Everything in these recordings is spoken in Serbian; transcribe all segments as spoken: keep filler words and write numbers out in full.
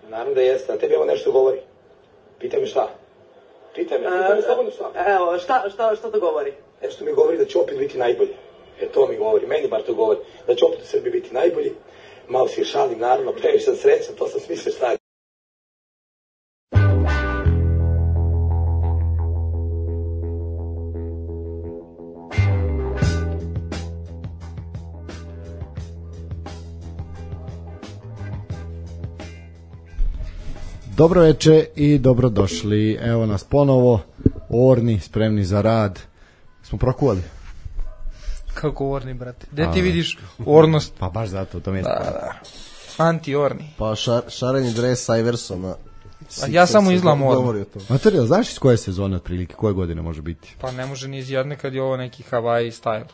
Naravno da jeste, a tebi ovo nešto govori. Pitaj me šta? Pitaj me, pitaj me slobodno šta? Evo, šta, šta, šta to govori? Nešto mi govori da će opet biti najbolji. E to mi govori, meni bar to govori. Da će opet u Srbiji biti najbolji. Malo si je šalim, naravno, previše sam srećan, to sam smislio šta je. Dobro veče i dobrodošli. Evo nas ponovo, orni, spremni za rad. Smo prokuvali? Kako orni, brate? Gde ti vidiš ornost? Pa baš zato, to mi je da, da. Anti-orni. Pa šar, šareni dres sa Iversona. A ja samo izgledam orni. Materijal, znaš iz koje sezone otprilike, koje godine može biti? Pa ne može ni iz jedne kad je ovo neki Hawaii style.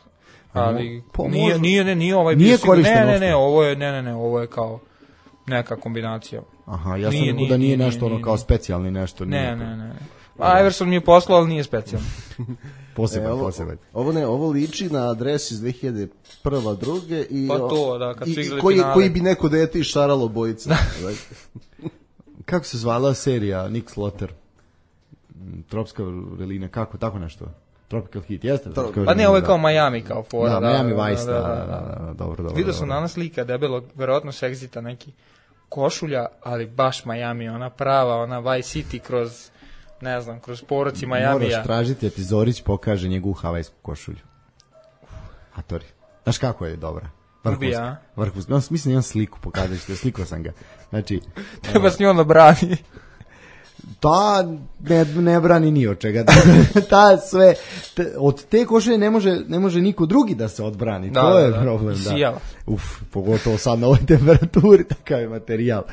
Ali pa, nije, može... nije, ne, nije ovaj nije bio ne, ne, ne, ne, ovo je, ne, ne, ne, ovo je kao neka kombinacija. Aha, ja sam rekao da nije nešto ono kao specijalni nešto. Ne, ne, ne. A Iverson mi je poslao, ali nije specijalno. Poseban, e, ovo, poseban. Ovo ne, ovo liči na adres iz dve hiljade prve druge i pa to, da, kad su igrali koji, finale. koji bi neko dete išaralo bojice. Kako se zvala serija Nick Slaughter? Tropska vrelina, kako, tako nešto? Tropical Heat, jeste? Pa ne, ovo je kao Miami, kao fora. Da, da, Miami da, Vice, da, da, da, da, da, da, dobro, dobro. Vidio sam danas slika debelog, verovatno s Exita neki košulja, ali baš Miami, ona prava, ona Vice City kroz, ne znam, kroz poroci Miamija. Moraš tražiti, a ti Zorić pokaže njegovu havajsku košulju. A tori, znaš kako je dobra? Ubija. Vrhunski. No, mislim, imam sliku, pokazat ću te, slikao sam ga. Znači... Treba s njom da brani. Ta ne, ne brani ni od čega. Ta sve, te, od te košulje ne može, ne može niko drugi da se odbrani. Da, to da, je da. problem. Sijala. Da. Uf, pogotovo sad na ovoj temperaturi, takav je materijal.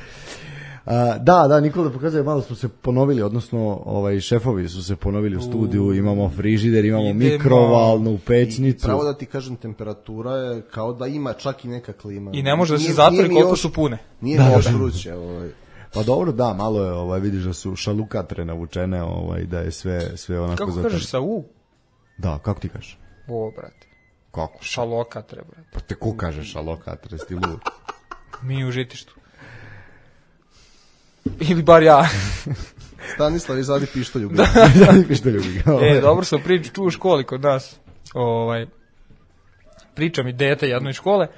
Uh, da, da, Nikola pokazuje, malo smo se ponovili, odnosno ovaj, šefovi su se ponovili u studiju, imamo frižider, imamo Idemo. mikrovalnu pećnicu. I pravo da ti kažem, temperatura je kao da ima čak i neka klima. I ne može da se zatvori koliko još, su pune. Nije da, još vruće. Ovaj. Pa dobro, da, malo je, ovaj, vidiš da su šalukatre navučene, ovaj, da je sve, sve onako... Kako zatvori. kažeš sa U? Da, kako ti kažeš? O, brate. Kako? Šalokatre, brate. Pa te ko kaže šalokatre, sti lud? Mi u Žitištu. Ili bar ja. Stanislav izvadi pištolju. Da, izvadi pištolju. E, dobro sam priču tu u školi kod nas. Ovaj, priča mi dete jednoj škole.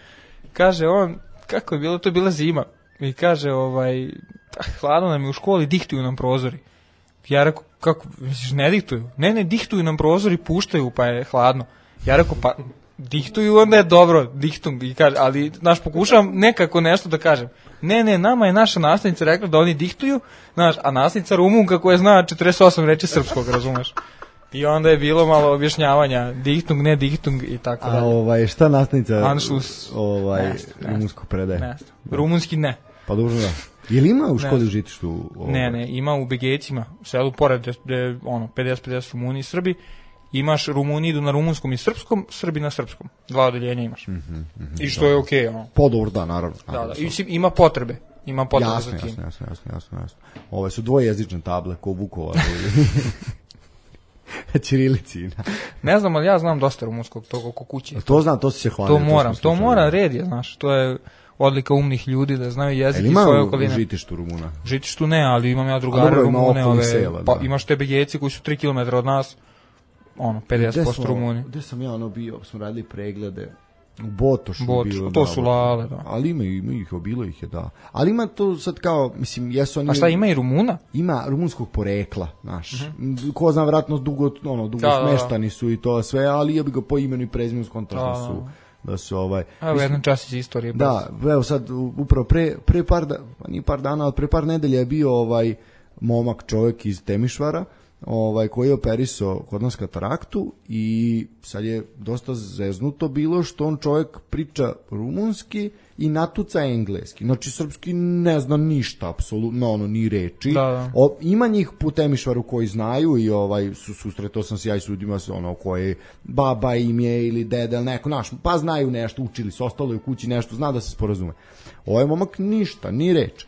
Kaže on, kako je bilo, to je bila zima. I kaže, ovaj, hladno nam je u školi, dihtuju nam prozori. Ja rekao, kako, misliš, ne dihtuju? Ne, ne, dihtuju nam prozori, puštaju, pa je hladno. Ja rekao, pa dihtuju, onda je dobro, dihtung. I kaže, ali, znaš, pokušavam nekako nešto da kažem. Ne, ne, nama je naša nastavnica rekla da oni dihtuju, znaš, a nastavnica Rumunka koja zna četrdeset osam reči srpskog, razumeš? I onda je bilo malo objašnjavanja, dihtung, ne dihtung i tako dalje. A ovaj, šta nastavnica Anšlus, ovaj, rumunsko predaje? Ne, rumunski ne. Pa dužno da. Je li ima u školi u Žitištu? Ovaj? Ne, ne, ima u Begejcima, u selu pored, gde ono, pedeset pedeset Rumuni i Srbi. Imaš Rumuni idu na rumunskom i srpskom, Srbi na srpskom. Dva odeljenja imaš. Mm -hmm, mm -hmm, I što da. je okej, okay, ono. Podobro, da, naravno. Da, da, i ima potrebe. Ima potrebe jasno, za tim. Jasno, jasno, jasno, jasno, jasno. Ove su dvojezične table, ko Vukovar. Ćirilici. Ne znam, ali ja znam dosta rumunskog, to oko kuće. To znam, to si se hvalio. To moram, to, to mora, red je, znaš, to je odlika umnih ljudi da znaju jezik i svoje okoline. Ima u Žitištu Rumuna? Žitištu ne, ali imam ja drugare Rumune, ove, sela, pa imaš te Begejci koji su tri kilometra od nas, ono, pedeset posto Rumuni. Gde sam ja ono bio, smo radili preglede, u Botošu Botoš, bilo. To da, su lale, da. Ali ima, ima ih, bilo ih je, da. Ali ima to sad kao, mislim, jesu oni... A šta, ima i Rumuna? Ima rumunskog porekla, znaš. Uh-huh. Ko zna, vratno dugo, ono, dugo da, smeštani su i to sve, ali ja bi ga po imenu i prezimenu skontao da su... da su ovaj evo jedan čas iz istorije. Da, evo sad upravo pre pre par da, pa nije par dana, od pre par nedelja je bio ovaj momak, čovjek iz Temišvara, ovaj koji je operisao kod nas kataraktu i sad je dosta zeznuto bilo što on čovjek priča rumunski i natuca engleski. Znači srpski ne zna ništa, apsolutno ono ni reči. Da, da. O, ima njih po Temišvaru koji znaju i ovaj su susretao sam se ja i s ljudima ono koje baba im je ili deda ili neko naš, pa znaju nešto, učili su, ostalo je u kući nešto, zna da se sporazume. Ovaj momak ništa, ni reč.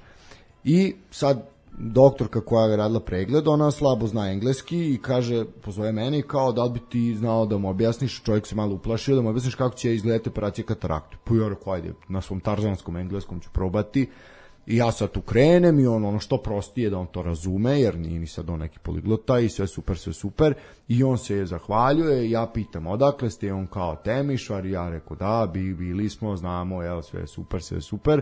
I sad doktorka koja je radila pregled, ona slabo zna engleski i kaže, pozove mene i kao da li bi ti znao da mu objasniš, čovjek se malo uplašio, da mu objasniš kako će izgledati operacija katarakte. Pa ja rekao, ajde, na svom tarzanskom engleskom ću probati. I ja sad tu krenem i on ono što prostije da on to razume, jer nije ni sad on neki poliglota i sve super, sve super. I on se zahvaljuje, ja pitam odakle ste, on kao Temišvar, i ja rekao da, bi, bili smo, znamo, evo, sve super, sve super.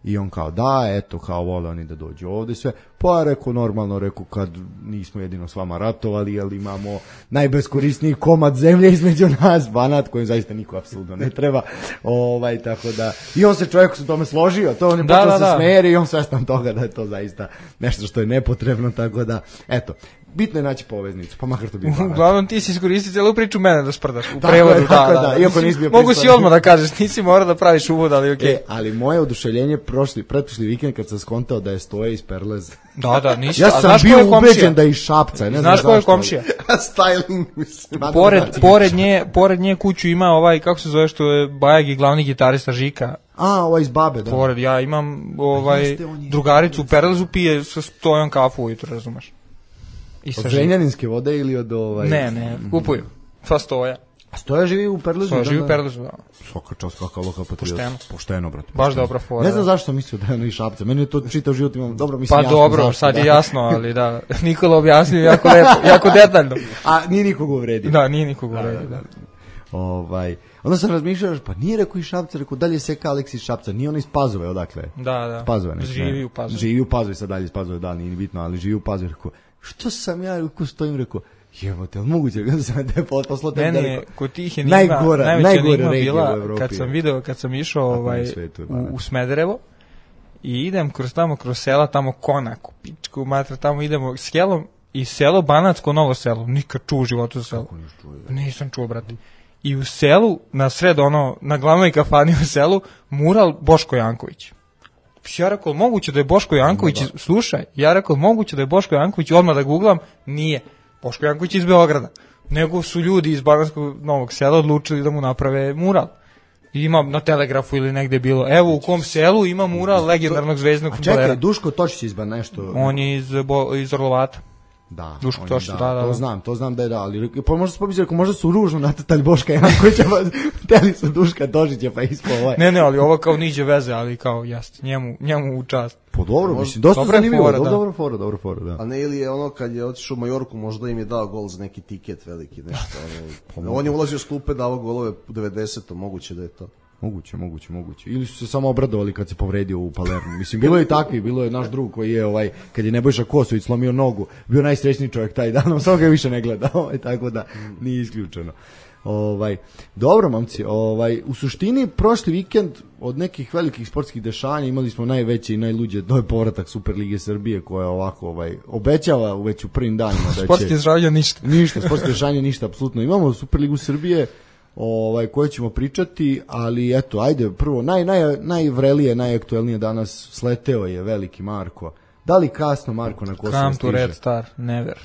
I on kao da, eto, kao vole oni da dođu ovde sve. Pa ja rekao normalno, rekao kad nismo jedino s vama ratovali, jer imamo najbeskorisniji komad zemlje između nas, Banat, kojim zaista niko apsolutno ne treba. Ovaj, tako da, i on se čovjek u tome složio, to on je počeo se smeri i on svestan toga da je to zaista nešto što je nepotrebno, tako da, eto. Bitno je naći poveznicu, pa makar to bi Banat. Uglavnom ti si iskoristiti celu priču mene da sprdaš u prevodu. Tako da, da, da, iako nisi bio mogu si odmah da kažeš, nisi morao da praviš uvod, ali okej. Okay. E, ali moje oduševljenje prošli, pretprošli vikend kad sam skontao da je Stoje iz Perlez. Da, da, nisi. Ja sam bio ubeđen da je iz Šapca, ne znam znaš ko je komšija? Styling. Pored, pored, nje, pored nje kuću ima ovaj, kako se zove, što je Bajag i glavni gitarista Žika. A, ovaj iz Babe, da. Pored, ja imam ovaj, drugaricu u Perlezu, pije sa Stojom kafu ujutro, razumeš? I od Zrenjaninske vode ili od ovaj... Ne, ne, kupuju. Pa Stoja. A Stoja živi u Perlezu? Stoja živi u Perlezu, da. Svaka čast, kakva lokalna patriota. Pošteno. Pošteno, brate. Baš dobra fora. Ne znam zašto sam mislio da je ono iz Šapca. Meni je to čitav život imam, dobro, mislim pa jasno. Pa dobro, zašto, sad da. Je jasno, ali da. Nikola objasnio jako lepo, jako detaljno. A nije nikog uvredio. Da, nije nikog uvredio, da. da. Ovaj, onda sam razmišljao, pa nije rekao iz Šapca, rekao dalje je Seka Aleks iz Šapca, nije on iz Pazove, odakle? Da, da. Pazove, ne, živi u Pazovi. Živi u Pazovi, sad dalje iz Pazove, da, nije bitno, ali živi u Pazovi, rekao, što sam ja, rekao, stojim, rekao, jebote, ali moguće da sam te poslao te meni je kod tih enigma, najgora, najveća najgora enigma bila kad sam video, kad sam išao ovaj, svetu, u, u Smederevo i idem kroz tamo, kroz sela, tamo Konaku, pičku, matra, tamo idemo s helom i selo Banatsko Novo selo, nikad čuo u životu za selo. Nisam čuo, brate. I u selu, na sred ono, na glavnoj kafani u selu, mural Boško Janković. Ja rekao, moguće da je Boško Janković, iz... slušaj, ja rekao, moguće da je Boško Janković, odmah da googlam, nije. Boško Janković iz Beograda. Nego su ljudi iz Banatskog Novog sela odlučili da mu naprave mural. I ima na Telegrafu ili negde bilo, evo u kom selu ima mural legendarnog zvezdnog fudbalera. Čekaj, Duško Točić izba nešto. On je iz, bo, iz Orlovata. Da, Duško Tošić, da, da, da, to znam, to znam da je da, ali pa možda se pomisli, ako možda su ružno natatali Boška Jankovića, pa teli su Duška Tošića, pa ispo ovaj. Ne, ne, ali ovo kao niđe veze, ali kao jeste, njemu, njemu u čast. Po dobro, mislim, dosta zanimljivo, dobro, dobro fora, dobro fora, da. A ne, ili je ono kad je otišao u Majorku, možda im je dao gol za neki tiket veliki, nešto, ono, on je ulazio s klupe, davao golove u devedesetom, moguće da je to. Moguće, moguće, moguće. Ili su se samo obradovali kad se povredio u Palermu. Mislim, bilo je i takvi, bilo je naš drug koji je, ovaj, kad je Nebojša Kosović slomio nogu, bio najsrećniji čovjek taj dan, on samo ga više ne gleda, ovaj, tako da nije isključeno. Ovaj, dobro, momci, ovaj, u suštini, prošli vikend od nekih velikih sportskih dešanja imali smo najveće i najluđe, to je povratak Superlige Srbije koja ovako ovaj, obećava već u prvim danima da će... Sportski dešanja ništa. Ništa, sportski dešanja ništa, apsolutno. Imamo Superligu Srbije, ovaj, koje ćemo pričati, ali eto, ajde, prvo, naj, naj, najvrelije, najaktuelnije danas sleteo je veliki Marko. Da li kasno Marko na Kosovo Come stiže? to Red Star, never.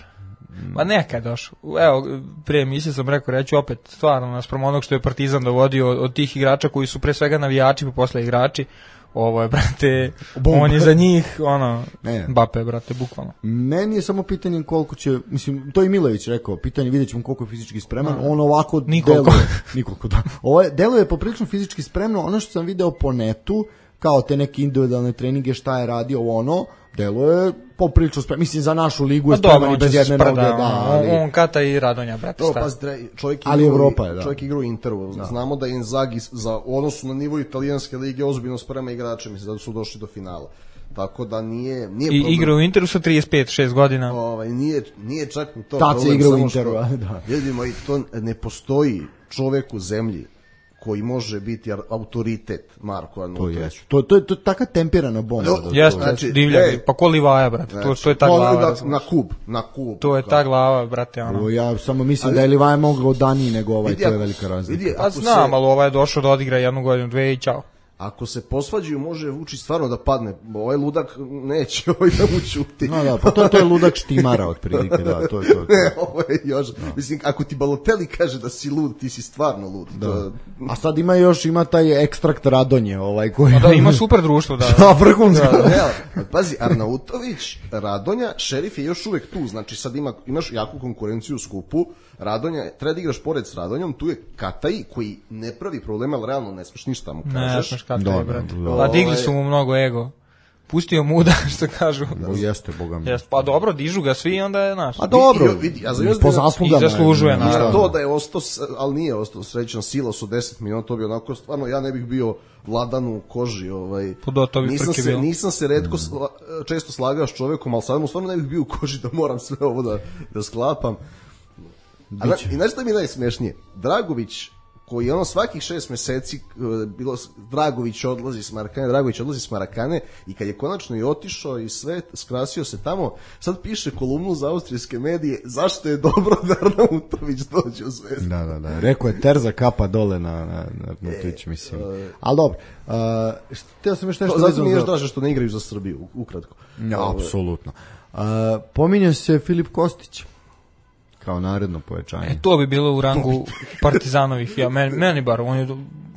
Ma nekad došao. Evo, pre emisije sam rekao, reću opet, stvarno, naspram onog što je Partizan dovodio od, od tih igrača koji su pre svega navijači, pa posle igrači, ovo je, brate, Bum. On je za njih, ono, ne. Bape, brate, bukvalno. Meni je samo pitanje koliko će, mislim, to i Milović rekao, pitanje, vidjet ćemo koliko je fizički spreman, A, on ovako nikoliko. deluje, nikoliko, da. Ovo je, deluje poprilično fizički spremno, ono što sam video po netu, kao te neke individualne treninge, šta je radio, ono, deluje poprilično spremno, mislim, za našu ligu je spreman i bez jedne noge, da, ali... On kata i Radonja, brate, šta? Pa, čovjek ali Evropa je, da. Čovjek igra u Interu, da. Znamo da je Inzaghi za odnosu na nivo italijanske lige ozbiljno sprema igrače, mislim da su došli do finala. Tako da nije nije I igra u Interu sa trideset pet šest godina. Ovaj nije nije čak ni to. Tad se igra u Interu, da. Vidimo i to ne postoji čovjek u zemlji koji može biti autoritet Marko Arnautović. To je to je to taka temperana bomba. Jeste, znači divlja, pa ko Livaja, brate. Znači, to to je ta glava. Na kub, na kub. To je ta glava, brate, ono. Ja samo mislim ali, da je Livaja mogao Dani nego ovaj, vidi, to je velika razlika. Vidi, a znam, ali ovaj je došao da odigra jednu godinu, dve i ćao. ako se posvađaju, može Vučić stvarno da padne. Ovaj ludak neće ovaj da mu ćuti. No, da, pa to, to je ludak štimara otprilike, da, to je to. to. Ne, ovo je još, da. Mislim, ako ti Balotelli kaže da si lud, ti si stvarno lud. Da. To... A sad ima još, ima taj ekstrakt Radonje, ovaj koji... A da, ima super društvo, da. Da, vrhunsko. Da, ne, pazi, Arnautović, Radonja, Šerif je još uvek tu, znači sad ima, imaš jaku konkurenciju u skupu, Radonja, treba da igraš pored s Radonjom, tu je Kataj koji ne pravi problema, ali realno ne smeš ništa mu kažeš. Ne smeš Kataj, brate. da. Pa digli su mu mnogo ego. Pustio muda, što kažu. Da, jeste, boga mi. Jes, pa dobro, dižu ga svi, onda je naš. A dobro, I- i- vidi, ja znam- po zaslugama. I zaslužuje, je, naravno. I to da je ostao, s- ali nije ostao srećan, Silas u deset minuta, to bi onako, stvarno, ja ne bih bio Vladan u koži, ovaj. Pod to bi nisam frke se, bilo. nisam se retko sla, često slagao s čovekom, ali sad mu stvarno ne bih bio u koži da moram sve ovo da, da sklapam. A, na, I znaš šta mi je najsmešnije? Dragović, koji je ono svakih šest meseci uh, bilo, Dragović odlazi s Marakane, Dragović odlazi s Marakane i kad je konačno i otišao i sve, skrasio se tamo, sad piše kolumnu za austrijske medije zašto je dobro da Arnautović dođe u Zvezdu. Da, da, da. Rekao je Terza kapa dole na, na, na Arnautović, mislim. Ali dobro, uh, htio sam još nešto... To, zato vezano mi je još za- draže što ne igraju za Srbiju, u- ukratko. Ja, apsolutno. Uh, pominje se Filip Kostić kao naredno pojačanje. E, to bi bilo u rangu Partizanovih. Ja, meni, meni bar, on je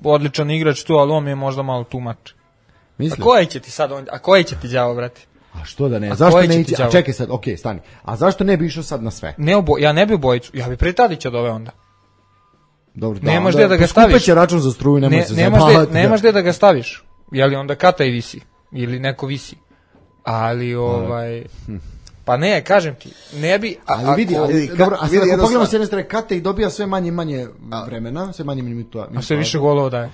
odličan igrač tu, ali on mi je možda malo tumač. A Misliš? koji će ti sad, on, a koji će ti đavo, brate? A što da ne? A Zašto koji će ne ti ići? A đavo? čekaj sad, okej, stani. A zašto ne bi išao sad na sve? Ne obo, ja ne bi bojicu, ja bi pre Tadića dove onda. Dobro, Nemaš onda gde da ga poskupeće staviš. račun za struju, nemoj Ne, se nemaš, zajebavati. gde, nemaš gde da ga staviš. Je li onda Kataj visi? Ili neko visi? Ali, ovaj... Pa ne, kažem ti, ne bi... A, Ali vidi, ako- ali, vidi, dobro, ka- a sad vidi ako jednu pogledamo stvar. s jedne strane, Kate i dobija sve manje i manje vremena, sve manje minuta. a sve više golova daje.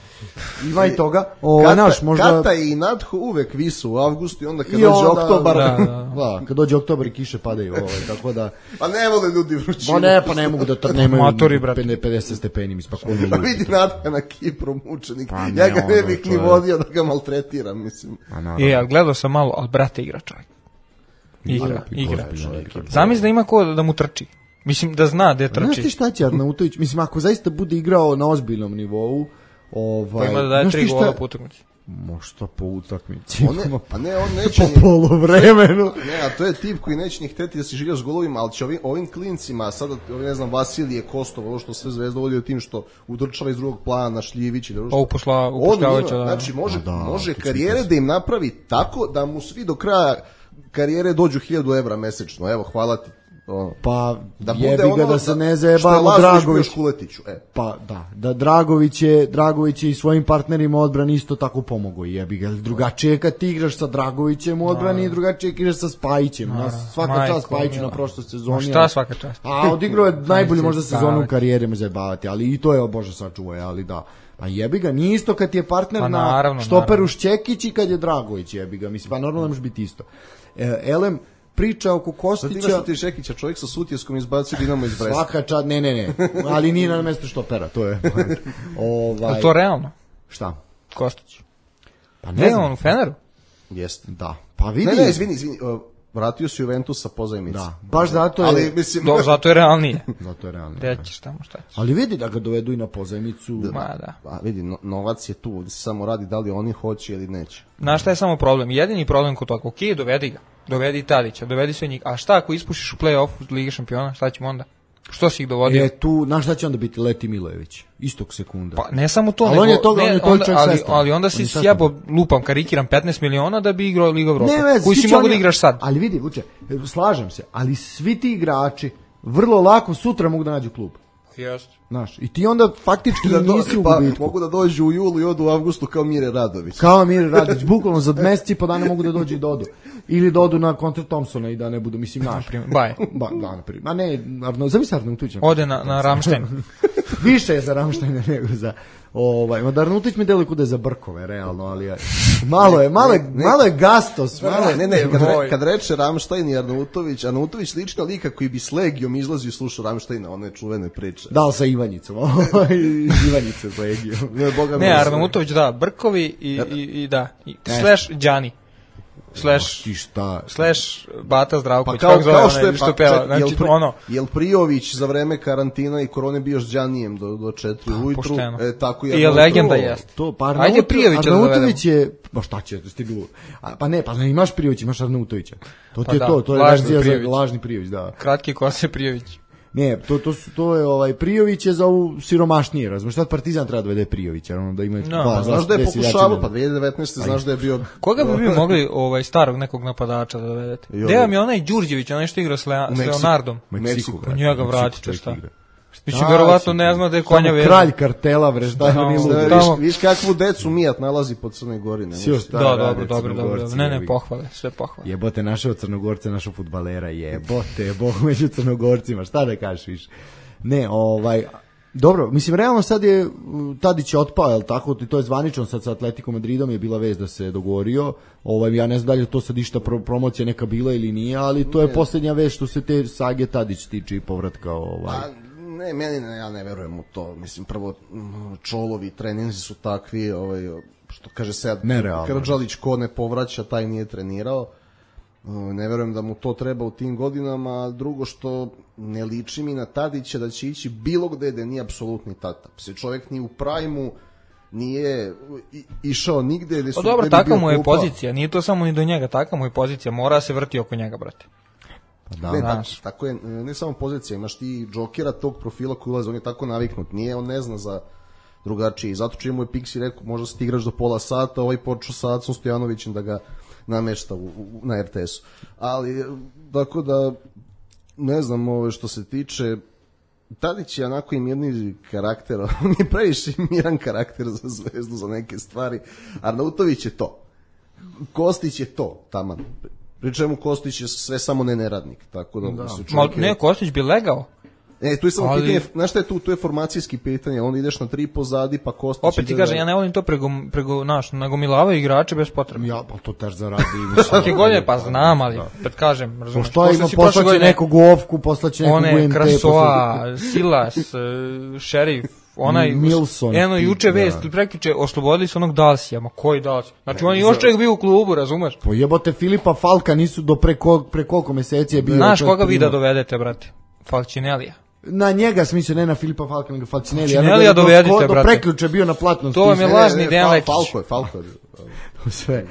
Ima i toga. O, Kata, naš, možda... Kata i Nadho uvek visu u avgustu i onda kad I dođe onda- oktobar... Da, da. Da, kad dođe oktobar i kiše padaju, ovaj, tako da... Pa ne vole ljudi vrućinu. Ma ne, pa ne mogu da tr... nemaju Matori, brate. pedeset stepeni, mislim, pa ko ne Pa ljudi. vidi Nadha na Kipru mučenik. Pa ne, ja ga ne ono, bih ni to je- vodio da ga maltretiram, mislim. A, naravno. E, ali gledao sam malo, ali brate igra čovjek. Igra, I igra. ozbiljno igra. Zamisli da ima ko da mu trči. Mislim da zna gde Znaš ti trči. šta će Arnautović? Mislim, ako zaista bude igrao na ozbiljnom nivou, ovaj... Pa ima da daje znaš tri ti šta- gola po utakmici. Možda po utakmici. On ne, pa ne, on neće Po ni... polovremenu. Ne, a to je tip koji neće ni hteti da se žiga s golovima, ali će ovim, ovim klincima, sada, ovi, ne znam, Vasilije, Kostov, ovo što sve Zvezda vodi od tim što udrčava iz drugog plana, Šljivić i da Pa uposla, on ima, upošljavajuća, da. znači može, Da, može to će karijere biti- da im napravi tako da mu svi do kraja karijere dođu hiljadu evra mesečno, evo, hvala ti. Ono. Pa Da jebi bude ga ono da se ne što je zajebamo Lazović bio Dragović. Škuletiću, e. Pa da, da Dragović je, Dragović je i svojim partnerima u odbrani isto tako pomogao, jebi ga. Drugačije je kad ti igraš sa Dragovićem u odbrani i drugačije je kad igraš sa Spajićem. Nas svaka Majko, čast Spajiću mila. na prošloj Ma sezoni. šta ali- svaka čast? A odigrao je najbolju možda se sezonu u zajebavati. karijeri, me zajebavati, ali i to je, o Bože, sačuvaj, ali da. A jebi ga, nije isto kad ti je partner Pa na naravno, štoperu naravno. Šćekić i kad je Dragović, jebi ga. Mislim, pa normalno ne može biti isto. E, Elem, priča oko Sad Kostića... imaš što ti Šekića, čovjek sa Sutjeskom izbacio Dinamo iz Bresta. Svaka čast, ne, ne, ne, ali nije na mesto štopera, to je. ovaj, Je to realno? šta? Kostić. Pa Ne, ne znam. on u Feneru? Jeste. Da, pa vidi. Ne, ne, izvini, izvini, uh, vratio se Juventus sa pozajmice. Da, baš zato je, Ali, mislim, Do, zato je realnije. zato je realno. Gde ćeš tamo, šta ćeš? Ali vidi da ga dovedu i na pozajmicu. Ma da. a, vidi, no, novac je tu, ovdje se samo radi da li oni hoće ili neće. Znaš šta je samo problem? Jedini problem kod toga, ok, dovedi ga. Dovedi Tadića, dovedi sve njih. A šta ako ispušiš u play-off Lige šampiona, šta ćemo onda? Što si ih dovodio? Je tu, znaš šta će onda biti Leti Milojević, istog sekunda. Pa ne samo to, Ali nego, on je toga- ne, on je toliko onda, čovjek ali, svestan. ali onda On si je svestan. sjebo, lupam, karikiram petnaest miliona da bi igrao Liga Evropa. Ne veze, koji svi si će mogu oni- da igraš sad. Ali vidi, Vuče, slažem se, ali svi ti igrači vrlo lako sutra mogu da nađu klub. Jeste. Znaš, i ti onda faktički Da do- nisi u pa, gubitku. mogu da dođu u julu i odu u avgustu kao Mire Radović. Kao Mir Radić, bukvalno za mesec i po dana mogu da dođu i da odu. Ili da odu na kontra Thompsona i da ne budu, mislim, naš. Baje. Ba, da, na primjer. Ma ne, Arno, zamisli Arnautović. Ode na, na Ramštajn. Više je za Ramštajna nego za... Ovaj, ma da Arnautović mi deluje kuda je za Brkove, realno, ali je, malo je, malo je, malo je gastos, malo je... Ne, ne, kad, Moj. re, kad reče Ramštajn i Arnautović, Arnautović liči na lika koji bi s Legijom izlazio i slušao Ramštajna, one čuvene priče. Da, ali sa Ivanjicom, ovaj, Ivanjice sa Egijom. Ne, Boga Ne, mi, Arnautović, da, Brkovi i, i, i da, i, slash Đani. slash, ti šta? slash Bata Zdravković, Pa kao, kako zove kao što je, onaj što pa, peva, ček, znači jel, pri, ono, jel Prijović za vreme karantina i korone bio s Đanijem do, do četiri ujutru, pošteno. e, tako I je. je legenda jest. To, pa Ajde Arnautović, Prijovića da Arnautović je, pa šta će, ti bilo, a, pa ne, pa ne imaš Prijović, imaš Arnautovića. To ti Pa je da, to, to je lažni verzija za Prijović. lažni Prijović, da. Kratki kose Prijović. Ne, to, to, su, to je ovaj Prijović je za ovu siromašnije, razumiješ, sad Partizan treba da vede Prijovića, ono da ima No, dva, Znaš da je deset pokušavao, seljačina. pa dvije hiljade devetnaeste znaš da je bio... Koga bi vi mogli ovaj starog nekog napadača da dovedete? Jo. Gde vam je onaj Đurđević, onaj što igra s, Lea, s Meksiku. Leonardom? U Meksiku, Meksiku, pa brate, njega u Meksiku vratite, čovjek šta? igra. Mislim, verovatno ne zna da je konja Samo vezan. kralj kartela, bre, šta je Tamo- ni Šta, lud. viš, Tamo- viš kakvu decu Mijat nalazi po Crnoj Gori, ne Sio možeš- šta Da, rade dobro, dobro, dobro, Crnogorci, dobro. Ne, ne, jebi. pohvale, sve pohvale. Jebote, našao Crnogorce, našao fudbalera, jebote, bog među Crnogorcima, šta da kažeš više. Ne, ovaj, dobro, mislim, realno sad je, m, Tadić je otpao, jel tako, to je zvanično sad sa Atletico Madridom je bila vez da se dogovorio, ovaj, ja ne znam da li je to sad išta pro, promocija neka bila ili nije, ali to je posljednja vez što se te sage Tadić tiče i povratka, ovaj. A, ne, meni ne, ja ne verujem u to. Mislim, prvo, m, Čolovi treninzi su takvi, ovaj, što kaže Sead, Nerealno. Karadžalić ko ne povraća, taj nije trenirao. E, Ne verujem da mu to treba u tim godinama, a drugo što ne liči mi na Tadića da će ići bilo gde da nije apsolutni tata. Se čovjek ni u prajmu nije i- išao nigde gde su... Pa dobro, gde bi taka bio mu je klupa. pozicija, nije to samo ni do njega, taka mu je pozicija, mora se vrti oko njega, brate. Pa da, Ne, da. tako, Znaš. tako je, ne samo pozicija, imaš ti džokera tog profila koji ulaze, on je tako naviknut, nije, on ne zna za drugačiji, zato čemu je Pixi rekao, možda se ti igraš do pola sata, ovaj počeo sa Acom Stojanovićem da ga namešta u, u, na er te esu. Ali, tako da, ne znam, ove, što se tiče, Tadić je onako i mirni karakter, on je previše miran karakter za Zvezdu, za neke stvari, Arnautović je to. Kostić je to, taman. Pri čemu Kostić je sve samo ne neradnik, tako da, da. Se Ma, čovjek je- ne, Kostić bi legao. E, tu je samo Ali- pitanje, znaš šta je tu, tu je formacijski pitanje, onda ideš na tri pozadi, pa Kostić Opet ti ide kažem, da- ja ne volim to prego, prego naš, nagomilavaju igrače bez potrebe. Ja, pa to taš zaradi. mislim. Svake godine, pa znam, ali, pred kažem, razumeš. Što ima, si prošle poslaće godine nekog u Ovku, poslaće nekog u one em te. Krasoa, Silas, e, Šerif, onaj, Milson, eno, ti, juče da. vest, prekjuče, oslobodili su onog Dalsija, ma koji Dalsija? Znači, on je još čovjek bio u klubu, razumeš? Po jebote Filipa Falka nisu do pre, kol, pre koliko meseci je bio. Znaš čovjek koga vi da primao. dovedete, brate? Falcinelija. Na njega smislio, ne na Filipa Falka, nego Falcinelli. Falcinellija dovedite, do, do brate. preključe bio na platnom To vam je spisku. lažni Ne, Dejan Fal- Lekić. Falko je, Falko je. Sve.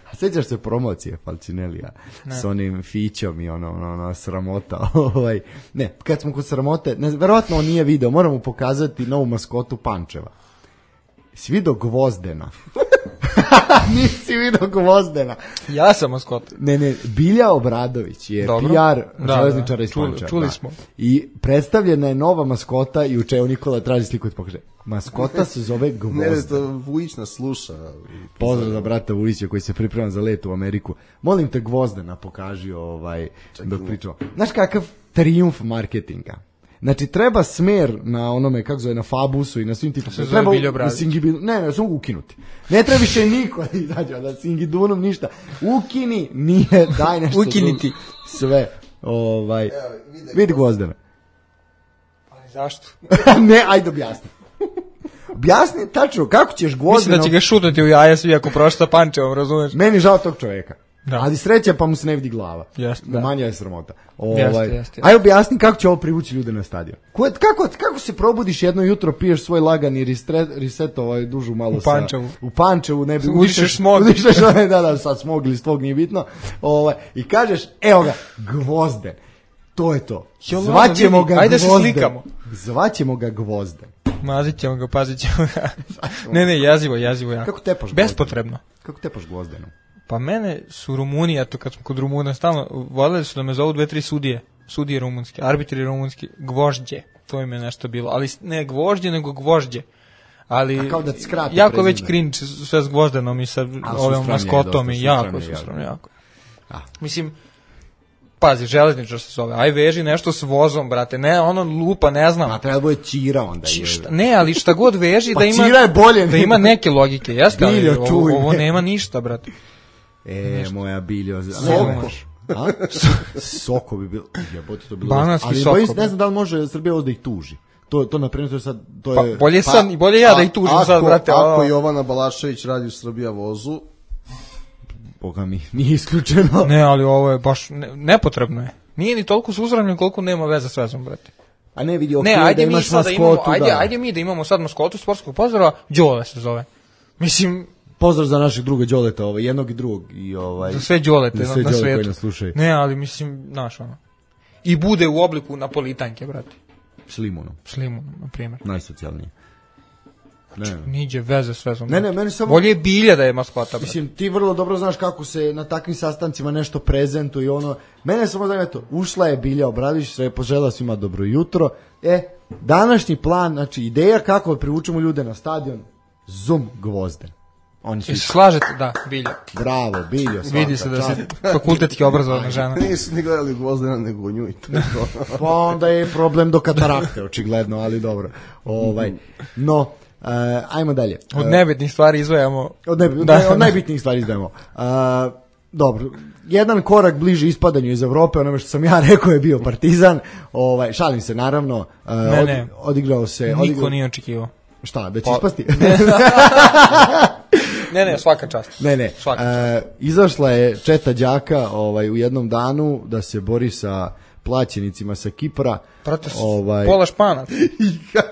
A sećaš se promocije Falcinellija s onim fićom i ono, ono, ono sramota. ovaj. Ne, kad smo kod sramote, ne, verovatno on nije video, moramo pokazati novu maskotu Pančeva. Si vidio Gvozdena? Nisi vidio Gvozdena. Ja sam maskot. Ne, ne, Bilja Obradović je Dobro. P R Da, železničara da. iz Čuli- Pančeva. čuli da. smo. I predstavljena je nova maskota i uče Nikola traži sliku da pokaže. Maskota se zove Ne, Gvozden. to Vujić nas sluša. Pozdrav za brata Vujića koji se priprema za let u Ameriku. Molim te Gvozdena pokaži ovaj, dok pričamo. Znaš kakav trijumf marketinga? Znači treba smer na onome, kako zove, na Fabusu i na svim tim... se zove treba u- Biljo Obradović. u Singibinu, ne, ne, samo ukinuti. Ne treba više niko da izađe, da Singidunom ništa. Ukini, nije, daj nešto. Ukiniti. drugo. Sve. Ovaj, vidi Gvozdena. Ali zašto? Ne, ajde objasni. Objasni tačno kako ćeš Mislim Gvozdena... da će ga šutati u jaja svi ako prošta sa Pančevom, razumeš? Meni žao tog čoveka. Da. Ali sreća pa mu se ne vidi glava. Jeste, Da. da. Manja je sramota. Jeste, Ovaj, jeste, jeste. Aj objasni kako će ovo privući ljude na stadion. Ko- Kako, kako se probudiš jedno jutro, piješ svoj lagani reset, reset ovaj dužu malo U sa- Pančevu. u Pančevu, ne bi Udišeš smog. Udišeš onaj, da, da, sad smog ili stvog nije bitno. Ovaj, i kažeš, evo ga, Gvozden. To je to. Jo, ladno, Zvaćemo vidi, ga ajde se Gvozden. slikamo. Zvaćemo ga Gvozden. Mazit ćemo ga, pazit ćemo ga. ne, ne, jezivo, jezivo jako. Kako tepaš Gvozdena? Bespotrebno. Kako tepaš Gvozdenom? Pa mene su Rumuni, eto kad smo kod Rumuna stalno, voljeli su da me zovu dve, tri sudije. Sudije rumunski, arbitri rumunski, gvožđe. To im je nešto bilo. Ali ne gvožđe, nego gvožđe. Ali A kao da ti skrate jako prezime. već cringe sve s Gvozdenom i sa A, ovim sustranje je maskotom dosta, i jako sustranje je sustrano, jako. jako. A. Mislim, pazi, železničar se zove, aj veži nešto s vozom, brate, ne, ono lupa, ne znam. A treba da bude Ćira onda. Či- je. šta- ne, ali šta god veži Pa da ima Ćira je bolje da ima nego- neke logike, jeste, ali Biljo, ovo, čuj ovo me. nema ništa, brate. E, moja Biljo. Soko. A? Soko bi bilo. Jebote, to bi bilo. Bananski ali soko, bojim se, bre. ne znam da li može Srbija ovo da ih tuži. To, to na primjer, to je sad... To Pa je, bolje sam i bolje ja da ih tužim ako, sad, brate. Ako ono. Jovana Balašević radi u Srbija vozu, boga mi, nije isključeno. Ne, ali ovo je baš ne, nepotrebno je. Nije ni toliko suzranjen koliko nema veze s vezom, brate. A ne vidi, ok, ne, ajde da mi imaš sad da maskotu, imamo, ajde, da. ajde mi da imamo sad maskotu sportskog pozdrava, Đole se zove. Mislim, pozdrav za našeg druga Đoleta, ovaj, jednog i drugog. I, ovaj, za sve Đolete za na, sve na Đole koji svetu. nas slušaju. Ne, ali mislim, znaš ono. I bude u obliku napolitanke, brate. S limunom. S limunom, na primjer. Najsocijalnije. Ne. Niđe veze s vezom. Ne, ne, meni samo... Bolje je bilja da je maskota, brate. Mislim, ti vrlo dobro znaš kako se na takvim sastancima nešto prezentuje i ono... Mene samo zanima to, ušla je Bilja Obradović, sve požela svima dobro jutro. E, današnji plan, znači ideja kako privučemo ljude na stadion, Zoom Gvozden. Oni su... I se slažete, da, bilja. Bravo, Biljo, svaka Vidi se da čast. se fakultetski obrazovana žena. Nisu ni gledali Gvozdena nego nju i to. Pa onda je problem do katarakte, očigledno, ali dobro. Ovaj, no, uh, ajmo dalje. Od nebitnih stvari izvajamo. Od, ne, Da. od najbitnijih stvari izdajemo. Uh, dobro, jedan korak bliže ispadanju iz Evrope, onome što sam ja rekao je bio Partizan. Ovaj, šalim se, naravno. Uh, Ne, ne. Od, odigrao se... Niko odigrao, nije očekivao. Šta, da će Pa- ispasti? Ne, ne, svaka čast. Ne, ne. Svaka E, izašla je četa đaka ovaj, u jednom danu da se bori sa plaćenicima sa Kipra. Brate, s- Ovaj, pola Španac.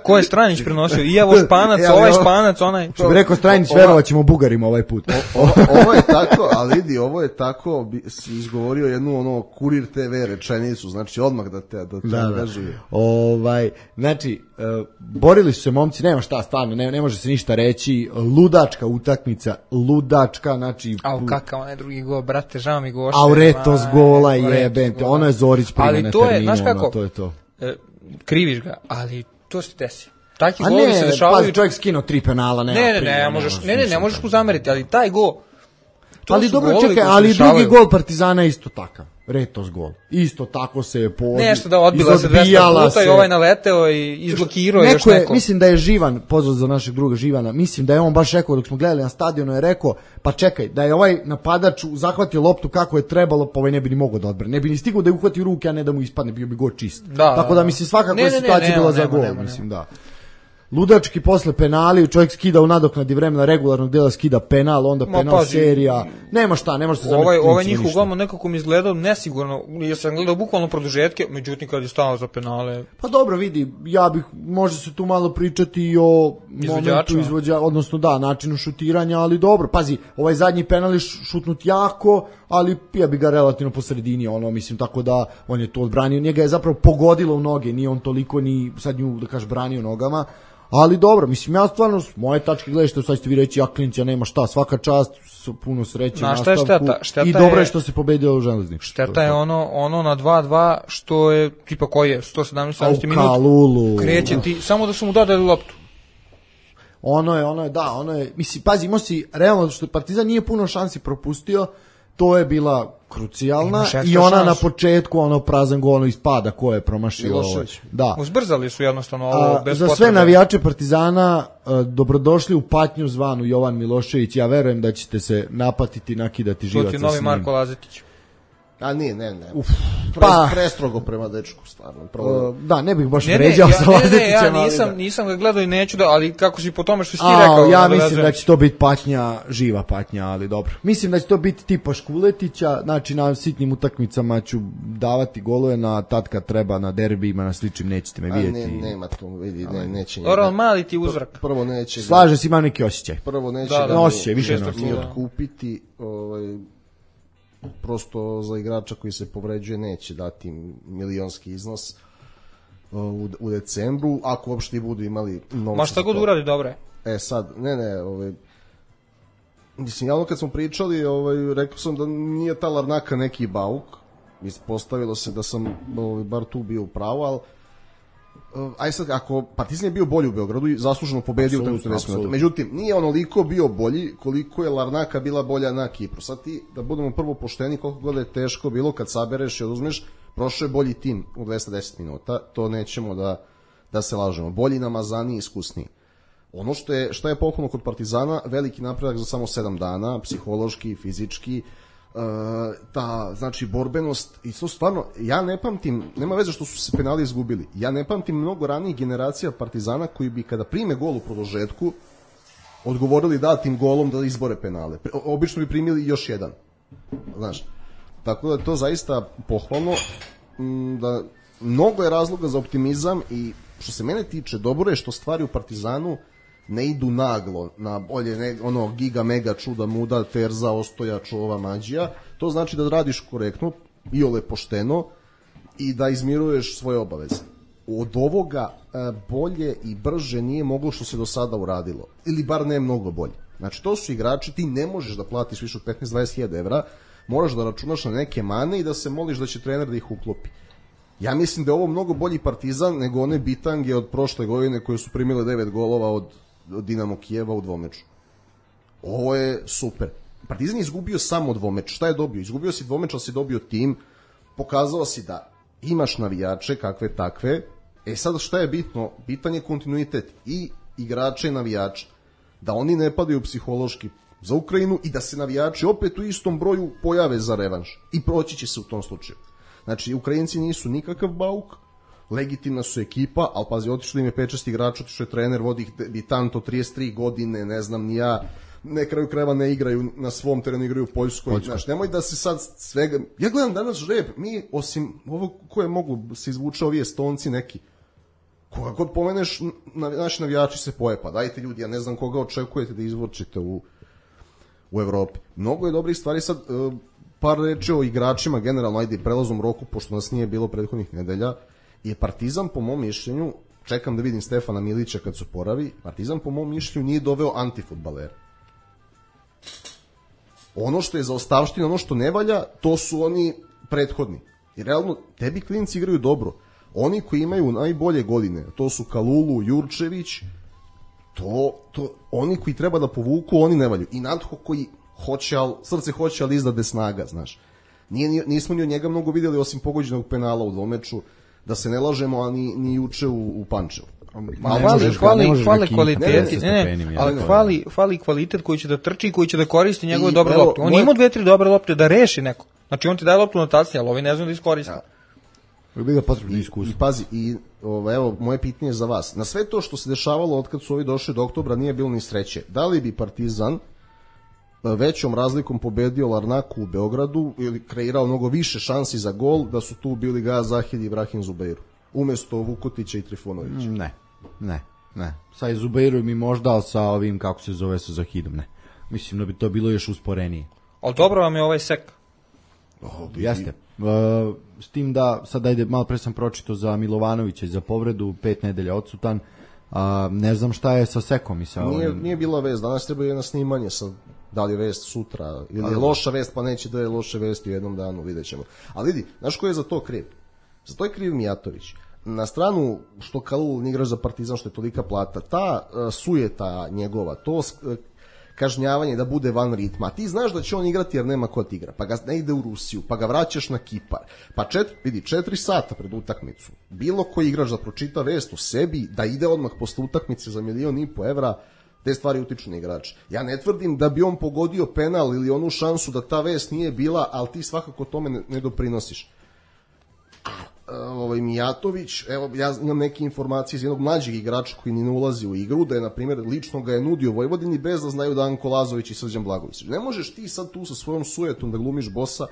Ko je Stranić prenosio? I evo Španac, E, ali ovaj ovo- Španac, onaj. što bi rekao Stranić, Ova- verovat ćemo Bugarima ovaj put. Ovo, ovo je tako, ali vidi, ovo je tako, bi, si izgovorio jednu ono Kurir te ve rečenicu, znači odmah da te, da te Da, da. angažuje. Ovaj, znači, e, borili su se momci, nema šta, stvarno, ne, ne može se ništa reći, ludačka utakmica, ludačka, znači... Au, kakav onaj drugi gol, brate, žao mi Goše. Auretos Aj, gola Auretos jebente, gola. ono je Zorić prima Ali na to je, terminu, znaš kako? ono, to je to. E, kriviš ga, ali to se desi. Takvi A golovi se ne, dešavaju. pa čovjek skinuo tri penala, nema Ne, ne, ne, primjer, ne, možeš, može ne, ne, ne ništa možeš tako. mu zameriti, ali taj gol. to Ali su dobro, golovi čekaj, koji se ali drugi dešavaju. gol Partizana je isto takav. Retos gol. Isto tako se je po Nešto da odbila se dvesta izodbijala puta i se. ovaj naleteo i izblokirao još Neko je, neko. mislim da je Živan, pozdrav za našeg druga Živana, mislim da je on baš rekao dok smo gledali na stadionu, je rekao, pa čekaj, da je ovaj napadač zahvatio loptu kako je trebalo, pa ovaj ne bi ni mogao da odbrane. Ne bi ni stigao da je uhvati u ruke, a ne da mu ispadne, bio bi gol čist. Da, Tako da, da da. mislim svakako Ne, je ne, ne, situacija nema, bila za nema, gol, nema, mislim da. Ludački posle penali, čovjek skida u nadoknadi vremena regularnog dela, skida penal, onda Ma, penal pazi, serija. Nema šta, ne može se Ovaj, zameriti ovaj klincima njih ništa. uglavnom nekako mi izgledao nesigurno, ja sam gledao bukvalno produžetke, međutim kad je stao za penale, Pa dobro, vidi, ja bih, može se tu malo pričati i o momentu Izvođačima. izvođa, odnosno da, načinu šutiranja, ali dobro, pazi, ovaj zadnji penal je š- šutnut jako, ali ja bi ga relativno po sredini, ono, mislim, tako da on je to odbranio, njega je zapravo pogodilo u noge, nije on toliko ni sad nju, da kažeš, branio nogama, ali dobro, mislim, ja stvarno, s moje tačke gledajte, sad ćete vi reći, ja klincija nema šta, svaka čast, s- puno sreće u Znaš šta je nastavku, šteta? Šteta i dobro je je- što se pobedio u železniku. šteta je ono ono na dva dva što je, tipa koji je, sto sedamnaest Au, minut, Kalulu. kreće ti, samo da su mu dodali loptu. Ono je, ono je, da, ono je, mislim, pazi, imao si, realno, što Partizan nije puno šansi propustio, to je bila krucijalna Imaš ekstra i ona šansu. na početku, ono, prazan gol, ono ispada, ko je promašio. Milošević. Ovaj, da. Uzbrzali su jednostavno ovo A, bez za sve potrebe. navijače Partizana, a, dobrodošli u patnju zvanu Jovan Milošević, ja verujem da ćete se napatiti, nakidati To živaca ti s je novi njim. Marko Lazetić. A nije, ne, ne. Uf, Pre, pa- prestrogo prema dečku, stvarno. Prvo, A, da, ne bih baš Ne, ne, vređao ja, sa ne, ne, Lazetićem, ja ali nisam, da. nisam ga gledao i neću da, ali kako si po tome što si ti A, rekao. ja nadovezujem mislim da se. će to biti patnja, živa patnja, ali dobro. Mislim da će to biti tipa Škuletića, znači na sitnim utakmicama ću davati golove, na tad kad treba, na derbijima, na sličnim, nećete me a vidjeti. ne, nema to, vidi, ne, neće njega. Dobro, ali mali ti uzvrak. Prvo neće ga, Slaže se, imam neki osjećaj. prvo neće Da, ga da, ni- osjećaj, više šestak ne ni osjećaj. otkupiti, ovaj, prosto za igrača koji se povređuje neće dati milionski iznos u, u decembru, ako uopšte i budu imali novca. Ma šta za god to. uradi, dobro je. E sad, ne, ne, ovaj, mislim, ja ono kad smo pričali, ovaj, rekao sam da nije ta Larnaka neki bauk, ispostavilo se da sam ovaj, bar tu bio u pravu, ali uh, aj sad, ako Partizan je bio bolji u Beogradu i zasluženo pobedio u Apsolutno, tamo deset minuta. apsolutno. Međutim, nije onoliko bio bolji koliko je Larnaka bila bolja na Kipru. Sad ti, da budemo prvo pošteni, koliko god je teško bilo kad sabereš i oduzmeš, prošao je bolji tim u dvesta deset minuta, to nećemo da, da se lažemo. Bolji, namazaniji, iskusniji. Ono što je, što je pohvalno kod Partizana, veliki napredak za samo sedam dana, psihološki, fizički, Uh, ta, znači, borbenost i to stvarno, ja ne pamtim, nema veze što su se penali izgubili, ja ne pamtim mnogo ranijih generacija Partizana koji bi kada prime gol u produžetku odgovorili datim golom da izbore penale. O- obično bi primili još jedan. Znaš, tako da je to zaista pohvalno, da mnogo je razloga za optimizam i što se mene tiče, dobro je što stvari u Partizanu ne idu naglo na bolje, ne, ono, giga, mega, čuda, muda, terza, ostoja, čova, mađija. To znači da radiš korektno, iole pošteno i da izmiruješ svoje obaveze. Od ovoga bolje i brže nije moglo što se do sada uradilo. Ili bar ne mnogo bolje. Znači, to su igrači, ti ne možeš da platiš više od petnaest do dvadeset hiljada evra, moraš da računaš na neke mane i da se moliš da će trener da ih uklopi. Ja mislim da je ovo mnogo bolji Partizan nego one bitange od prošle godine koje su primile devet golova od, od Dinamo Kijeva u dvomeču. Ovo je super. Partizan je izgubio samo dvomeč. Šta je dobio? Izgubio si dvomeč, ali si dobio tim. Pokazao si da imaš navijače, kakve takve. E sad šta je bitno? Bitan je kontinuitet i igrača i navijača. Da oni ne padaju psihološki za Ukrajinu i da se navijači opet u istom broju pojave za revanš. I proći će se u tom slučaju. Znači, Ukrajinci nisu nikakav bauk, legitimna su ekipa, ali pazi, otišli im je pet šest igrača, otišao je trener, vodi ih Bitanto, trideset tri godine, ne znam ni ja, ne kraju krajeva ne igraju na svom terenu, igraju u Poljskoj. Poljskoj. Znaš, nemoj da se sad svega... Ja gledam danas žreb, mi, osim ovo koje mogu se izvuče ovi Estonci neki, koga god pomeneš, naši navijači se poje, pa dajte ljudi, ja ne znam koga očekujete da izvučete u, u Evropi. Mnogo je dobrih stvari sad... Uh, par reči o igračima, generalno, ajde, prelazom roku, pošto nas nije bilo prethodnih nedelja, je Partizan, po mom mišljenju, čekam da vidim Stefana Milića kad se poravi, Partizan, po mom mišljenju, nije doveo antifudbalera. Ono što je za ostavštinu, ono što ne valja, to su oni prethodni. I realno, tebi klinci igraju dobro. Oni koji imaju najbolje godine, to su Kalulu, Jurčević, to, to, oni koji treba da povuku, oni ne valju. I Nadho koji hoće, ali, srce hoće, ali izdade snaga, znaš. Nije, nismo ni od njega mnogo vidjeli, osim pogođenog penala u dvomeču, da se ne lažemo, a ni, ni juče u, u Pančevu. Ma hvali, hvali, hvali kvaliteti, ne, ne, ali hvali, hvali kvalitet koji će da trči i koji će da koristi njegove I, dobre evo, lopte. On moj... ima dve, tri dobre lopte da reši neko. Znači on ti daje loptu na tacni, ali ovi ne znam da iskoristi. Ja. Bi ga potrebno iskustvo. I pazi, i ovo, evo, moje pitanje za vas. Na sve to što se dešavalo od kad su ovi došli do oktobra nije bilo ni sreće. Da li bi Partizan većom razlikom pobedio Larnaku u Beogradu ili kreirao mnogo više šansi za gol da su tu bili Gaja Zahid i Ibrahim Zubeiru umesto Vukotića i Trifunovića? Ne, ne, ne. Sa Zubeirom i možda, ali sa ovim, kako se zove, sa Zahidom, ne. Mislim da bi to bilo još usporenije. Ali dobro vam je ovaj sek. Oh, jeste. Uh, s tim da, sad ajde, malo pre sam pročito za Milovanovića i za povredu, pet nedelja odsutan. Uh, ne znam šta je sa sekom i sa nije, ovim... Nije bila vest, danas treba jedno snimanje sa... Da li je vest sutra, ili je loša vest, pa neće da je loše vesti u jednom danu, vidjet ćemo. Ali vidi, znaš ko je za to kriv? Za to je kriv Mijatović. Na stranu što Kalul igraš za Partizan, što je tolika plata, ta uh, sujeta njegova, to uh, kažnjavanje da bude van ritma, ti znaš da će on igrati jer nema ko ti igra, pa ga ne ide u Rusiju, pa ga vraćaš na Kipar, pa četiri, vidi, četiri sata pred utakmicu, bilo koji igrač da pročita vest u sebi, da ide odmah posle utakmice za milion i po evra, te stvari utiču na igrača. Ja ne tvrdim da bi on pogodio penal ili onu šansu da ta vest nije bila, ali ti svakako tome ne, ne doprinosiš. A ovaj Mijatović, evo ja imam neke informacije iz jednog mlađeg igrača koji ni ne ulazi u igru, da je na primjer lično ga je nudio Vojvodini bez da znaju da Anko Lazović i Srđan Blagović. Ne možeš ti sad tu sa svojom sujetom da glumiš bosa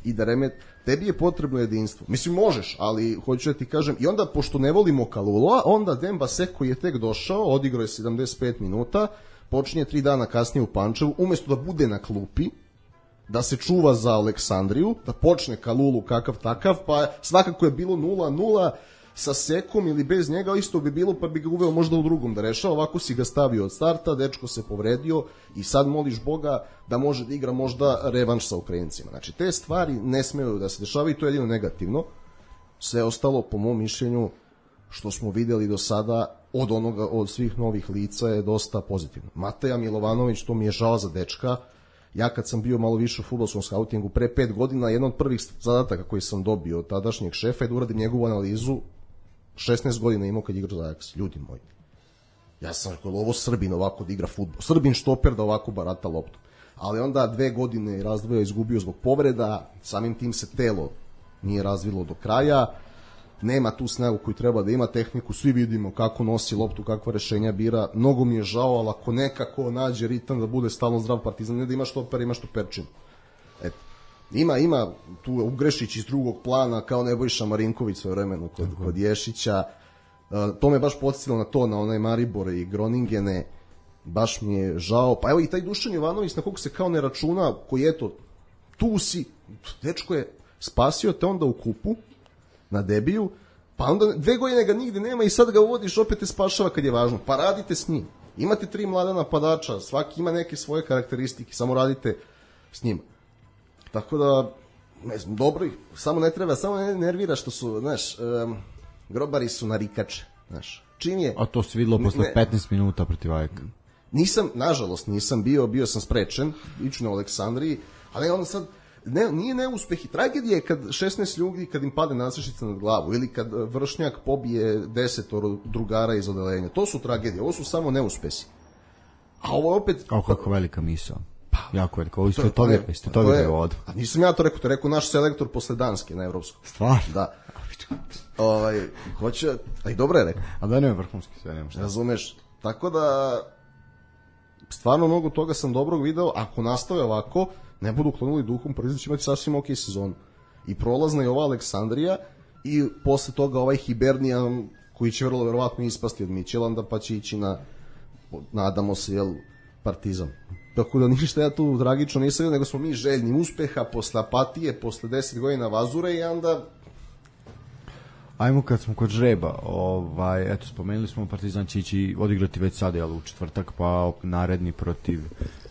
i da remet, tebi je potrebno jedinstvo. Mislim možeš, ali hoću da ti kažem, i onda pošto ne volimo Kalula, onda Demba Sek koji je tek došao, odigrao je sedamdeset pet minuta, počinje tri dana kasnije u Pančevu, umjesto da bude na klupi, da se čuva za Aleksandriju, da počne Kalulu kakav takav, pa svakako je bilo nula nula sa Sekom ili bez njega, isto bi bilo, pa bi ga uveo možda u drugom da rešava, ovako si ga stavio od starta, dečko se povredio i sad moliš Boga da može da igra možda revanš sa Ukrajincima. Znači, te stvari ne smeju da se dešavaju i to je jedino negativno. Sve ostalo, po mom mišljenju, što smo videli do sada od onoga, od svih novih lica je dosta pozitivno. Mateja Milovanović, to mi je žao za dečka. Ja kad sam bio malo više u fudbalskom skautingu pre pet godina, jedan od prvih zadataka koji sam dobio od tadašnjeg šefa je da uradim njegovu analizu. šesnaest godina imao kad igra za Ajax. Ljudi moji, ja sam rekao, ovo Srbin ovako da igra fudbal, Srbin štoper da ovako barata loptu. Ali onda dve godine razdvoja izgubio zbog povreda, samim tim se telo nije razvilo do kraja, nema tu snagu koju treba da ima, tehniku, svi vidimo kako nosi loptu, kakva rešenja bira, mnogo mi je žao, ali ako nekako nađe ritam da bude stalno zdrav Partizan, ne da ima štopera, ima štoperčinu. Eto. Ima, ima tu Ugrešić iz drugog plana kao Nebojša Marinković svoje vremenu kod, kod Ješića. Uh, to me baš podsjetilo na to, na onaj Maribor i Groningene. Baš mi je žao. Pa evo i taj Dušan Jovanović na koga se kao ne računa, koji eto, tu si, dečko je spasio te onda u kupu na debiju, pa onda dve godine ga nigde nema i sad ga uvodiš, opet te spašava kad je važno. Pa radite s njim. Imate tri mlada napadača, svaki ima neke svoje karakteristike, samo radite s njima. Tako da, ne znam, dobro ih, samo ne treba, samo ne nervira što su, znaš, um, grobari su narikače, znaš. Čim je... A to se videlo posle ne, petnaest minuta protiv Ajka. Nisam, nažalost, nisam bio, bio sam sprečen, iću na Aleksandriji, ali onda sad, ne, nije neuspeh i tragedija je kad šesnaest ljudi, kad im pade nasršica nad glavu, ili kad vršnjak pobije desetoro drugara iz odelenja. To su tragedije, ovo su samo neuspesi. A ovo opet... Kao kako velika misao. Pa, jako velika, ovo ste to vidjeli, ste to vidjeli ovdje. A nisam ja to rekao, to rekao naš selektor posle Danske na Evropskom. Stvarno? Da. Ovaj, hoće, a i dobro je rekao. A da nema vrhunski sve, nema šta. Razumeš, tako da stvarno mnogo toga sam dobrog video, ako nastave ovako, ne budu klonuli duhom, Partizan će imati sasvim ok sezonu. I prolazna je ova Aleksandrija i posle toga ovaj Hibernijan koji će vrlo verovatno ispasti od Mićelanda pa će ići na, nadamo se, jel, Partizan. Tako da ništa ja tu tragično nisam vidio, nego smo mi željni uspeha posle apatije, posle deset godina vazure i onda... Ajmo kad smo kod žreba, ovaj, eto, spomenuli smo Partizan će ići odigrati već sada, jel, u četvrtak, pa naredni protiv...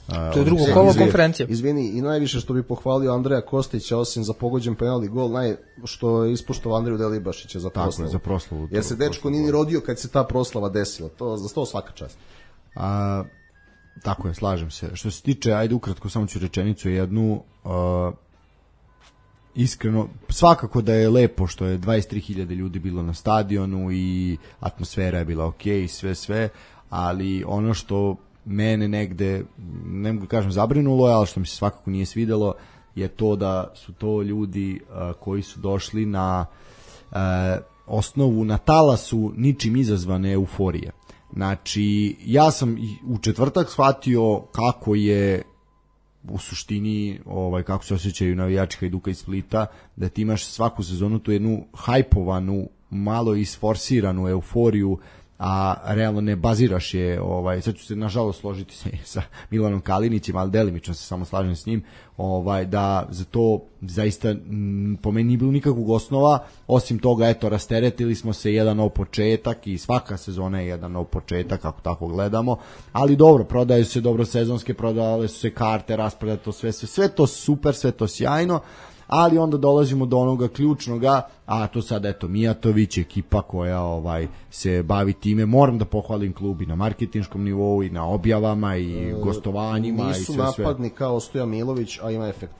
Uh, to je drugo kolo konferencije. Izvini, i najviše što bi pohvalio Andreja Kostića, osim za pogođen penal i gol, naj, što je ispoštovao Andreju Delibašića za proslavu. Tako je, za proslavu. Jer se dečko nije ni rodio kad se ta proslava desila, to, za to svaka čast. A, tako je, slažem se. Što se tiče, ajde ukratko, samo ću rečenicu jednu, uh, iskreno, svakako da je lepo što je dvadeset tri hiljade ljudi bilo na stadionu i atmosfera je bila ok i sve sve, ali ono što mene negde, ne mogu kažem zabrinulo, ali što mi se svakako nije svidelo, je to da su to ljudi uh, koji su došli na uh, osnovu, na talasu ničim izazvane euforije. Znači, ja sam u četvrtak shvatio kako je u suštini, ovaj, kako se osjećaju navijači Hajduka iz Splita, da ti imaš svaku sezonu tu jednu hajpovanu, malo isforsiranu euforiju, a realno ne baziraš je, ovaj, sad ću se nažalost složiti se sa Milanom Kalinićem, ali delimično se samo slažem s njim, ovaj, da za to zaista m, po meni nije bilo nikakvog osnova, osim toga, eto, rasteretili smo se, jedan nov početak i svaka sezona je jedan nov početak, ako tako gledamo, ali dobro, prodaju se dobro sezonske, prodale su se karte, rasprodaje to sve, sve, sve to super, sve to sjajno, ali onda dolazimo do onoga ključnoga, a to sad eto Mijatović, ekipa koja ovaj se bavi time, moram da pohvalim klub i na marketinškom nivou i na objavama i e, gostovanjima i sve sve. Nisu napadni kao Stoja Milović, a ima efekt.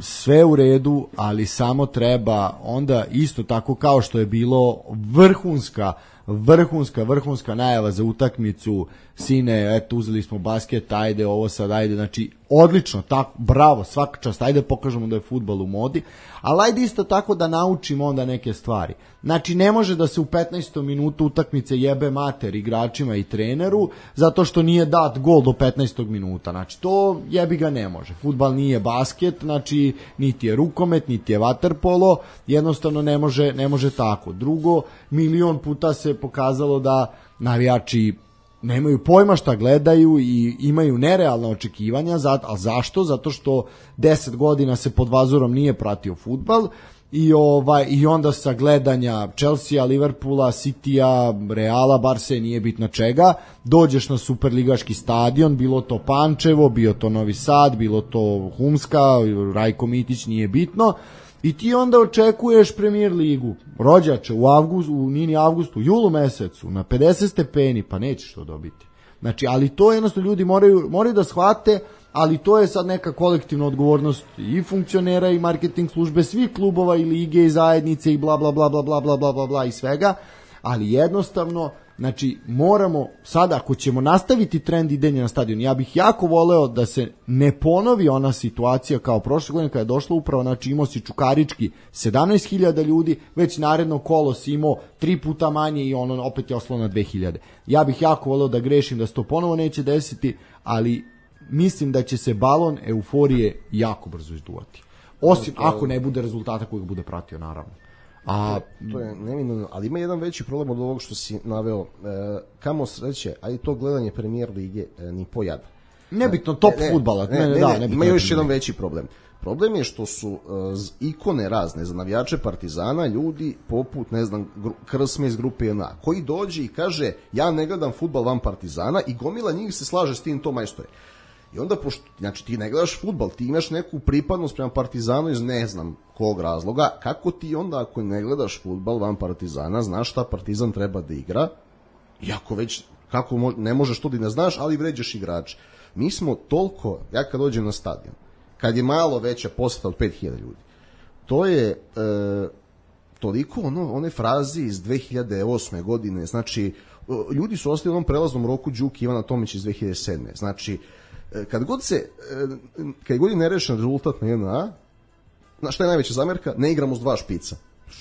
Sve u redu, ali samo treba onda isto tako kao što je bilo vrhunska vrhunska, vrhunska najava za utakmicu, sine, eto, uzeli smo basket, ajde, ovo sad, ajde, znači, odlično, tako, bravo, svaka čast, ajde pokažemo da je fudbal u modi, ali ajde isto tako da naučimo onda neke stvari. Znači, ne može da se u petnaestom minutu utakmice jebe mater igračima i treneru, zato što nije dat gol do petnaestog minuta, znači, to jebi ga ne može. Fudbal nije basket, znači, niti je rukomet, niti je vaterpolo, jednostavno ne može, ne može tako. Drugo, milion puta se pokazalo da navijači nemaju pojma šta gledaju i imaju nerealna očekivanja, a zašto? Zato što deset godina se pod Vazurom nije pratio fudbal i ovaj i onda sa gledanja Chelsea, Liverpoola, Citya, Reala, Barse, nije bitno čega, dođeš na superligaški stadion, bilo to Pančevo, bio to Novi Sad, bilo to Humska, Rajko Mitić, nije bitno. I ti onda očekuješ Premier ligu, rođače, u avgustu, u nini avgustu, julu mesecu, na pedeset stepeni, pa nećeš to dobiti. Znači, ali to jednostavno ljudi moraju, moraju da shvate, ali to je sad neka kolektivna odgovornost i funkcionera i marketing službe svih klubova i lige i zajednice i bla bla bla bla bla bla bla bla bla i svega, ali jednostavno, znači, moramo, sada ako ćemo nastaviti trend idenja na stadion, ja bih jako voleo da se ne ponovi ona situacija kao prošle godine kada je došla upravo, znači imao si Čukarički sedamnaest hiljada ljudi, već naredno kolo si imao tri puta manje i ono opet je oslo na dve hiljade. Ja bih jako voleo da grešim, da se to ponovo neće desiti, ali mislim da će se balon euforije jako brzo izduvati. Osim to je... ako ne bude rezultata kojeg bude pratio, naravno. A to je neminovno, ali ima jedan veći problem od ovog što si naveo. E, kamo sreće, a i to gledanje Premier lige e, ni pojada. Nebitno, top ne, fudbala. Ne, ne, ne, da, ne, nebitno, ima još nebitno. jedan veći problem. Problem je što su uh, ikone razne za navijače Partizana ljudi poput, ne znam, gru, Krsme iz grupe J N A, koji dođe i kaže ja ne gledam fudbal van Partizana i gomila njih se slaže s tim, to majstore. I onda, pošto, znači ti ne gledaš fudbal, ti imaš neku pripadnost prema Partizanu iz ne znam kog razloga, kako ti onda ako ne gledaš fudbal van Partizana, znaš šta Partizan treba da igra, iako već, kako mo, ne možeš to da ne znaš, ali vređaš igrače. Mi smo toliko, ja kad dođem na stadion, kad je malo veća poseta od pet hiljada ljudi, to je e, toliko ono, one frazi iz dve hiljade osme godine, znači ljudi su ostali u onom prelaznom roku Đuki Ivana Tomić iz dve hiljade sedme. Znači, kad god se, kad god je nerešen rezultat na J N A, znaš šta je najveća zamerka? Ne igramo s dva špica.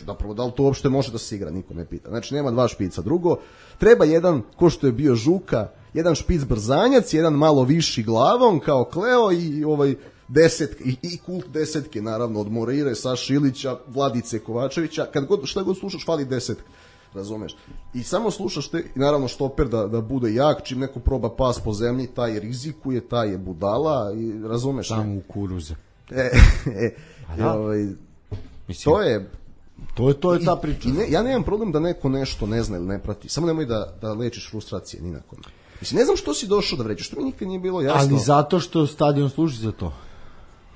Zapravo, da li to uopšte može da se igra, niko ne pita. Znači, nema dva špica. Drugo, treba jedan, ko što je bio Žuka, jedan špic brzanjac, jedan malo viši glavom, kao Kleo i ovaj desetke, i, i kult desetke, naravno, od Moreire, Saša Ilića, Vladice Kovačevića. Kad god, šta god slušaš, fali desetka. Razumeš? I samo slušaš te, i naravno štoper da, da bude jak, čim neko proba pas po zemlji, taj rizikuje, taj je budala, i razumeš? Samo u kuruze. E, e, da. ovaj, Mislim, to je... To je, to je ta priča. I ne, ja nemam problem da neko nešto ne zna ili ne prati, samo nemoj da, da lečiš frustracije, ni na kome. Mislim, ne znam što si došao da vređaš, što mi nikad nije bilo jasno. Ali zato što stadion služi za to.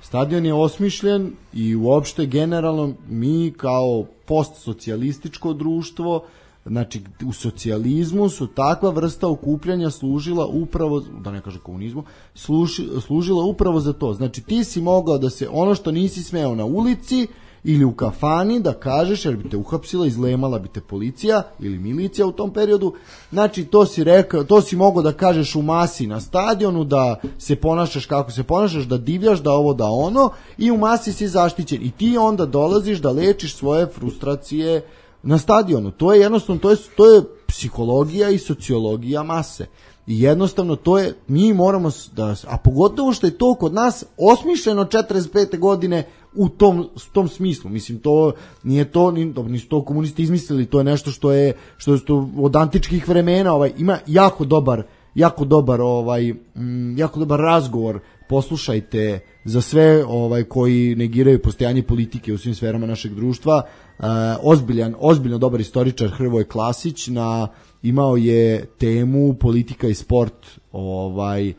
Stadion je osmišljen i uopšte generalno mi kao postsocijalističko društvo, znači u socijalizmu su takva vrsta okupljanja služila upravo, da ne kaže komunizmu, služi, služila upravo za to. Znači ti si mogao da se, ono što nisi smeo na ulici ili u kafani da kažeš, jer bi te uhapsila, izlemala bi te policija ili milicija u tom periodu, znači to si rekao, to si mogao da kažeš u masi na stadionu, da se ponašaš kako se ponašaš, da divljaš, da ovo, da ono, i u masi si zaštićen i ti onda dolaziš da lečiš svoje frustracije na stadionu. To je jednostavno, to je, to je psihologija i sociologija mase. I jednostavno to je, mi moramo da, a pogotovo što je to kod nas osmišljeno četrdeset pete godine u tom, tom smislu. Mislim, to nije to, nisu to komunisti izmislili, to je nešto što je, što je to od antičkih vremena, ovaj, ima jako dobar, jako dobar, ovaj, m, jako dobar razgovor, poslušajte za sve ovaj koji negiraju postojanje politike u svim sferama našeg društva. E, ozbiljan, ozbiljno dobar istoričar Hrvoje Klasić na imao je temu politika i sport, ovaj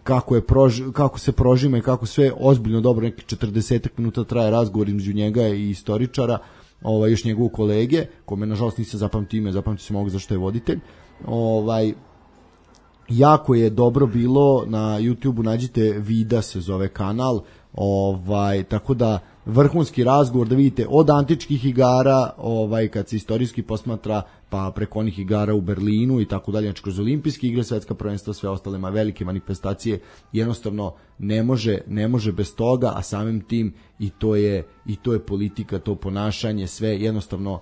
kako je prož, kako se prožima i kako sve ozbiljno dobro, neki četrdeset minuta traje razgovor između njega i istoričara, ovaj još njegovog kolege, kome nažalost nisam zapamtio ime, zapamtio sam ovog zašto je voditelj. Ovaj jako je dobro bilo na YouTubeu, nađite Vida se zove kanal, ovaj tako da vrhunski razgovor da vidite od antičkih igara, ovaj kad se istorijski posmatra, pa preko onih igara u Berlinu i tako dalje, znači kroz olimpijske igre, svetska prvenstva, sve ostale ma velike manifestacije, jednostavno ne može ne može bez toga, a samim tim i to je i to je politika, to ponašanje, sve jednostavno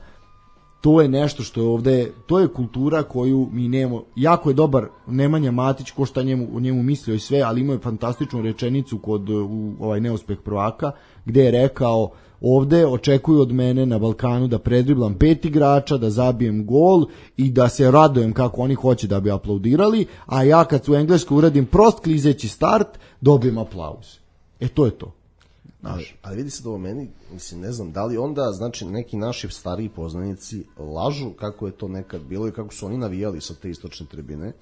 to je nešto što je ovde, to je kultura koju mi nemamo. Jako je dobar Nemanja Matić, ko šta njemu, o njemu mislio i sve, ali imao je fantastičnu rečenicu kod u, ovaj neuspeh prvaka, gde je rekao, ovde očekuju od mene na Balkanu da predriblam pet igrača, da zabijem gol i da se radujem kako oni hoće da bi aplaudirali, a ja kad u Engleskoj uradim prost klizeći start, dobijem aplauz. E to je to. Ali, ali vidi se da ovo meni, mislim, ne znam, da li onda, znači, neki naši stariji poznanici lažu kako je to nekad bilo i kako su oni navijali sa te istočne tribine.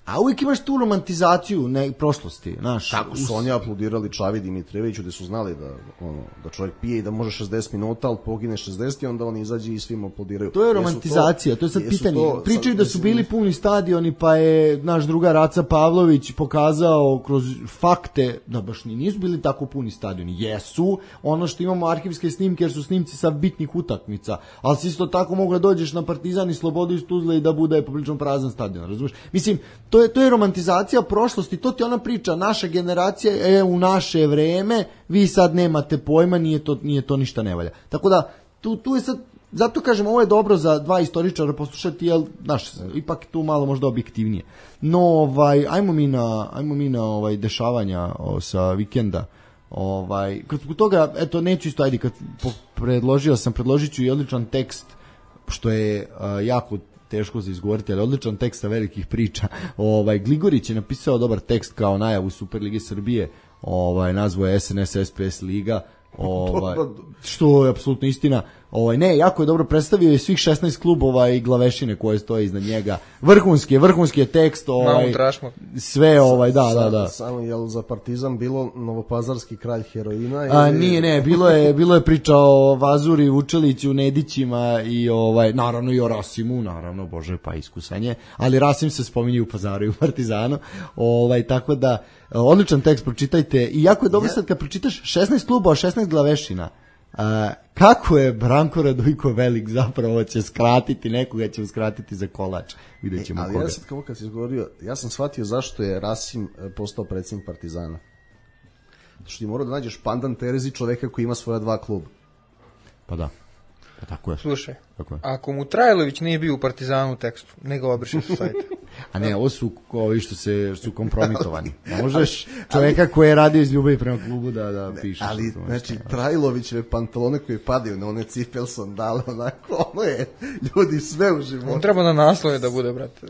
A uvijek imaš tu romantizaciju ne, prošlosti, znaš. Kako su oni aplaudirali Čavi Dimitrijeviću, gde su znali da, ono, da čovjek pije i da može šezdeset minuta, ali pogine šezdeset i onda oni izađe i svim aplaudiraju. To je romantizacija, to, to je sad pitanje. To, Pričaju sad, da su bili puni stadioni, pa je naš drugar Aca Pavlović pokazao kroz fakte da baš nisu bili tako puni stadioni. Jesu, ono što imamo arhivske snimke, jer su snimci sa bitnih utakmica, ali si isto tako mogu da dođeš na Partizan i Slobodu iz Tuzle i da bude poprilično prazan stadion, razumiješ? Mislim, To je, to je romantizacija prošlosti, to ti ona priča, naša generacija je u naše vreme, vi sad nemate pojma, nije to, nije to ništa ne valja. Tako da, tu, tu je sad, zato kažem, ovo je dobro za dva istoričara poslušati, jer, znaš, ipak tu malo možda objektivnije. No, ovaj, ajmo mi na, ajmo mi na ovaj, dešavanja o, sa vikenda. Ovaj, kad zbog toga, eto, neću isto, ajde, kad predložio sam, predložit ću i odličan tekst, što je a, jako teško za izgovoriti, ali odličan tekst sa velikih priča. Ovaj, Gligorić je napisao dobar tekst kao najavu Superlige Srbije, ovaj, nazvao je S N S S P S Liga, ovaj, što je apsolutno istina. Ovaj, ne, jako je dobro predstavio i svih šesnaest klubova i glavešine koje stoje iznad njega. Vrhunski je, vrhunski je tekst, ovaj, sve, ovaj, da, da, da. Samo je za Partizan bilo novopazarski kralj heroina? A, nije, ne, bilo je, bilo je priča o Vazuri, Vučeliću, Nedićima i, ovaj, naravno i o Rasimu, naravno, bože, pa iskusanje, ali Rasim se spominje u Pazaru i u Partizanu, ovaj, tako da, odličan tekst, pročitajte, i jako je dobro sad kad pročitaš šesnaest klubova, šesnaest glavešina. Uh, kako je Branko Radujko velik, zapravo će skratiti nekoga, će skratiti za kolač, vidjet ćemo e, ali koga. Ja sad kao kad si izgovorio, ja sam shvatio zašto je Rasim postao predsjednik Partizana. Što ti mora da nađeš pandan Terezi, čoveka koji ima svoja dva kluba. Pa da, pa tako je. Slušaj, tako je. Ako mu Trajlović nije bio u Partizanu u tekstu, nego obriše sa sajta. A ne, ovo su ovi što se što su kompromitovani. Ne možeš čoveka koji je radio iz ljubavi prema klubu da da piše. Ali znači Trajlovićeve pantalone koje padaju na one cipel sandale, onako, ono je ljudi sve u životu. On treba na naslove da bude, brate.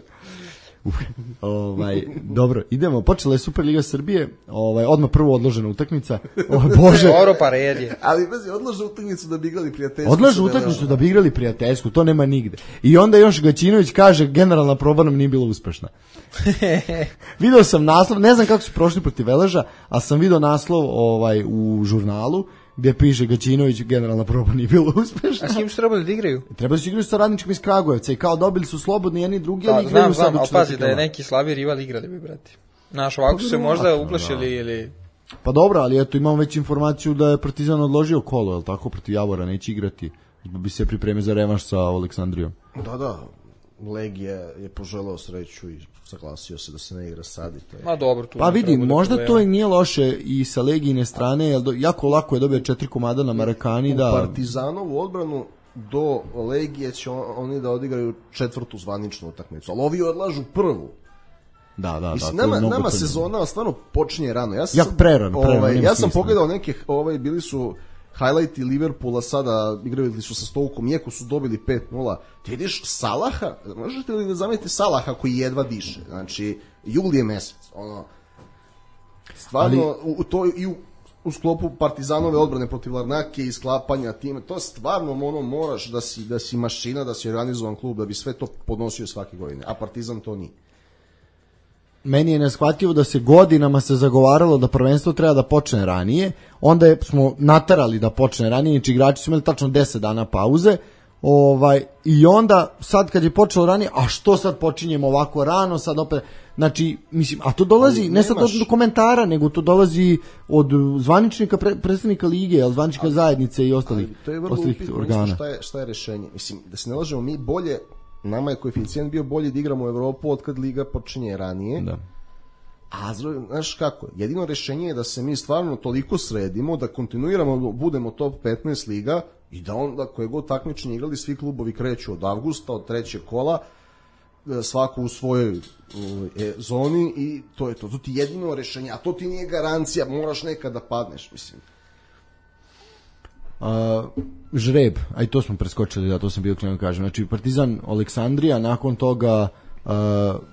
Uf, ovaj, dobro, idemo, počela je Superliga Srbije, ovaj, odmah prvo odložena utakmica, o bože. Dobro, pa red je. Ali bez odlože utakmicu da bi igrali prijateljsku. Odlože utakmicu da bi igrali prijateljsku, to nema nigde. I onda još Gaćinović kaže, generalna proba nam nije bila uspešna. Video sam naslov, ne znam kako su prošli protiv Veleža, ali sam video naslov ovaj, u žurnalu, gdje piše Gaćinović, generalna proba nije bila uspešna. A s kim su trebali da igraju? Trebali su igrati sa Radničkim iz Kragujevca i kao dobili su slobodni jedni drugi, ali da, igraju znam, sad znam, u ali pazi da je neki slabi rival igrali bi, brati. Znaš, ovako su se možda uplašili ili... Pa dobro, ali eto imamo već informaciju da je Partizan odložio kolo, je li tako, protiv Javora, neće igrati, bi se pripremio za revanš sa Aleksandrijom. Da, da, Legija je poželao sreću i saglasio se da se ne igra sad i to je. Ma dobro, tu pa vidi, možda da to i nije loše i sa Legijine strane, jer do, jako lako je dobio četiri komada na Marakani. U da... Partizanovu odbranu do Legije će on, oni da odigraju četvrtu zvaničnu utakmicu, ali ovi odlažu prvu. Da, da, Mislim, da. nama, nama sezona stvarno počinje rano. Ja sam, Jak prerano, prerano. Ovaj, ja sam pogledao neke, ovaj, bili su highlighti Liverpoola, sada igrali su sa Stokeom, iako su dobili pet nula. Ti vidiš Salaha, možete li da zamislite Salaha koji jedva diše? Znači, jul je mesec. Ono, stvarno, ali... u, to i u, u sklopu Partizanove odbrane protiv Larnake i sklapanja time, to stvarno ono, moraš da si, da si mašina, da si organizovan klub, da bi sve to podnosio svake godine. A Partizan to nije. Meni je neshvatljivo da se godinama se zagovaralo da prvenstvo treba da počne ranije, onda je, smo natarali da počne ranije, znači igrači su imali tačno deset dana pauze, ovaj, i onda sad kad je počelo ranije, a što sad počinjemo ovako rano, sad opet, znači, mislim, a to dolazi ali ne sad od komentara, nego to dolazi od zvaničnika, pre, predstavnika lige, ali zvaničnika ali, zajednice i ostalih, ostalih organa. Šta je, šta je rešenje? Mislim, da se ne lažemo, mi bolje, nama je koeficijent bio bolji da igramo u Evropu od kad liga počinje ranije. Da. A znaš kako, jedino rešenje je da se mi stvarno toliko sredimo, da kontinuiramo, budemo top petnaest liga i da onda koje god takmičenje igrali, svi klubovi kreću od avgusta, od trećeg kola, svako u svojoj e, zoni i to je to. To ti je jedino rešenje, a to ti nije garancija, moraš nekad da padneš, mislim. Uh, žreb, a i to smo preskočili, da, to sam bio krenuo kažem. Znači Partizan Aleksandrija, nakon toga uh,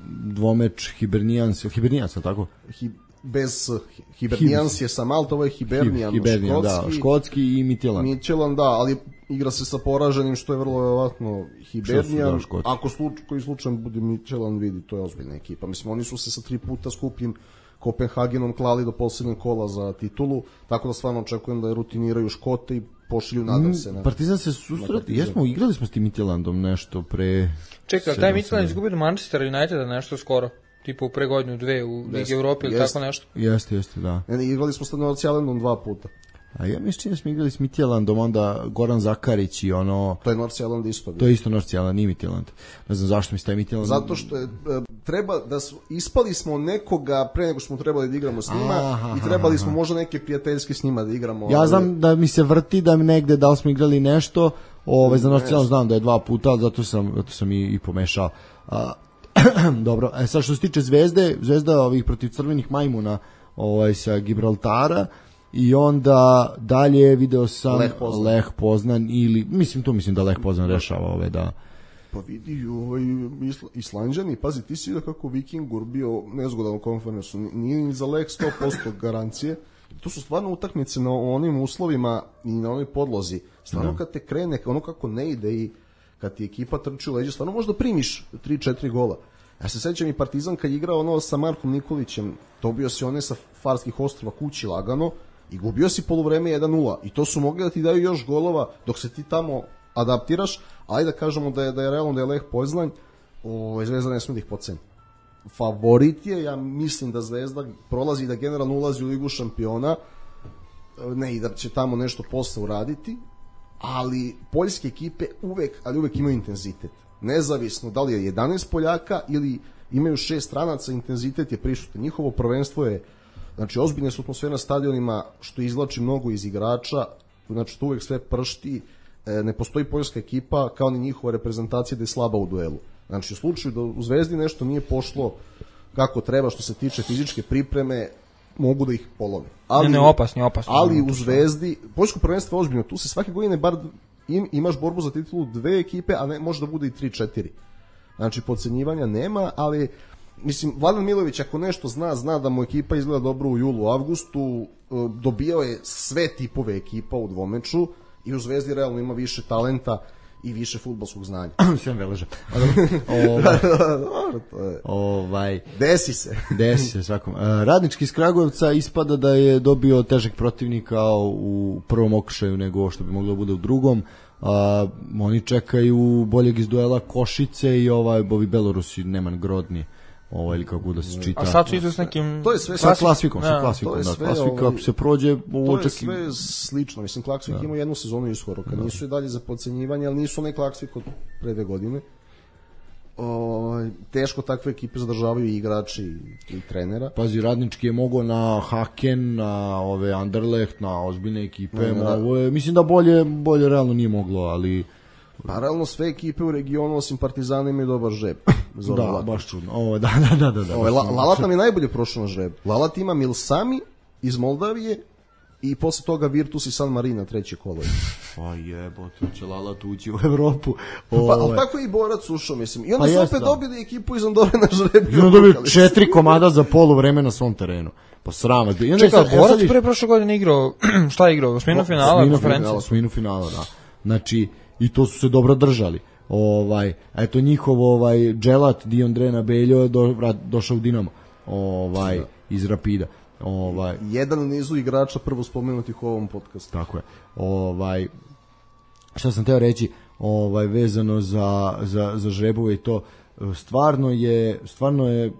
dvomeč Hibernijans, Hibernijans, tako? Hi, bez Hibernijans je sa Malta, ovo je Hibernijan, Hibernijan, škotski, da, škotski i Midtjylland. Midtjylland, da, ali igra se sa poraženim, što je vrlo verovatno Hibernijan. Da, ako sluč, koji slučaj bude Midtjylland, vidi, to je ozbiljna ekipa. Mislim, oni su se sa tri puta skupljim Kopenhagenom klali do posljednjeg kola za titulu, tako da stvarno očekujem da je rutiniraju Škote i pošilju, nadam se. Na, Partizan se susreti, jesmo, igrali smo s tim Midtjyllandom nešto pre... Čekaj, taj Midtjylland izgubio do Manchester Uniteda nešto skoro, tipa u pre godinu, dve u Ligi Evrope ili tako nešto. Jeste, jeste, da. Ne, igrali smo s North Islandom dva puta. A ja mislim da smo igrali s Midtjyllandom, onda Goran Zakarić i ono... To je North Island isto. To je isto North Island, nije Midtjylland. Ne znam zašto mi ste Midtjylland... Zato što je, treba da su, ispali smo nekoga pre nego smo trebali da igramo s njima aha, i trebali smo aha. možda neke prijateljske s njima da igramo. Ja znam da mi se vrti da mi negde, da li smo igrali nešto, Ovaj za nacionalno znam da je dva puta, ali zato sam zato sam i, i pomešao. A, dobro, e sad što se tiče Zvezde, Zvezda ovih protiv Crvenih majmuna, ovaj sa Gibraltara. I onda dalje video sam Leh Poznan, Leh Poznan ili mislim to mislim da Leh Poznan rešava ove da pa vidi ovaj Isla, Islanđani, pazi ti si vidio kako Vikingur bio nezgodan u konferencu, nije ni za Leh sto posto garancije. To su stvarno utakmice na onim uslovima i na onoj podlozi. Stvarno kad te krene, ono kako ne ide i kad ti ekipa trči u leđe, stvarno možda primiš tri četiri gola. Ja se sećam i Partizan kad je igrao ono sa Markom Nikolićem, dobio si one sa Farskih ostrva kući lagano i gubio si poluvreme jedan nula. I to su mogli da ti daju još golova dok se ti tamo adaptiraš. Ajde da kažemo da je, da je realno da je Leh Poznan, o, Zvezda ne smije da ih podceni. Favorit je, ja mislim da Zvezda prolazi i da generalno ulazi u Ligu šampiona, ne i da će tamo nešto posle uraditi, ali poljske ekipe uvek, ali uvek imaju intenzitet. Nezavisno da li je jedanaest Poljaka ili imaju šest stranaca, intenzitet je prisutan. Njihovo prvenstvo je, znači ozbiljne su atmosfere na stadionima, što izvlači mnogo iz igrača, znači to uvek sve pršti, ne postoji poljska ekipa kao ni njihova reprezentacija da je slaba u duelu. Znači u slučaju da u Zvezdi nešto nije pošlo kako treba što se tiče fizičke pripreme, mogu da ih polome. Ali, ne, ne, opasni, opasni. Ali u Zvezdi, poljsko prvenstvo je ozbiljno, tu se svake godine bar im, imaš borbu za titulu dve ekipe, a ne može da bude i tri četiri. Znači podcenjivanja nema, ali mislim, Vladan Milović ako nešto zna, zna da mu ekipa izgleda dobro u julu, avgustu, dobijao je sve tipove ekipa u dvomeču i u Zvezdi realno ima više talenta i više fudbalskog znanja. Sve veleže. ovaj, ovaj, desi se. Desi se svakom. Radnički iz Kragujevca ispada da je dobio težeg protivnika u prvom okršaju nego što bi moglo da bude u drugom. A, oni čekaju boljeg iz duela Košice i ovaj ovi Belorusi Neman Grodni. Ovo ili kako da se čita. A sad su idu s nekim... To je sve sa klasikom, sa klasikom, da. Sve, klasika ovaj, se prođe u to očeki... je sve slično, mislim, Klaksvik da. Ima jednu sezonu iskoro, kad da. Nisu i dalje za podcenjivanje, ali nisu onaj Klaksvik od pre dve godine. O, teško takve ekipe zadržavaju i igrači i, i trenera. Pazi, Radnički je mogao na Haken, na ove Anderlecht, na ozbiljne ekipe, da, da. Ovo je, mislim da bolje, bolje realno nije moglo, ali... Paralelno sve ekipe u regionu osim Partizana imaju dobar žreb. Da, Lalat. Baš čudno. Ovo, da, da, da, da, da. Ovo, La, Lalat nam je najbolje prošao na žreb. Lalat ima Milsami iz Moldavije i posle toga Virtus i San Marino treće kolo. Pa jebote, će Lalat ući u Evropu. Pa, ali tako je i Borac ušao, mislim. I onda pa su opet dobili ekipu iz Andore na žreb. I onda dobili četiri komada za polu vreme na svom terenu. Pa srama. Čekaj, Borac pre prošle godine igrao, šta je igrao? Osminu finala konferencije? Osminu finala, da. Znači, i to su se dobro držali. Ovaj, eto njihov ovaj Dželat Diondrena Beljo do, došao u Dinamo. Ovaj da. Iz Rapida. Ovaj jedan u nizu igrača prvo spomenutih u ovom podcastu. Tako je. Ovaj šta sam teo reći, ovaj vezano za za za žrebove i to stvarno je stvarno je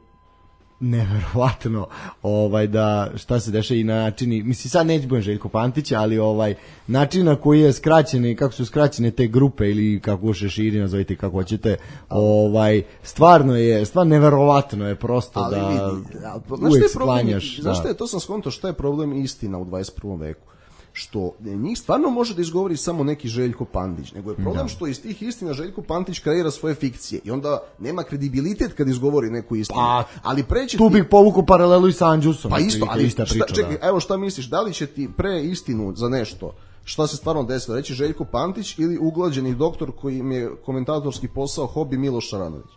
neverovatno ovaj da šta se dešava i načini, mislim sad neće budem Željko Pantić, ali ovaj način na koji je skraćene, kako su skraćene te grupe ili kako se širi, nazovite kako hoćete, ovaj stvarno je stvarno neverovatno je prosto ali da vidi, ali, uvijek sklanjaš. Znaš šta je, to sam skonto, šta je problem istina u dvadeset prvom veku? Što njih stvarno može da izgovori samo neki Željko Pantić, nego je problem da. Što iz tih istina Željko Pantić kreira svoje fikcije i onda nema kredibilitet kad izgovori neku istinu. Pa, ali preći tu ti... bih povukao paralelu i sa Andžusom. Pa isto, ali šta, priča, čekaj, da. Evo šta misliš, da li će ti pre istinu za nešto, šta se stvarno desilo, reći Željko Pantić ili uglađeni doktor koji im je komentatorski posao hobi Miloš Šaranović?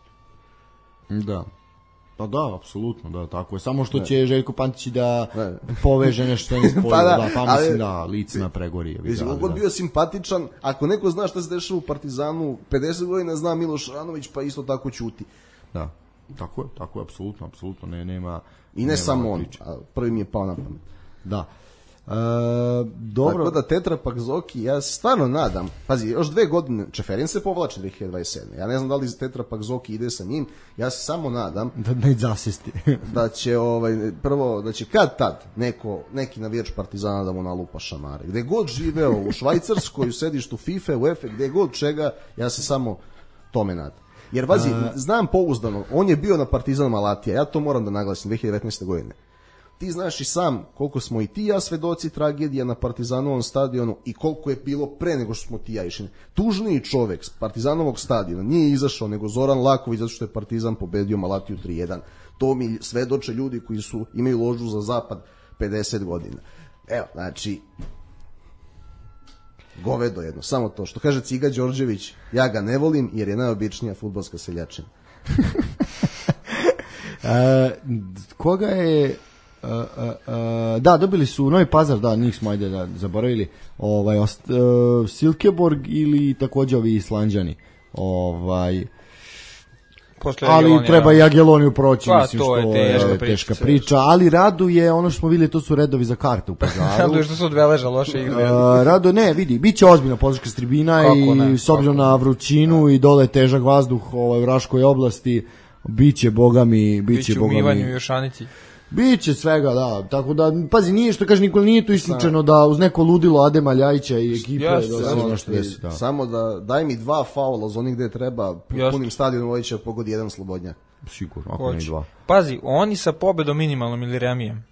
Da. Pa da, apsolutno, da, tako je. Samo što ne. Će Željko Pantić da ne. Poveže nešto ne spoju, pa da, da, pa mislim ali, da lice na pregori. Mislim, ugod bio simpatičan, ako neko zna šta se dešava u Partizanu, pedeset godina zna Miloš Ranović, pa isto tako ćuti. Da, tako je, tako je, apsolutno, apsolutno, ne, nema... I ne nema samo on, prvi mi je pao na pamet. Da. E, dobro. Tako da Tetra Pak Zoki, ja se stvarno nadam, pazi, još dve godine, Čeferin se povlači dve hiljade dvadeset sedme. Ja ne znam da li Tetra Pak Zoki ide sa njim, ja se samo nadam da ne zasesti. da će ovaj prvo da će kad tad neko neki navijač Partizana da mu nalupa šamare. Gde god živeo u Švajcarskoj, u sedištu FIFA, UEFA, gde god čega, ja se samo tome nadam. Jer vazi, znam pouzdano, on je bio na Partizanu Malatija, ja to moram da naglasim dve hiljade devetnaeste godine. ti znaš i sam koliko smo i ti i ja svedoci tragedija na Partizanovom stadionu i koliko je bilo pre nego što smo ti ja išli. Tužniji čovek s Partizanovog stadiona nije izašao nego Zoran Laković zato što je Partizan pobedio Malatiju tri jedan. To mi svedoče ljudi koji su imaju ložu za zapad pedeset godina. Evo, znači, govedo jedno, samo to. Što kaže Ciga Đorđević, ja ga ne volim jer je najobičnija fudbalska seljačina. e, koga je... Uh, uh, uh, da, dobili su Novi Pazar, da, njih smo ajde da zaboravili, ovaj, ost, uh, Silkeborg ili takođe ovi Islanđani. Ovaj... Posle ali Jagelonija, treba i Jageloniju proći, pa, mislim to je što teška je priča, teška priča, ali raduje, ono što smo videli, to su redovi za karte u Pazaru. Raduje što su odveleža loše igre. Uh, rado, ne, vidi, bit će ozbiljna podrška s tribina i ne, s obzirom na vrućinu i dole težak vazduh ovaj, u Raškoj oblasti, bit će, boga mi, bit će, biće boga mi. umivanju i Jošanici. Biće svega, da, tako da, pazi, nije što kaže Nikola, nije to isključeno da uz neko ludilo Adema Ljajića i ekipe Jasne, da se samo, zna što desi, da. Samo da, daj mi dva faula za onih gde treba, Jasne. punim stadionom ovaj će pogodi jedan slobodnjak. Sigurno, ako ne i dva. Pazi, oni sa pobedom minimalnom ili remijem.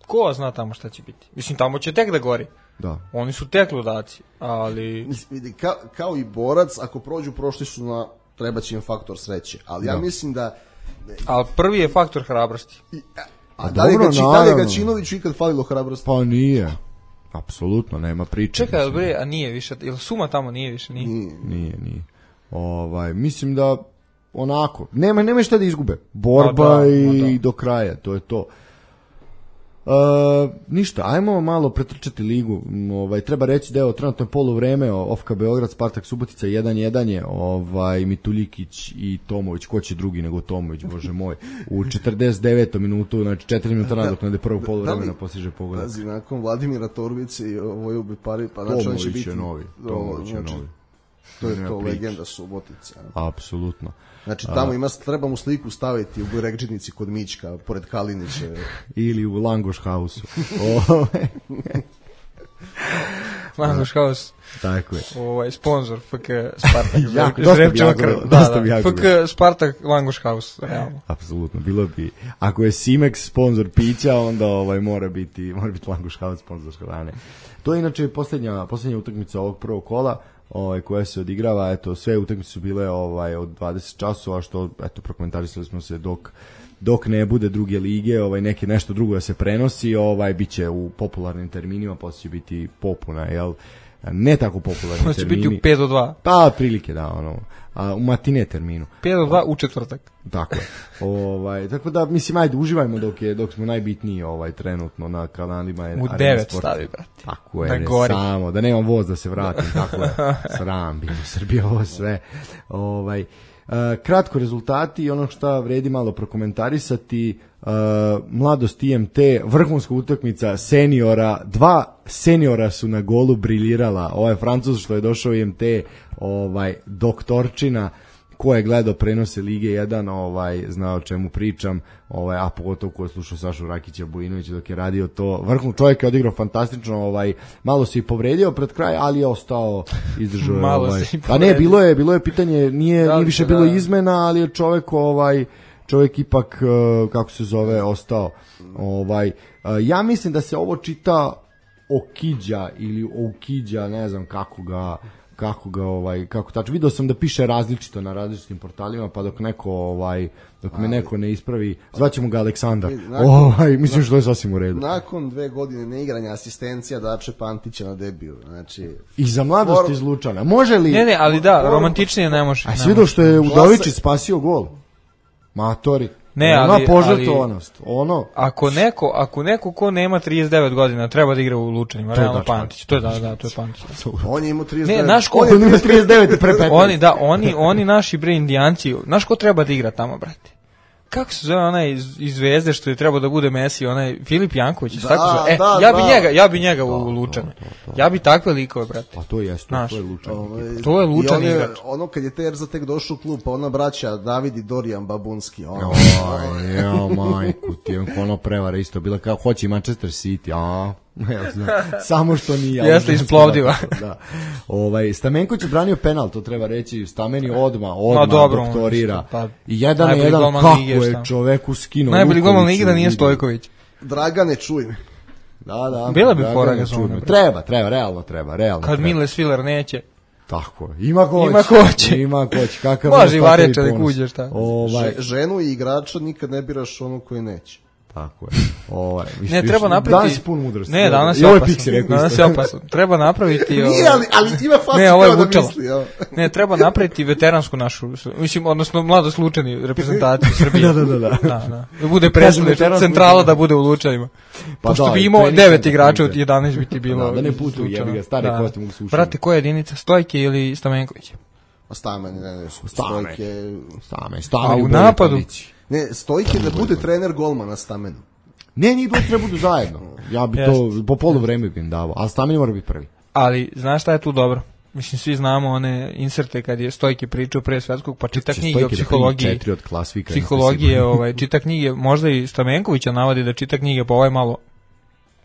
Ko zna tamo šta će biti? Mislim, tamo će tek da gori. Da. Oni su tek ludaci, ali... Vidi, ka, kao i borac, ako prođu, prošli su na, treba će im faktor sreće. Ali ja da. mislim da... Ali prvi je faktor hrabrosti. A, a da li ga, da li ga Činoviću ikad falilo hrabrosti? Pa nije. Apsolutno, nema priče. Čekaj, bre, a nije više, ili Suma tamo nije više, nije? Nije, nije. nije. Ovaj, mislim da onako, nema, nema šta da izgube. Borba da, i da. do kraja, to je to. Uh, ništa, ajmo malo pretrčati ligu. Ovaj, treba reći da je trenutno poluvreme Ofka Beograd, Spartak Subotica jedan jedan je ovaj, Mituljikić i Tomović, ko će drugi nego Tomović, bože moj, u četrdeset devetom minutu, znači četiri minuta nadoknade prvog poluvremena postiže pogodak. Pazi, nakon Vladimira Torbice i Voju Bipari, pa znači on će biti... je novi, Tomović je novi. To je to legenda Subotica. Apsolutno. Znači tamo ima, treba mu sliku staviti u Burekđinici kod Mićka, pored Kalinića. Ili u Langoš Hausu. Langoš Haus. Tako je. Ovaj sponsor F K Spartak. jako, dosta bi jako, da, dosta da, bi jako. F K Spartak Langoš Haus, realno. Apsolutno, bilo bi. Ako je Simex sponsor pića, onda ovaj mora biti, mora biti Langoš Haus sponsor hrane. To je inače posljednja, posljednja utakmica ovog prvog kola. Ovaj, koja se odigrava, eto, sve utakmice su bile ovaj, od dvadeset časova, što, eto, prokomentarisali smo se dok, dok ne bude druge lige, ovaj, neke nešto drugo da se prenosi, ovaj, bit će u popularnim terminima, posle će biti popuna, jel, ne tako popularni posle termini. Posle će biti u pet do dva. Pa, prilike, da, ono, a, u matine terminu. pet do dva u četvrtak. Tako je. Ovaj, tako da, mislim, ajde, uživajmo dok, je, dok smo najbitniji ovaj, trenutno na kanalima. U devet stavi, brate. Tako je, ne, samo, da nemam voz da se vratim, tako je, sram, bilo Srbija ovo sve. Ovaj, uh, kratko rezultati i ono što vredi malo prokomentarisati, uh, mladost I M T, vrhunska utakmica seniora, dva seniora su na golu briljirala, ovaj Francuz što je došao I M T, ovaj, doktorčina, ko je gledao prenose Lige jedan, ovaj, zna o čemu pričam, ovaj, a pogotovo ko je slušao Sašu Rakića Bujinovića dok je radio to. Vrhun čovjek je odigrao fantastično, ovaj, malo se i povredio pred kraj, ali je ostao, izdržao. Malo ovaj. se i A ne, bilo je, bilo je pitanje, nije, da, nije više da, bilo da. izmena, ali je čovjek, ovaj, čovjek ipak, kako se zove, ostao. Ovaj, ja mislim da se ovo čita Okiđa ili Okiđa, ne znam kako ga kako ga ovaj kako tačno video sam da piše različito na različitim portalima, pa dok neko ovaj dok me neko ne ispravi, zvaćemo ga Aleksandar. Nakon, ovaj mislim što je sasvim u redu. Nakon dve godine neigranja asistencija Dače Pantića na debiju, znači i za mladost iz Lučana. Može li? Ne, ne, ali da, romantičnije ne može. A si vidio što je Udovičić spasio gol? Matori. Ne, ona ali, požrtvovanost. Ono ako neko, ako neko ko nema trideset devet godina treba da igra u Lučanima, realno da, Pantić. To je da, da, to je Pantić. On je imao trideset devet. Ne, naš ko on ima trideset devet pre petnaest. Oni da, oni oni naši bre Indijanci, znaš ko treba da igra tamo, brate? Kako se zove onaj iz, iz Zvezde što je trebao da bude Messi, onaj Filip Janković, da, tako se. E, da, ja bi da. njega, ja bi njega u Lučane. Ja bi takve likove, brate. Pa to jeste, to, to je Lučan. Ovaj, to je Lučan on je, igrač. ono kad je Terza tek došao u klub, pa ona braća David i Dorijan Babunski. Ono. Oj, ja, majku, ti je ono prevara isto bila kao hoće i Manchester City, a ja znam, samo što nije. Jeste isplovdiva. Da. Ovaj, Stamenković je branio penal, to treba reći, Stameni odma, odma no, dobro, doktorira. Pa, I jedan na jedan, kako lige, je čoveku skinuo. Najbolji golman lige da nije Stojković. Dragane, čuj me. Da, da. Bila bi Dragane, fora čuj me. Gazona, bre. Treba, treba, realno treba, realno. Kad treba. Mile Sviler neće. Tako je. Ima ko Ima ko hoće. Ima ko hoće. Kakav Može i takav Varjača da ponos. kuđe, šta? Ovaj, Že- ženu i igrača nikad ne biraš onu koji neće. tako je. Ovaj, Ne, treba napraviti... Danas je pun mudrosti. Ne, danas I je ovo opasno. Pixi rekao Danas isto. je opasno. Treba napraviti... Nije, ovaj, ali, ali ima facu Ne, ovo je kao da Vučalo. misli. Evo. Ne, treba napraviti veteransku našu, mislim, odnosno mlado slučajni reprezentaciju Srbije. Da, da, da, da. Da, da. Da bude Kažem, predstavnik veteransku- centrala da bude u Lučanima. Pa Pošto da, bi i imao trening devet centar, igrača od trening jedanaest bi ti bilo. Da, da ne iz putuju, Lučana. jebi ga, stare kosti mogu se ušiti. Brate, koja je jedinica? Stojke ili Stamenković? A Stamen, ne, ne, Stame. Stojke... Stame, A stame. u napadu? Ne, Stojke da bude trener golmana na Stamenu. Ne, njih dvoje treba budu zajedno. Ja bi to po polu vreme bi im davao, a Stamen mora biti prvi. Ali, znaš šta je tu dobro? Mislim, svi znamo one inserte kad je Stojke pričao pre svetskog, pa čita Će knjige o Stojke da primi psihologiji. četiri od klasvika. Psihologije, ovaj, čita knjige, možda i Stamenkovića navodi da čita knjige, pa ovaj malo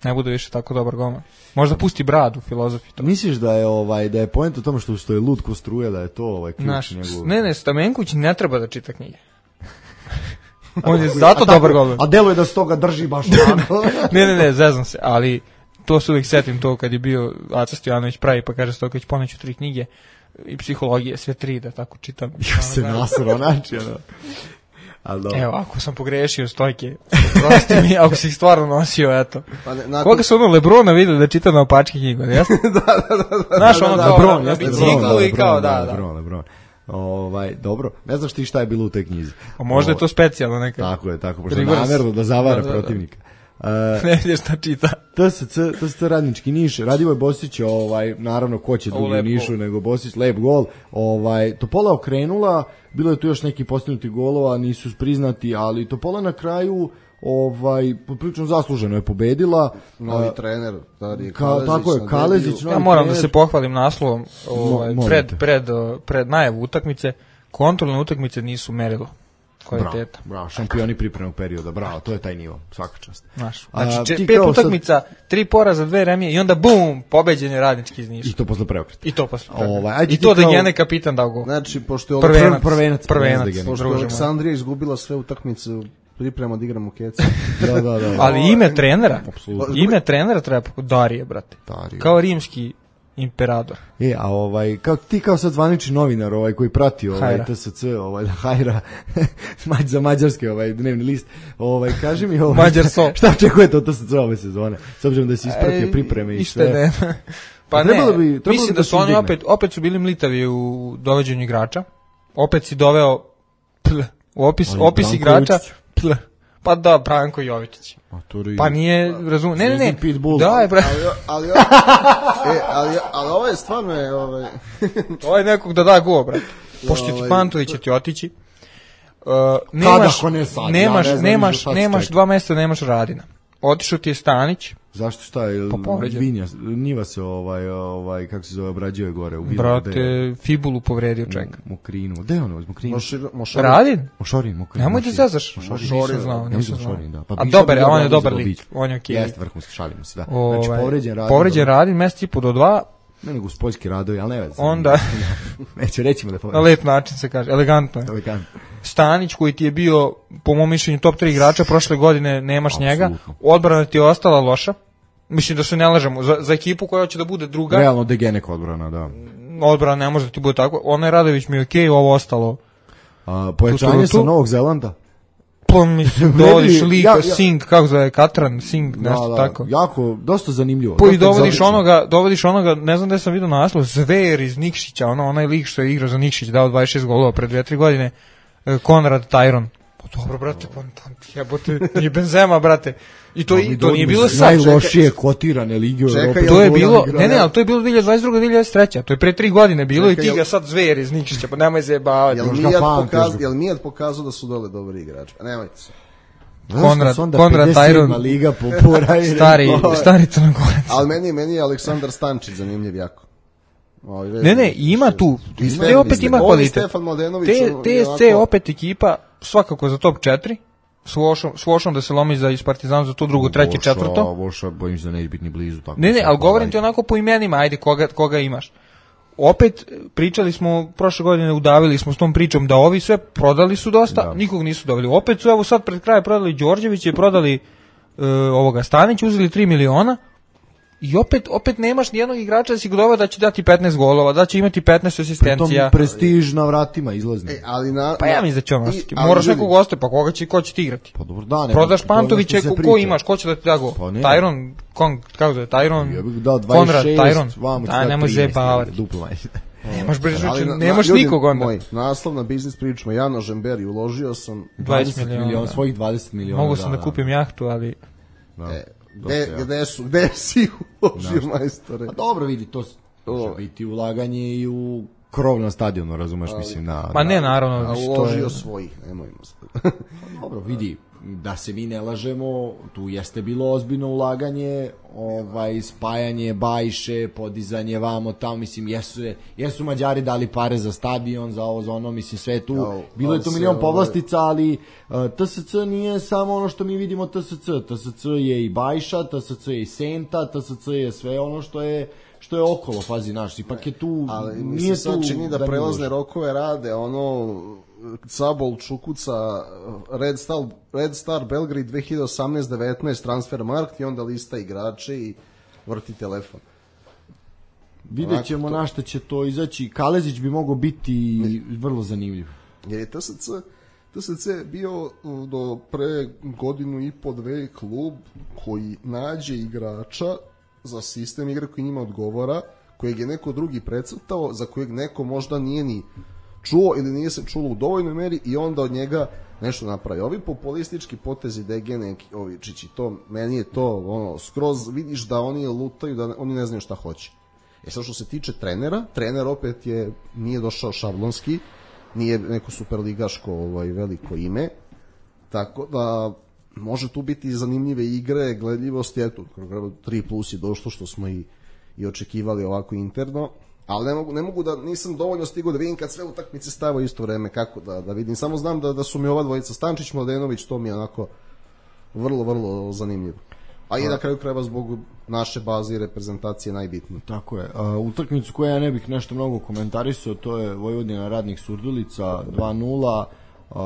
ne bude više tako dobar golman. Možda pusti bradu, filozofi to. Misliš da je ovaj da je poenta u tome što što je lud ko struja, da je to ovaj ključ Znaš, njegov. ne, ne, Stamenković ne treba da čita knjige. On je zato dobar golman. A deluje da se toga drži baš onako. Ne, ne, ne, zezam se, ali to se uvijek setim to kad je bio Aca Stojanović pravi, pa kaže Stojković poneću tri knjige i psihologije, sve tri da tako čitam. Ja se nasro, znači, ono. Al dobro. Evo, ako sam pogrešio Stojke, prosti mi, ako si ih stvarno nosio, eto. Pa ne, nakon... Koga su ono Lebrona videli da čita na opačke knjigu, jesno? da, da, da, da. Znaš, ono da, kao Lebron, na jeste, biciklu Lebron, i kao, Lebron, da, da. Lebron, Lebron. Ovaj, dobro. Ne znaš ti šta je bilo u toj knjizi. A možda je to specijalno neka. Tako je, tako, pošto Reverse. namerno da zavara Da, da, da. protivnika. Uh, Ne vidiš šta čita. T S C, T S C Radnički Niš, Radivoj Bosić, ovaj, naravno ko će Ovo drugi u lep Nišu gol. nego Bosić, lep gol, ovaj, Topola okrenula, bilo je tu još neki postignuti golova, nisu priznati, ali Topola na kraju, ovaj, poprilično zasluženo je pobedila. Novi A, trener, Darije Ka, Kalezić. tako je, na Kalezić, debiju. novi Ja moram da trener. se pohvalim naslovom ovaj, Mo- pred, molite. pred, uh, pred najavu utakmice. Kontrolne utakmice nisu merilo Bravo, kvaliteta. bravo, šampioni pripremnog perioda, bravo, to je taj nivo, svaka čast. Znaš, A, znači, če- ti pet kao sad- utakmica, tri poraza, dve remije i onda bum, pobeđen je Radnički iz Niša. I to posle preokreta. I to posle. Ovaj, ajde I ti to da kao- njene kapitan dao gol. Znači, pošto je, Prvenac, prvenac, prvenac, prvenac, pošto je druže moj. Aleksandrija izgubila sve utakmice, priprema da igramo keca. Da, da, da. Ali ime trenera, Apsolutno. ime trenera treba pok- Darije, brate. Darije. Kao rimski imperator. E, a ovaj, kao, ti kao sad zvanični novinar ovaj, koji prati ovaj, Hajra. T S C, ovaj, da, Hajra, mađ za mađarski ovaj, dnevni list, ovaj, kaži mi ovaj, Mađar so. šta očekujete od T S C ove sezone, s obzirom da si ispratio Ej, pripreme i ište sve. ne. Pa Trebalo ne, bi- trebalo mislim bi da da su se oni izdigne. opet, opet su bili mlitavi u dovođenju igrača. Opet si doveo pl, u opis, Ali opis Branko igrača Jovičić. pl. Pa da, Branko Jovičić. Maturi. Pa nije, razum, ne, ne, ne, Zvezdin Pitbull. da je, bra, Ali, ali, e, ali, ali ovo je stvarno je, ovaj, ovo je nekog da da go, brate. Pošto će ti Ovaj, Pantović će ti otići. Uh, nemaš, ako ne sad? nemaš, Ja ne znam nemaš, ni šta se nemaš čeka. dva mjeseca, nemaš Radina. Otišao ti je Stanić, Zašto šta je? Pa povređen. Vinja, Njiva se ovaj, ovaj, kako se zove, obrađuje gore. U Vilu, brate, gde- Fibulu povredio čeka. Mokrinu. Gde je ono, uz Mokrinu? Mošir, Mošir, Radin? Mošorin, Mokrinu. Nemoj da zezaš. Mošorin. Nisam znao, Ja nisam mislim znao. Mošorin, da. Pa A bi dobar je, sad on je bio dobar za lik. Bić. On je okej lik. Jeste, vrhunski, šalimo se, da. Ovaj, Znači, povređen Radin. Povređen dobro. Radin, mjesec i po do dva, Ne nego uz poljski radovi, ali ne veze. onda, Neće, rećemo da na povređen. lep način se kaže, elegantno je. Elegant. Stanić koji ti je bio, po mom mišljenju, top tri igrača, prošle godine nemaš njega. Apsolutno. Odbrana ti je ostala loša. Mislim da se ne lažemo, za, za ekipu koja hoće da bude druga, Realno Degenek odbrana, da. odbrana ne može da ti bude tako. Onaj Radović mi je okej, ovo ostalo. A, pojačanje Tu, tu, tu. sa Novog Zelanda. Pa mislim, Meni- dovodiš lika, ja- ja- Sing, kako zove, Katran, Sing, nešto Da, da, tako. Jako, dosta zanimljivo. Pa i Dosta dovodiš egzotično. onoga, dovodiš onoga, ne znam da sam vidio naslov, Zver iz Nikšića, ono, onaj lik što je igrao za Nikšić, dao dvadeset šest golova pre dve tri godine, e, Konrad Tyron. Pa dobro, brate, pa tam jebote, nije Benzema, brate. I to, i, to nije bilo sad. Najlošije kotirane lige u Čekaj, Evropi. jel To je Goran bilo, igrao, ne, ne, ne? ali to je bilo dvije hiljade dvadeset druga. dvije hiljade dvadeset treća. To je pre tri godine bilo Čekaj, i ti ga jel- sad Zver iz Nikšića, pa nemoj zajebavati. Jel Još ga Mijat, pamtiš, pokaz, ga. jel Mijat pokazao da su dole dobri igrači? Pa nemojte se. Konrad- Zašto su onda Konrad pedeset sedma Tyron. liga po pora i Stari, rekao, stari Crnogorac. Ali meni, meni je Aleksandar Stančić zanimljiv jako. Ovaj, Ne, ne, ima tu. I Te Stefan- opet ima on i kvalitet. Stefan Mladenović, Te, on T je S C onako- opet ekipa, svakako za top četiri. S Vošom, s Vošom da se lomi za iz Partizana za to drugo, treće, Voša- četvrto. Voša, bojim se da neće biti ni blizu. Tako Ne, ne, tako, ali govorim ovaj. ti onako po imenima, ajde, koga, koga imaš. Opet, pričali smo, prošle godine udavili smo s tom pričom da ovi sve prodali su dosta, Da. nikog nisu doveli. Opet su, evo sad pred kraj prodali Đorđevića i prodali uh, ovoga Stanić, uzeli tri miliona i opet opet nemaš nijednog igrača da si godova da će dati petnaest golova, da će imati petnaest asistencija. Pritom prestiž na vratima izlazni. E, ali na, pa ja mislim da će on i, ostati. Moraš ljudi, nekog ostaje, pa koga će, ko će ti igrati? Pa dobro, da, ne. Prodaš Pantovića, ko, ko imaš, ko će da ti da gol? Pa Tyron, kon, kako zove, Tyron, ja bih dao Konrad, dvadeset šest, Tyron. Da, nemoj zebavati. Duplo manje. Nemaš brže, na, nemaš na, nikog onda. Moj, naslov na biznis pričamo, Jano Žemberi, uložio sam dvadeset miliona, svojih dvadeset miliona. Mogu sam da, da kupim jahtu, ali... Da. E, gde, gde, su, gde si uložio, no. majstore? A dobro, vidi, to može biti ulaganje i u krov na stadionu, razumeš, ali, mislim, na... Ma ne, naravno. A uložio je... svojih, nemojmo se. Dobro, vidi, da se mi ne lažemo, tu jeste bilo ozbiljno ulaganje, ovaj, spajanje Bajše, podizanje vamo tamo, mislim, jesu, jesu Mađari dali pare za stadion, za ovo, za ono, mislim, sve tu, Kao, bilo je tu milion ovaj... povlastica, ali uh, T S C nije samo ono što mi vidimo T S C, T S C je i Bajša, T S C je i Senta, T S C je sve ono što je što je okolo, fazi naš, ipak je tu, ali nije se sad čini da, da prelazne rokove rade, ono, Cabol, Čukuca, Red Star, Red Star Belgrade dve hiljade osamnaest devetnaest Transfermarkt i onda lista igrače i vrti telefon. Vidjet ćemo na što će to izaći. Kalezić bi mogao biti vrlo zanimljiv. Jer je T S C, T S C bio do pre godinu i po dve klub koji nađe igrača za sistem igre koji njima odgovara, kojeg je neko drugi precrtao, za kojeg neko možda nije ni čuo ili nije se čulo u dovoljnoj meri i onda od njega nešto napravi. Ovi populistički potezi D G neki, ovi čići, to, meni je to, ono, skroz vidiš da oni lutaju, da oni ne znaju šta hoće. E sad što se tiče trenera, trener opet je, nije došao šablonski, nije neko superligaško ovaj, veliko ime, tako da može tu biti zanimljive igre, gledljivosti, eto, tri plus je došlo što smo i, i očekivali ovako interno. Ali ne mogu, ne mogu da, nisam dovoljno stigao da vidim kad sve utakmice stava isto vreme, kako da, da vidim. Samo znam da, da su mi ova dvojica, Stančić, Mladenović, to mi je onako vrlo, vrlo zanimljivo. A i na kraju krajeva zbog naše baze i reprezentacije najbitnije. Tako je. Uh, utakmicu koju ja ne bih nešto mnogo komentarisao, to je Vojvodina Radnik Surdulica dva nula. Uh,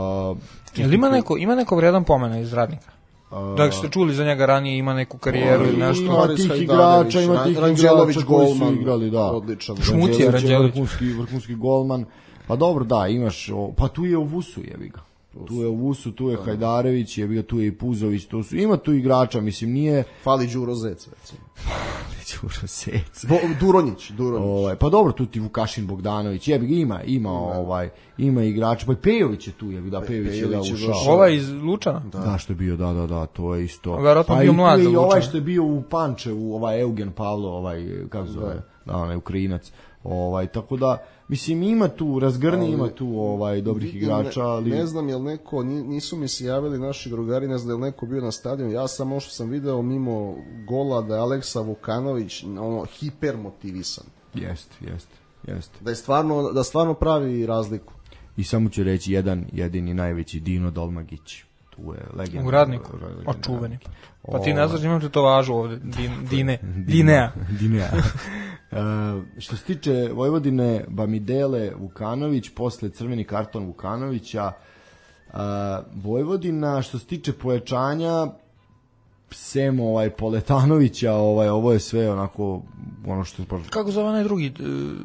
Jel ima neko, ima neko vredan pomena iz Radnika? Uh, da ste čuli za njega ranije, ima neku karijeru ili nešto. Ima tih igrača, ima tih igrača koji su igrali, da. Odličan. Šmucija Ranđelović. Vrhunski, vrhunski golman. Pa dobro, da, imaš, o, pa tu je u Vusu, jebi ga. Tu je u Vusu, tu je Hajdarević, jebi ga, tu je i Puzović, tu su, ima tu igrača, mislim, nije... Fali Đuro Zec, recimo. Fali Đuro Zec. Bo, Duronjić, Duronjić. Ovaj, pa dobro, tu ti Vukašin Bogdanović, jebi ga, ima, ima, ima. ovaj, ima igrača, pa i Pejović je tu, jebi ga, Pejović je da ušao. Ovaj iz Lučana? Da. da, što je bio, da, da, da, to je isto. Verovatno bio mlad za Lučana. I ovaj što je bio u Pančevu, ovaj Eugen Pavlo, ovaj, kako zove, da, onaj Ukrajinac. Ovaj, tako da, mislim, ima tu, razgrni, ali, ima tu ovaj, dobrih igrača, ali... Ne, ne znam jel neko, nisu mi se javili naši drugari, ne znam jel neko bio na stadionu, ja sam što sam video mimo gola da je Aleksa Vukanović ono, hipermotivisan. Jeste, jeste, jeste. Da je stvarno, da stvarno pravi razliku. I samo ću reći jedan, jedini najveći Dino Dolmagić. Tu je legenda. U Radniku, očuveni. Pa ti ne znaš, imam tetovažu ovde, din, Dine, Dinea. Dinea. Uh, što se tiče Vojvodine, Bamidele, Vukanović, posle crveni karton Vukanovića. Uh, Vojvodina, što se tiče pojačanja, sem ovaj Poletanovića, ovaj, ovo je sve onako, ono što... Kako zove onaj drugi,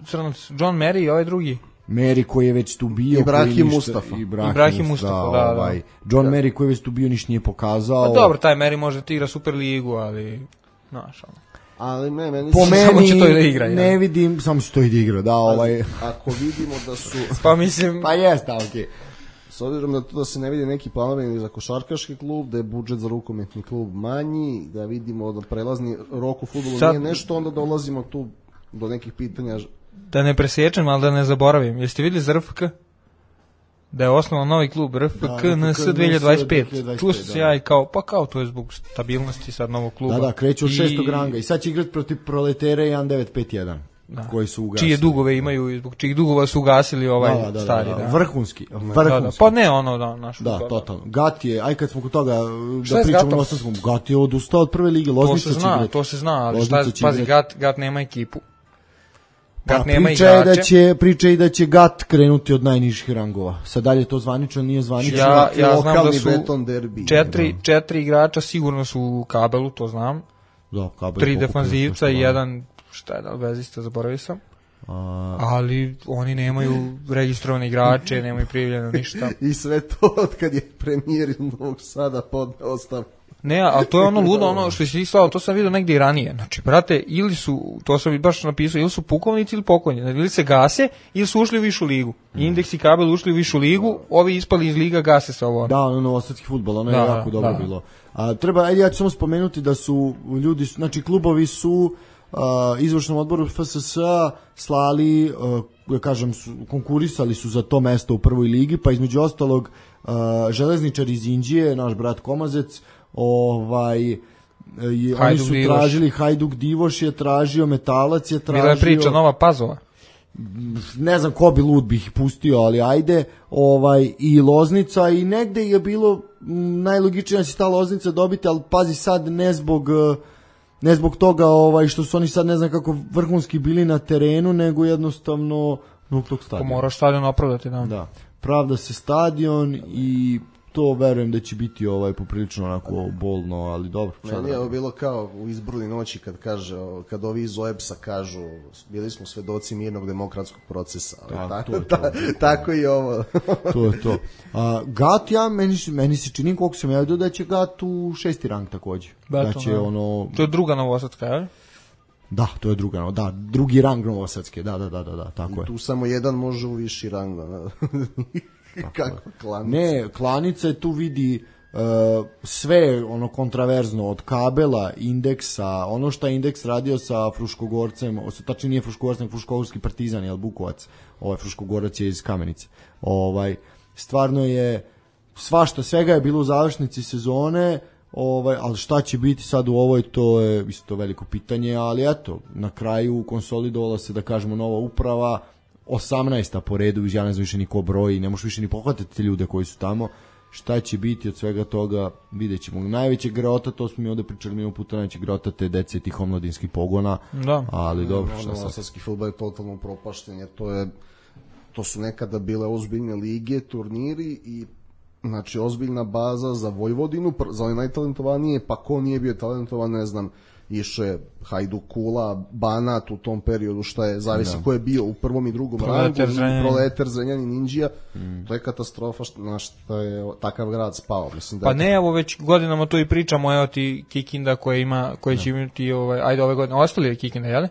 crnac, John Mary i ovaj drugi? Mary koji je već tu bio, Ibrahim Mustafa. Ibrahim, Ibrahim Mustafa, da, da. Ovaj, John da. Mary koji je već tu bio ništa nije pokazao. Pa dobro, taj Mary može ti igra Super ligu, ali znaš, ono. Ali me, meni po meni samo će to i da igra, ne ja. vidim, samo će to i da igra, da, ovaj. Ako vidimo da su... pa mislim... pa jeste, okej. Okay. S obzirom da to da se ne vidi neki planovi za košarkaški klub, da je budžet za rukometni klub manji, da vidimo da prelazni rok u fudbalu Sad... nije nešto, onda dolazimo tu do nekih pitanja. Da ne presječem, ali da ne zaboravim. Jeste vidjeli za R F K? Da je osnovan novi klub R F K N S dve hiljade dvadeset pet. Čuo sam se ja i kao, pa kao to je zbog stabilnosti sad novog kluba. Da, da, kreću od šestog ranga i sad će igrati protiv Proletere jedan devet pet jedan. Da. Koji su ugasili. Čije dugove imaju, zbog čijih dugova su ugasili ovaj da, da, stari. Da, da, da. Vrhunski, vrhunski. Da, da. Pa ne ono, da, naš. Da, da, totalno. Gat je, aj kad smo kod toga, da pričamo na Ostanskom, Gat je odustao od prve lige, Loznica će igrati. To se zna, ali šta, pazi, Gat, Gat nema ekipu. Gat Pa, nema priča je igrače. da će, priča i da će Gat krenuti od najnižih rangova. Sad dalje to zvanično, nije zvanično. Ja, ja znam da Lokalni su beton derbi. četiri, četiri igrača sigurno su u kabelu, to znam. Da, kabel Tri pokupio defanzivca sve i što jedan, šta je da li vezista, zaboravio sam. A, Ali oni nemaju registrovane igrače, nemaju prijavljeno ništa. I sve to od kad je premijer iz Novog Sada podneo ostavku. Ne, ali to je ono ludo, ono što si slao, to sam vidio negdje i ranije. Znači, brate, ili su, to sam baš napisao, ili su pukovnici ili pokojni, ili se gase, ili su ušli u višu ligu. Indeks i kabel ušli u višu ligu, ovi ispali iz liga, gase se ovo. da, ono novosadski fudbal, ono je Da, jako dobro da. bilo. A, treba, ajde, ja ću samo spomenuti da su ljudi, znači klubovi su a, izvršnom odboru F S S-a slali, a, da kažem, su, konkurisali su za to mesto u prvoj ligi, pa između ostalog a, Železničar iz Inđije, naš brat Komazec, ovaj je, oni Hajduk su Divoš. tražili, Hajduk Divoš je tražio, Metalac je tražio. Bila je priča Nova Pazova. Ne znam ko bi lud bi ih pustio, ali ajde, ovaj, i Loznica i negde je bilo m, najlogičnije da će ta Loznica dobiti, ali pazi sad ne zbog eh, ne zbog toga ovaj, što su oni sad ne znam kako vrhunski bili na terenu, nego jednostavno zbog tog Pa stadiona. moraš stadion opravdati, da. Da. Pravda se stadion i to verujem da će biti ovaj poprilično onako bolno, ali dobro. šta da Meni je ovo radimo. bilo kao u izbruli noći kad kaže, o, kad ovi iz O E B S-a kažu bili smo svedoci mirnog demokratskog procesa. Ali Da, tako, to je to. ta- tako i ovo. To je to. A, Gat, ja, meni, meni se čini koliko sam ja vidio da će Gat u šesti rang takođe. Da Beton, će da. ono... To je druga Novosadska, je? Da, to je druga, no, da, drugi rang Novosadske, da, da, da, da, da, tako je. Tu samo jedan može u viši rang. Da. Kakva klanica. Ne, Klanica je tu vidi uh, sve ono kontraverzno od kabela, indeksa, ono što je indeks radio sa Fruškogorcem, o, tačnije nije Fruškogorcem, nego Fruškogorski Partizan, jel Bukovac, ovaj Fruškogorac je iz Kamenice. Ovaj, stvarno je svašta, svega je bilo u završnici sezone, ovaj, ali šta će biti sad u ovoj, to je isto veliko pitanje, ali eto, na kraju konsolidovala se, da kažemo, nova uprava, osamnaesta po redu, ja ne znam više niko broji, ne možeš više ni pohvatati te ljude koji su tamo. Šta će biti od svega toga, vidjet ćemo. Najveće grota, to smo mi ovde pričali milion puta, najveće grota te dece tih omladinskih pogona, Da. ali dobro, šta Ono, sad. novosadski fudbal je totalno propašten, jer to je to su nekada bile ozbiljne lige, turniri i znači ozbiljna baza za Vojvodinu, pr- za one najtalentovanije, pa ko nije bio talentovan, ne znam, išao je Hajduk, Kula, Banat u tom periodu, šta je, zavisi ko je bio u prvom i drugom Proletar, rangu, Zrenjanin. Proletar, Zrenjanin, Indija, to je katastrofa što, na što je takav grad spao. Mislim da Pa je- ne, evo već godinama to i pričamo, evo ti Kikinda koja ima, koja će imati, ovaj, ajde ove godine, ostali je Kikinda, jel?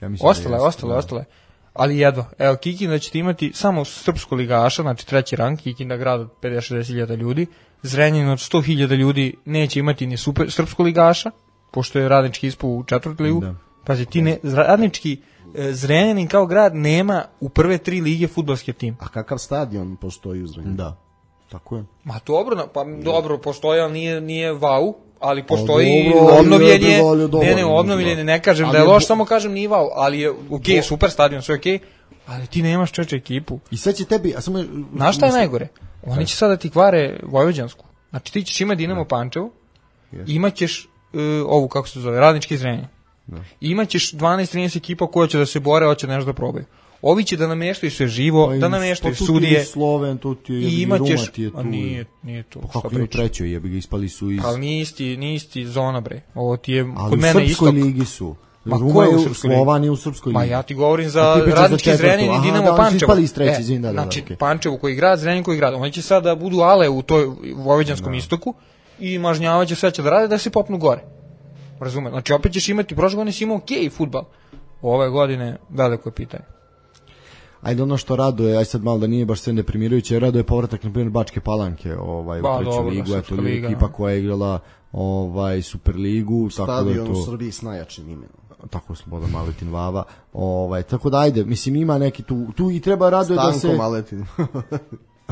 Ja mislim da Ostale, jeste, ostale, da. ostale. Ali jedno, evo Kikinda ćete imati samo srpsko ligaša, znači treći rang, Kikinda grad od pedeset šezdeset hiljada ljudi, Zrenjanin od sto hiljada ljudi neće imati ni super srpsko ligaša, pošto je radnički ispao u četvrtu ligu. Da. Pazi, ti ne, radnički e, Zrenjanin kao grad nema u prve tri lige fudbalski tim. A kakav stadion postoji u Zrenjaninu? Da, tako je. Ma dobro, na- pa dobro, postoji, ali nije, nije vau, ali postoji dobro, ali obnovljen je, je bilo dobro, ne, ne, mislim, obnovljen je, ne kažem Ali da je je loš, bo- samo kažem nije vau, ali je okej, super stadion, sve okej, ali ti nemaš čeče ekipu. I sad će tebi, a samo... Znaš šta je najgore? Oni će sada ti kvare Vojvođansku. Znači ti ćeš imati Dinamo Pančevo, imaćeš uh, ovu, kako se zove, radnički Zrenjanin. Imaćeš dvanaest trinaest ekipa koja će da se bore, hoće nešto da probaju. Ovi će da nameštaju sve živo, Pa i- da nameštaju pa tu ti je sudije. Sloven, tu ti je I jebi ga, imaćeš, Ruma ti je tu. a nije, nije tu, Pa šta kako je u pričaš. trećoj, jebi ga, ispali su iz... Ali nije isti, nije isti zona, bre. Ovo ti je Ali kod u mene Srpskoj istok. ligi su. Ma Ruma ko je je u u Srpskoj ligi? Slovan je u Srpskoj Ma ligi. ja ti govorim A za ti pričaš za radnički četvrtu. Zrenjanin i Aha, Dinamo da, oni su Pančevo. ispali iz treće, E, izvini, da, da, da, znači, okej. Pančevo koji grad, Zrenjanin koji grad. Oni će sada da budu ale u toj Vojvođanskom istoku i mažnjavaće sve će da rade da se popnu gore. Razume? Znači, opet ćeš imati, prošle godine si imao okej fudbal. Ove godine veliko je pitanje. Ajde, ono što raduje, aj sad malo da nije baš sve deprimirajuće, raduje povratak na primjer Bačke Palanke, ovaj Ba, u treću dobro, ligu, Srpska eto liga, ekipa da. koja je igrala ovaj Superligu, tako da Stadion u to Srbiji s najjačim imenom. tako Slobodan Maletin Vava. Ovaj tako da ajde, mislim ima neki tu tu i treba raduje da se Stanko Maletin.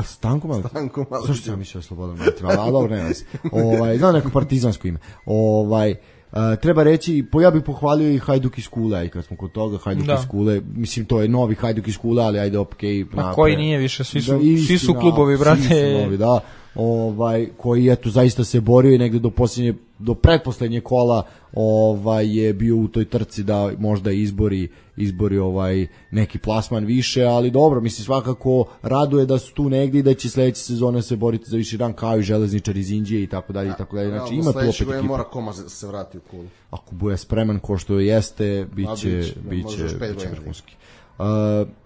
Stanko Maletin. Stanko Maletin. Zašto sam mislio Slobodan Maletin? A dobro, ne veze. Ovaj znam neko partizansko ime. Ovaj Uh, treba reći, po ja bih pohvalio i Hajduk iz Kule, i kad smo kod toga Hajduk Da. iz Kule, mislim to je novi Hajduk iz Kule, ali ajde okej. Ma napre- koji nije više, svi su, Da, svi su istina, klubovi, svi brate. su novi, da. ovaj, koji eto zaista se borio i negde do posljednje, do pretposlednje kola ovaj, je bio u toj trci da možda izbori, izbori ovaj, neki plasman više, ali dobro, mislim svakako raduje da su tu negde i da će sledeće sezone se boriti za viši rang kao i Železničar iz Indije i tako dalje i tako dalje. Znači ima tu opet ekipa. Mora Koma se vrati u kulu. Ako bude spreman ko što jeste, biće biće biće vrhunski. Uh,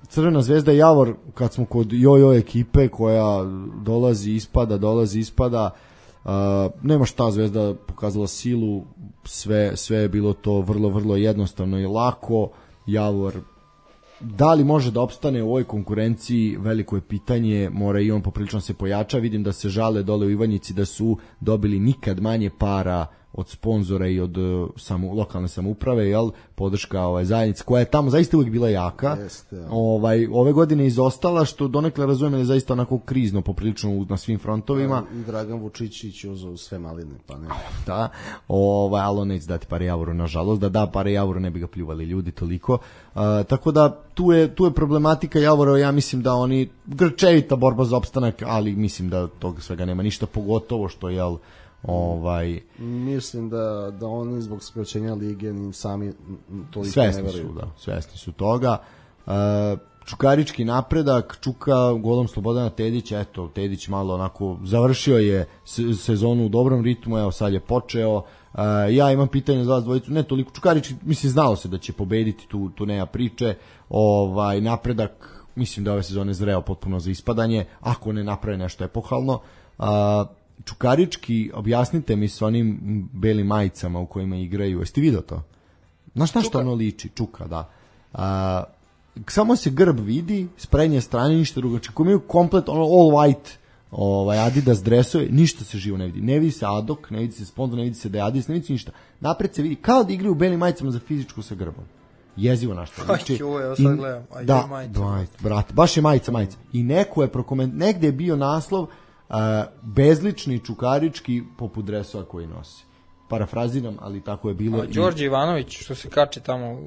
Crvena zvezda i Javor, kad smo kod jojo ekipe koja dolazi ispada, dolazi ispada, uh, nema šta, Zvezda pokazala silu, sve, sve je bilo to vrlo, vrlo jednostavno i lako. Javor, da li može da opstane u ovoj konkurenciji, veliko je pitanje, mora i on poprilično se pojača, vidim da se žale dole u Ivanjici da su dobili nikad manje para od sponzora i od uh, samu, lokalne samouprave, jel, podrška ovaj, zajednica, koja je tamo zaista uvijek bila jaka. Jeste, ja. ovaj, ove godine izostala, što donekle razumem da je zaista onako krizno, poprilično na svim frontovima. I Dragan Vučićić uzeo sve maline, pa ne. Da, ovaj, ali on neće dati pare Javoru, nažalost, da da pare Javoru ne bi ga pljuvali ljudi toliko. Uh, tako da tu je, tu je problematika Javora, ja mislim da oni, grčevita borba za opstanak, ali mislim da toga svega nema ništa, pogotovo što je, ovaj mislim da da oni zbog skraćenja lige ni sami toliko svesni ne veruju. su, da, svesni su toga. Uh, Čukarički napredak, Čuka golom Slobodana Tedića, eto, Tedić malo onako završio je sezonu u dobrom ritmu, evo sad je počeo. Uh, ja imam pitanje za vas dvojicu, ne toliko Čukarički, mislim znalo se da će pobediti, tu, tu nema priče. Ovaj napredak, mislim da ove sezone zreo potpuno za ispadanje, ako ne naprave nešto epohalno. Uh, Čukarički, objasnite mi s onim belim majicama u kojima igraju. Jeste vidio to? Znaš na što ono liči? Čuka, da. A, samo se grb vidi, s prednje strane ništa drugo. Čekaj, imaju komplet ono all white ovaj, Adidas dresove, ništa se živo ne vidi. Ne vidi se adok, ne vidi se sponsor, ne vidi se da je Adidas, ne vidi se ništa. Napred se vidi kao da igraju u belim majicama za fizičku sa grbom. Jezivo našta. Znači, aj, joj, evo sad gledam. Aj, da, majica. brate, baš je majica, majica. I neko je prokoment, negde je bio naslov Uh, bezlični Čukarički poput dresova koji nosi. Parafraziram, ali tako je bilo. A Đorđe i... Ivanović što se kače tamo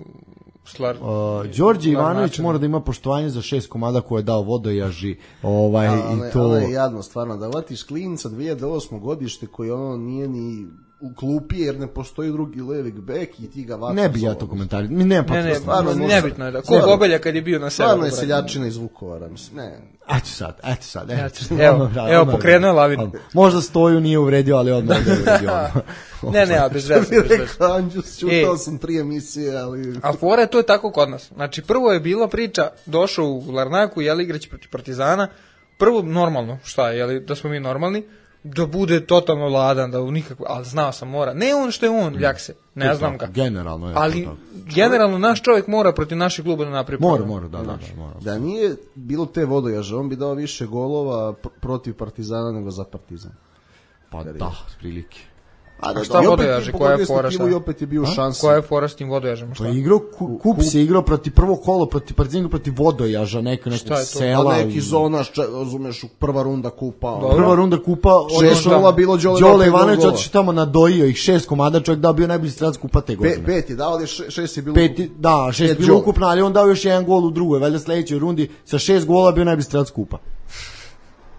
slar... uh, Đorđe Ivanović način. Mora da ima poštovanje za šest komada koje je dao Vodojaži. Ovaj, a, i to... ono je jadno stvarno, da vatiš klinca dvije hiljade osme godište koji ono nije ni u klupi jer ne postoji drugi levik bek i ti ga vataš. Ne bi ja to komentari. Mi nema ne, ne, stvarno, nebitno je da. Ko Gobelja kad je bio na severu. Stvarno je seljačina iz Vukovara, mislim. Ne. Eto sad, eto sad. Eto, evo, evo, evo pokrenuo lavinu. Možda Stoju nije uvredio, ali odmah je uvredio. ne, ne, a bez veze. Rekao Anđus, čutao sam tri emisije, ali... A fora je to je tako kod nas. Znači, prvo je bila priča, došao u Larnaku, jeli igrać protiv Partizana, prvo normalno, šta je, jeli, da smo mi normalni, da bude totalno ladan, da u nikakvo, ali znao sam mora. Ne on što je on, ljak se, ne znam ga. Generalno je. Ali generalno naš čovjek mora protiv naših kluba da napravi. Mora, mora, da, da, da, mora. Da nije bilo te Vodojaže, on bi dao više golova pr- protiv Partizana nego za Partizan. Pa da, prilike. A da, šta Vodojaže, koja je fora šta? I opet je bio šansa. Koja je fora s tim Vodojažem, šta? Pa igrao, kup, kup se igrao protiv prvo kolo, protiv Partizana, protiv Vodojaža, neka nekog sela. Pa neki zona, razumeš, prva runda kupa. Dobro. Prva runda kupa, šest nula bilo Đole. Đole Ivanović otišao tamo nadojio ih šest komada, čovjek dao bio najbolji strelac kupa te godine. Pe, pet je dao, ali šest je bilo. Peti, da, šest je bilo ukupno, ali on dao još jedan gol u drugoj, valjda sledećoj rundi sa šest gola bio najbolji strelac kupa.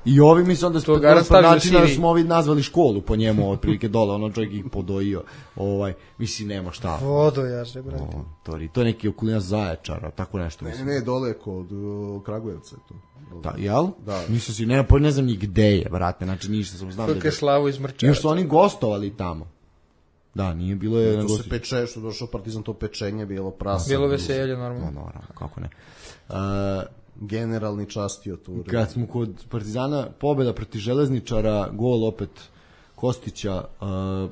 I ovi mi se onda spod načina da smo ovi nazvali školu po njemu, otprilike dole, ono čovjek ih podojio. Ovaj, mislim, nema šta. Vodojaže, brate. O, to, to je neki okolina Zaječara, tako nešto. Ne, ne, dole kod uh, Kragujevca je to. Da, jel? Da. Mislim si, ne, ne znam ni gde je, brate, znači ništa sam znam. Kako je Slavu iz Mrčevaca. Još su oni gostovali tamo. Da, nije bilo je... To se peče, što došao Partizan, to pečenje, bilo prasa. Bilo veselje, normalno. No, naravno, kako ne. Uh, generalni častio tu. Kad smo kod Partizana, pobjeda protiv Železničara, gol opet Kostića, uh,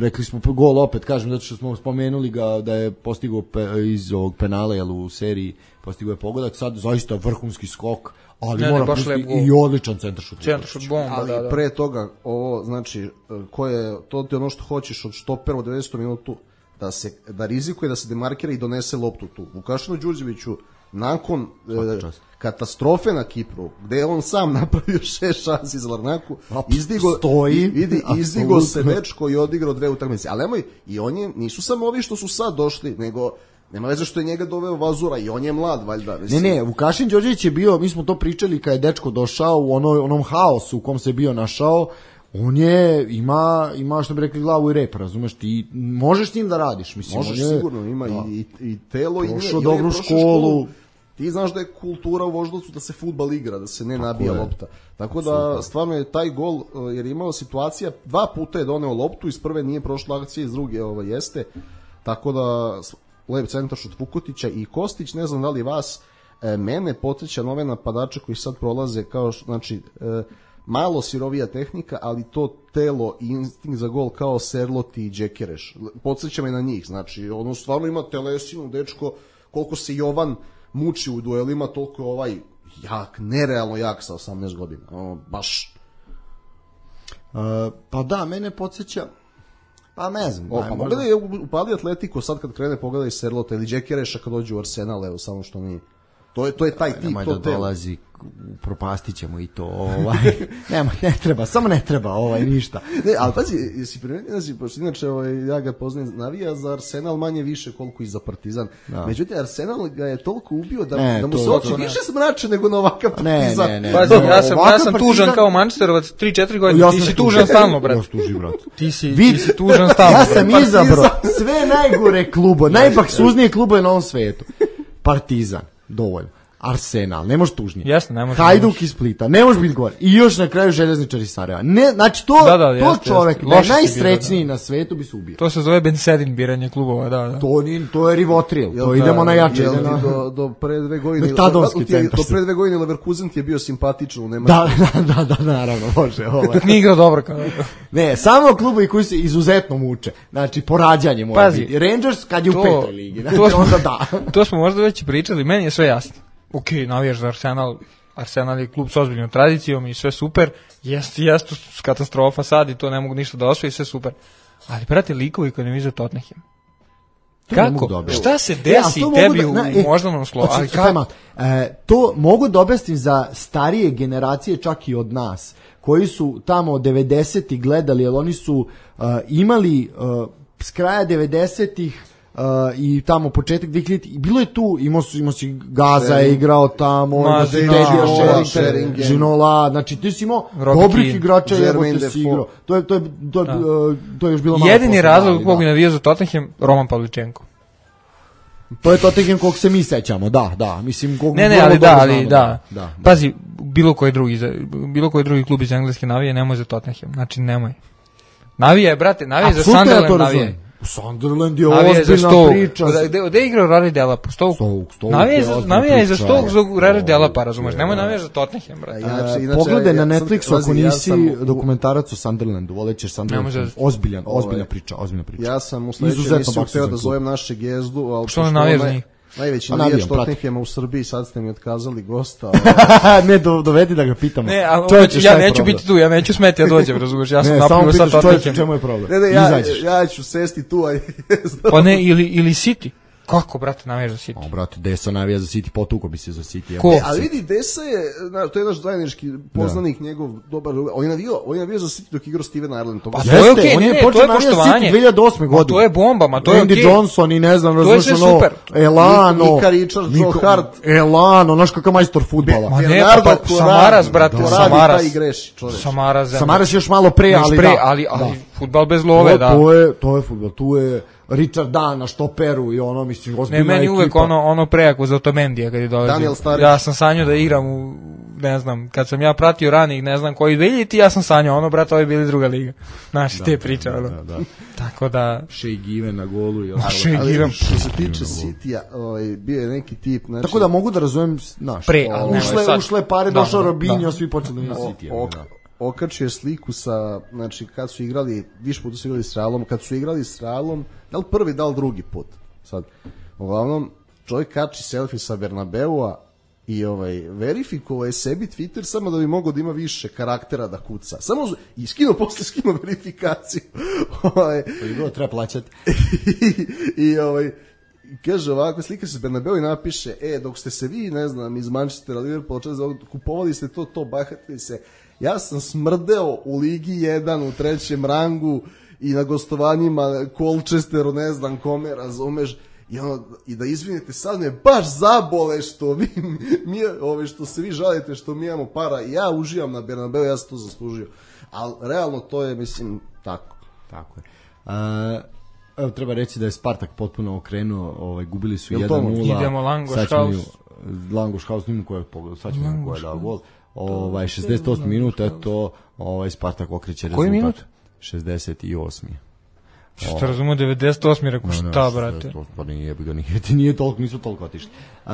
rekli smo gol opet, kažem, zato što smo spomenuli ga da je postigao pe, iz ovog penala, jel, u seriji postigao je pogodak, sad zaista vrhunski skok, ali ne, mora ne, pustiti i odličan centaršut. Centaršut bomba, ali da, da. Pre toga, ovo, znači, ko je, to ti ono što hoćeš od štopera u devedesetom minutu, da se da rizikuje da se demarkira i donese loptu tu. Vukašinu Đurđeviću nakon e, katastrofe na Kipru, gde je on sam napravio šest šansi za Larnaku, izdigo stoji, vidi, izdigo se dečko i odigrao dve utakmice. Ali nemoj, i oni nisu samo ovi što su sad došli, nego Nema veze što je njega doveo Vazura i on je mlad, valjda. Ne, ne, Vukašin Đorđević je bio, mi smo to pričali kad je dečko došao u onoj, onom haosu u kom se bio našao, on je, ima, ima što bi rekli glavu i rep, razumeš, ti možeš s njim da radiš, mislim. Možeš on je, sigurno, ima da, i, i telo i prošao dobru školu. Ti znaš da je kultura u Voždovcu da se fudbal igra, da se ne nabija lopta. Tako da super. Stvarno je taj gol, jer je imao situacija, dva puta je doneo loptu, iz prve nije prošla akcija, iz druge ovo jeste. Tako da lep centar šut Vukotića i Kostić, ne znam da li vas, e, mene podsjeća nove napadače koji sad prolaze kao, znači, e, malo sirovija tehnika, ali to telo i instinkt za gol kao Serloti i Đekereš. Podsjeća me na njih, znači, ono stvarno ima telesinu, dečko, koliko se Jovan muči u duelima, toliko je ovaj jak, nerealno jak sa osamnaest godina. Ono, baš. Uh, pa da, mene podsjeća, pa ne znam. O, pa pogledaj, upali Atletico sad kad krene, pogledaj Serlota ili Đekereša kad dođe u Arsenal, evo, samo što nije. To je, to je taj tip, nemoj to da telo. dolazi, propastit ćemo i to, ovaj, nema, ne treba, samo ne treba, ovaj, ništa. Ne, ali pazi, jesi primetio, znači, pošto inače, ovaj, ja ga poznajem, navija za Arsenal manje više koliko i za Partizan. Da. Međutim, Arsenal ga je toliko ubio da, ne, da mu se oči više smrače nego na ovakav Partizan. Ne, ne, ne. Pazi, ja sam, ja sam tužan kao Manchesterovac tri četiri godine, ja ti si tužan stalno, brat. Ja sam tuži, brat. Ti si, ti si tužan stalno, ja sam izabrao sve najgore klubo, najbaksuznije klubove na ovom svetu. Partizan, dovoljno. Arsenal, ne može tužnije. Jasno, ne može. Hajduk iz Splita, ne može biti gore. I još na kraju Željezničar iz Sarajeva. Ne, znači to, da, da, to jeste, čovjek, jeste. da je najsrećniji da, da. na svetu bi se ubio. To se zove Ben Sedin biranje klubova, da, da. To, ni, to je Rivotril, jel, to idemo na jače. Jel, na... do, do pre dve godine, Metadonski do, centar. Do pre dve godine Leverkusen ti je bio simpatičan u Nemačkoj. Da, da, da, da, naravno, može. Ovaj. Nije igrao dobro kao. Ne, samo klubovi koji se izuzetno muče. Znači, porađanje mora Pazi, biti. Rangers kad je to, u petoj ligi. Znači, to smo, onda da. To smo možda već pričali, meni je sve jasno. Ok, navijaš za Arsenal, Arsenal je klub s ozbiljnom tradicijom i sve super, jeste, jeste katastrofa sad i to ne mogu ništa da osvoji, sve super. Ali, brate, likovi koji ne vize Tottenham. Kako? Šta se desi e, tebi da, u e, moždanom slovu? Ali kako? E, to mogu da objasnim za starije generacije, čak i od nas, koji su tamo devedesetih gledali, jer oni su uh, imali uh, s kraja devedesetih Uh, i tamo početak dvehiljaditih i bilo je tu, imao su, imao si Gaza je igrao tamo, Ma, imao si Tedija Sheringham, Ginola, znači ti si imao dobrih igrača, jebote si igrao. To je, to je, to je, uh, to je još bilo malo. Jedini razlog kog bi navijao za Tottenham, Roman Pavličenko. To je Tottenham kog se mi sećamo, da, da, mislim kog ne, ne, ali da, ali da. Da, da. Pazi, bilo koji drugi, bilo koji drugi klub iz engleske navije nemoj za Tottenham, znači nemoj. Navije, brate, navije za Sunderland, navije. Sunderland je ozbiljna priča. Gde je igrao Rari Delapa? Navija je za Stoke za Rari Delapa, razumeš? Nemoj navijaš za Tottenham, brate. Pogledaj na Netflixu ako nisi dokumentarac o Sunderlandu, volećeš Sunderland. Ozbiljan, ozbiljna priča, ozbiljna priča. Ja sam u sledećoj emisiji hteo da zovem naše Gezdu, ali što ne navijaš za njih? Najveći navijač Tottenhama u Srbiji, sad ste mi otkazali gosta. Ne, do, dovedi da ga pitamo. Ne, a čovječe, ja neću biti tu, ja neću smeti, ja dođem, razumiješ, ja sam ne, napravio sad Tottenham. Čemu je problem? Ne, ne, ja, ja ću sesti tu, aj. Pa ne, ili, ili City. Kako, brate, navijaš za City? O, brate, Desa navija za City, potuko bi se za City. Ko? E, ali vidi, Desa je, na, to je naš zajednički poznanik, da. Njegov dobar, on je navio, on je navio za City dok igrao Steven Ireland. Pa to je okej, okay, ne, ne, to je poštovanje. dve hiljade osme godine. To je bomba, ma to je okej. Andy Johnson i ne znam, to je sve super. Elano. Nika Richards, Joe Hart. Elano, znaš kakav majstor fudbala. Ma ne, pa, pa Samaras, brate, Samaras. Samaras. Samaras još malo pre, ali da. Ali fudbal bez love, da. To je, to je fudbal, tu je Richard Dan na štoperu i ono, mislim, ozbiljna ekipa. Ne, meni uvek ono, ono prejako za Otomendija kad je dolazio. Ja sam sanjao da igram u, ne znam, kad sam ja pratio ranih, ne znam koji dvehiljaditi, ja sam sanjao, ono, brate, ovi bili druga liga. Znaš, te priče, ono. Da, da. Tako da... Shea Given na golu i ostalo. Shea Given. Što se tiče City-a, ovaj, bio je neki tip, znači... Tako da mogu da razumem, znaš, pre, ali ušle, sad... ušle pare, da, došao Robinho, svi počeli na City-a. Okačio sliku sa, znači, kad su igrali, više puta su igrali s Realom, kad su igrali s Realom, da li prvi, da li drugi put, sad, uglavnom, čovjek kači selfie sa Bernabeua i ovaj, verifikovao je sebi Twitter samo da bi mogao da ima više karaktera da kuca, samo, i skinuo, posle skinuo verifikaciju, ovaj, to treba plaćati, i, i ovaj, kaže ovako, slika se Bernabeu i napiše, e, dok ste se vi, ne znam, iz Manchestera, Liverpoola, kupovali ste to, to, bahatili se, ja sam smrdeo u Ligi jedan u trećem rangu i na gostovanjima Colchesteru, ne znam kome, razumeš, I, ono, i da izvinite, sad me baš zabole što vi mi, ove, što se vi žalite što mi imamo para i ja uživam na Bernabeu, ja sam to zaslužio. Ali realno to je, mislim, tako. Tako je. A, evo, treba reći da je Spartak potpuno okrenuo, ovaj, gubili su Jel jedan nula. Idemo Langoš House. Langoš House, nima koja je pogledao, sad ćemo koja je dao gol. Ovaj, šezdeset osmi minut, eto, ovaj, Spartak okreće rezultat. Koji minut? šezdeset osmi Što razumio, devedeset osmi rekao, šta, brate? Pa nije, nije, nije, nije toliko, nisu toliko otišli. Uh,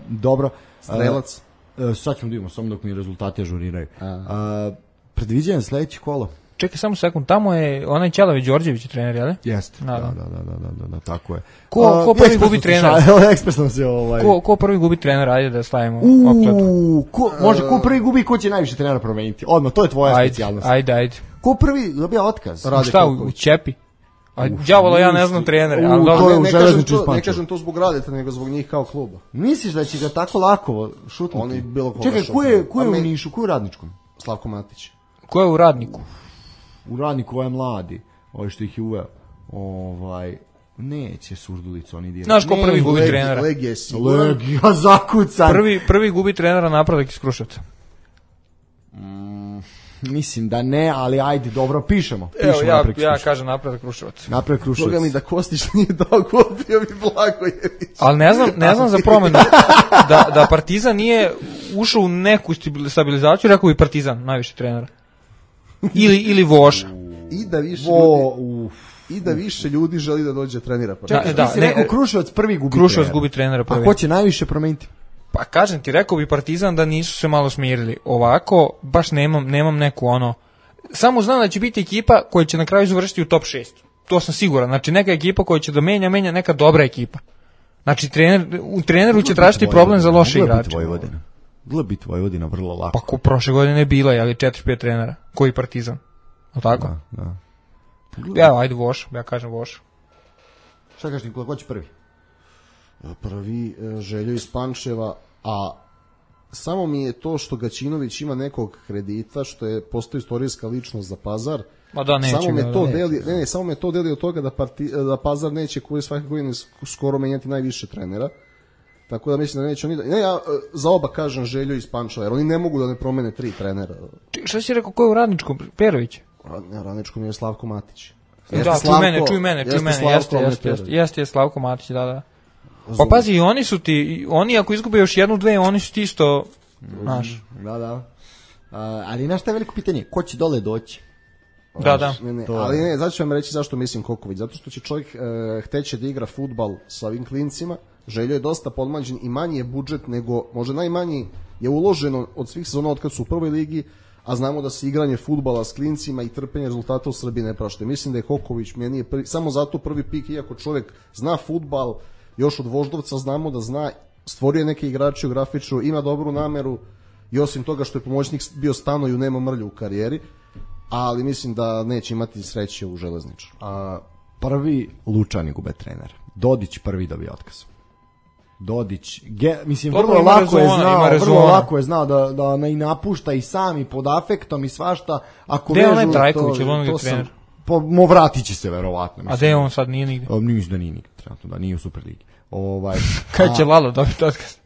dobro. Strelac? Uh, sad ćemo da imamo, samo dok mi rezultati ažuriraju. Uh, predviđanje sledeće kolo. Čekaj samo sekund, tamo je onaj Ćelavi Đorđević trener, jel? Jeste, da, da, da, da, da, da, da, da, tako je. Ko, ko prvi gubi trenera? Ekspresno se ovaj... Ko, ko prvi gubi trenera, ajde da stavimo Uuu, ko, može, ko prvi gubi, ko će najviše trenera promeniti? Odmah, to je tvoja ajde, specijalnost. Ajde, ajde. Ko prvi dobija otkaz? Rade šta, u, u Ćepi? A đavolo, ja ne znam trenere, ali dobro. Ne, ne, kažem to, ne kažem to zbog Radeta, nego zbog njih kao kluba. Misliš da će ga tako lako šutnuti? Oni bilo koga. Čekaj, ko je, ko je u Nišu, ko je u Radničkom? Slavko Matić. Ko je u Radniku? U Radniku ovaj mladi, ovaj što ih je uveo. Ovaj, neće Surdulicu oni dirati. Znaš ko prvi gubi Legi, trenera? Legija je siguran. Legija zakucan. Prvi, prvi gubi trenera Napredak iz Kruševca. Mm, mislim da ne, ali ajde, dobro, pišemo. pišemo Evo, ja, Napredak ja kažem Napredak Kruševac. Napredak Kruševac. Boga mi da Kostić nije dao gol, bio bi Blagojević. Ali ne znam, ne znam za promenu. Da, da Partizan nije ušao u neku stabilizaciju, rekao bi Partizan, najviše trenera. Ili, ili Voša. I da više Vo, ljudi, i da više ljudi želi da dođe trenira. Pa. Čekaj, da, ti si ne, rekao Kruševac prvi gubi Kruševac trenera. gubi trenera prvi. A ko će najviše promeniti? Pa kažem ti, rekao bi Partizan da nisu se malo smirili. Ovako, baš nemam, nemam neku ono... Samo znam da će biti ekipa koja će na kraju završiti u top šest. To sam siguran. Znači neka ekipa koja će da menja, menja neka dobra ekipa. Znači trener, u treneru će tražiti problem za loše igrače. Vojvodina. Bila bi Vojvodina vrlo lako. Pa ko prošle godine je bila, ali četiri pet trenera. Koji Partizan? O tako? Da, da. Ja, ajde Voš, ja kažem Voš. Šta kažeš Nikola, ko će prvi? Prvi Željo iz Pančeva, a samo mi je to što Gaćinović ima nekog kredita, što je postoji istorijska ličnost za Pazar. Ma da, neće samo me ga, to da, deli, ne, ne, samo me to deli od toga da, parti, da Pazar neće koji svake godine skoro menjati najviše trenera. Tako da mislim da neće oni da... Ne, ja za oba kažem Željo iz Pančeva, jer oni ne mogu da ne promene tri trenera. Šta si rekao, ko je u Radničkom? Perović? Ne, Radničkom je Slavko Matić. Da, čuj mene, čuj mene, čuj mene, jeste, jeste, jeste, jeste, je Slavko Matić, da, da. Pa pazi, i oni su ti, oni ako izgube još jednu, dve, oni su ti isto, znaš. Da, da. A, ali znaš šta je veliko pitanje? Ko će dole doći? Da, da. Ne, ne, ali ne, zato ću vam reći zašto mislim Koković. Zato što će čovjek e, hteće da igra fudbal sa ovim klincima. Željo je dosta podmlađen i manji je budžet nego, možda najmanji je uloženo od svih sezona od kad su u prvoj ligi, a znamo da se igranje fudbala s klincima i trpenje rezultata u Srbiji ne praštaju. Mislim da je Koković meni je prvi, samo zato prvi pik, iako čovjek zna fudbal, još od Voždovca znamo da zna, stvorio je neke igrače u grafiču, ima dobru nameru i osim toga što je pomoćnik bio Stanoju, nema mrlju u karijeri, ali mislim da neće imati sreće u Železniču. A, prvi Lučani gube trener. Dodić prvi dobije otkaz. Dodić, ge, mislim, Dobro, vrlo lako rezona, je znao, vrlo lako je znao da, da ne i napušta i sam i pod afektom i svašta. Ako gde je onaj vežu, Trajković, to, ili on je to trener? Sam, po, mo vratit će se verovatno. Mislim. A gde je on sad, nije nigde? O, mislim da nije nigde, trenutno, da nije u Superligi. Ovaj, Kad će Lalo dobiti otkaz?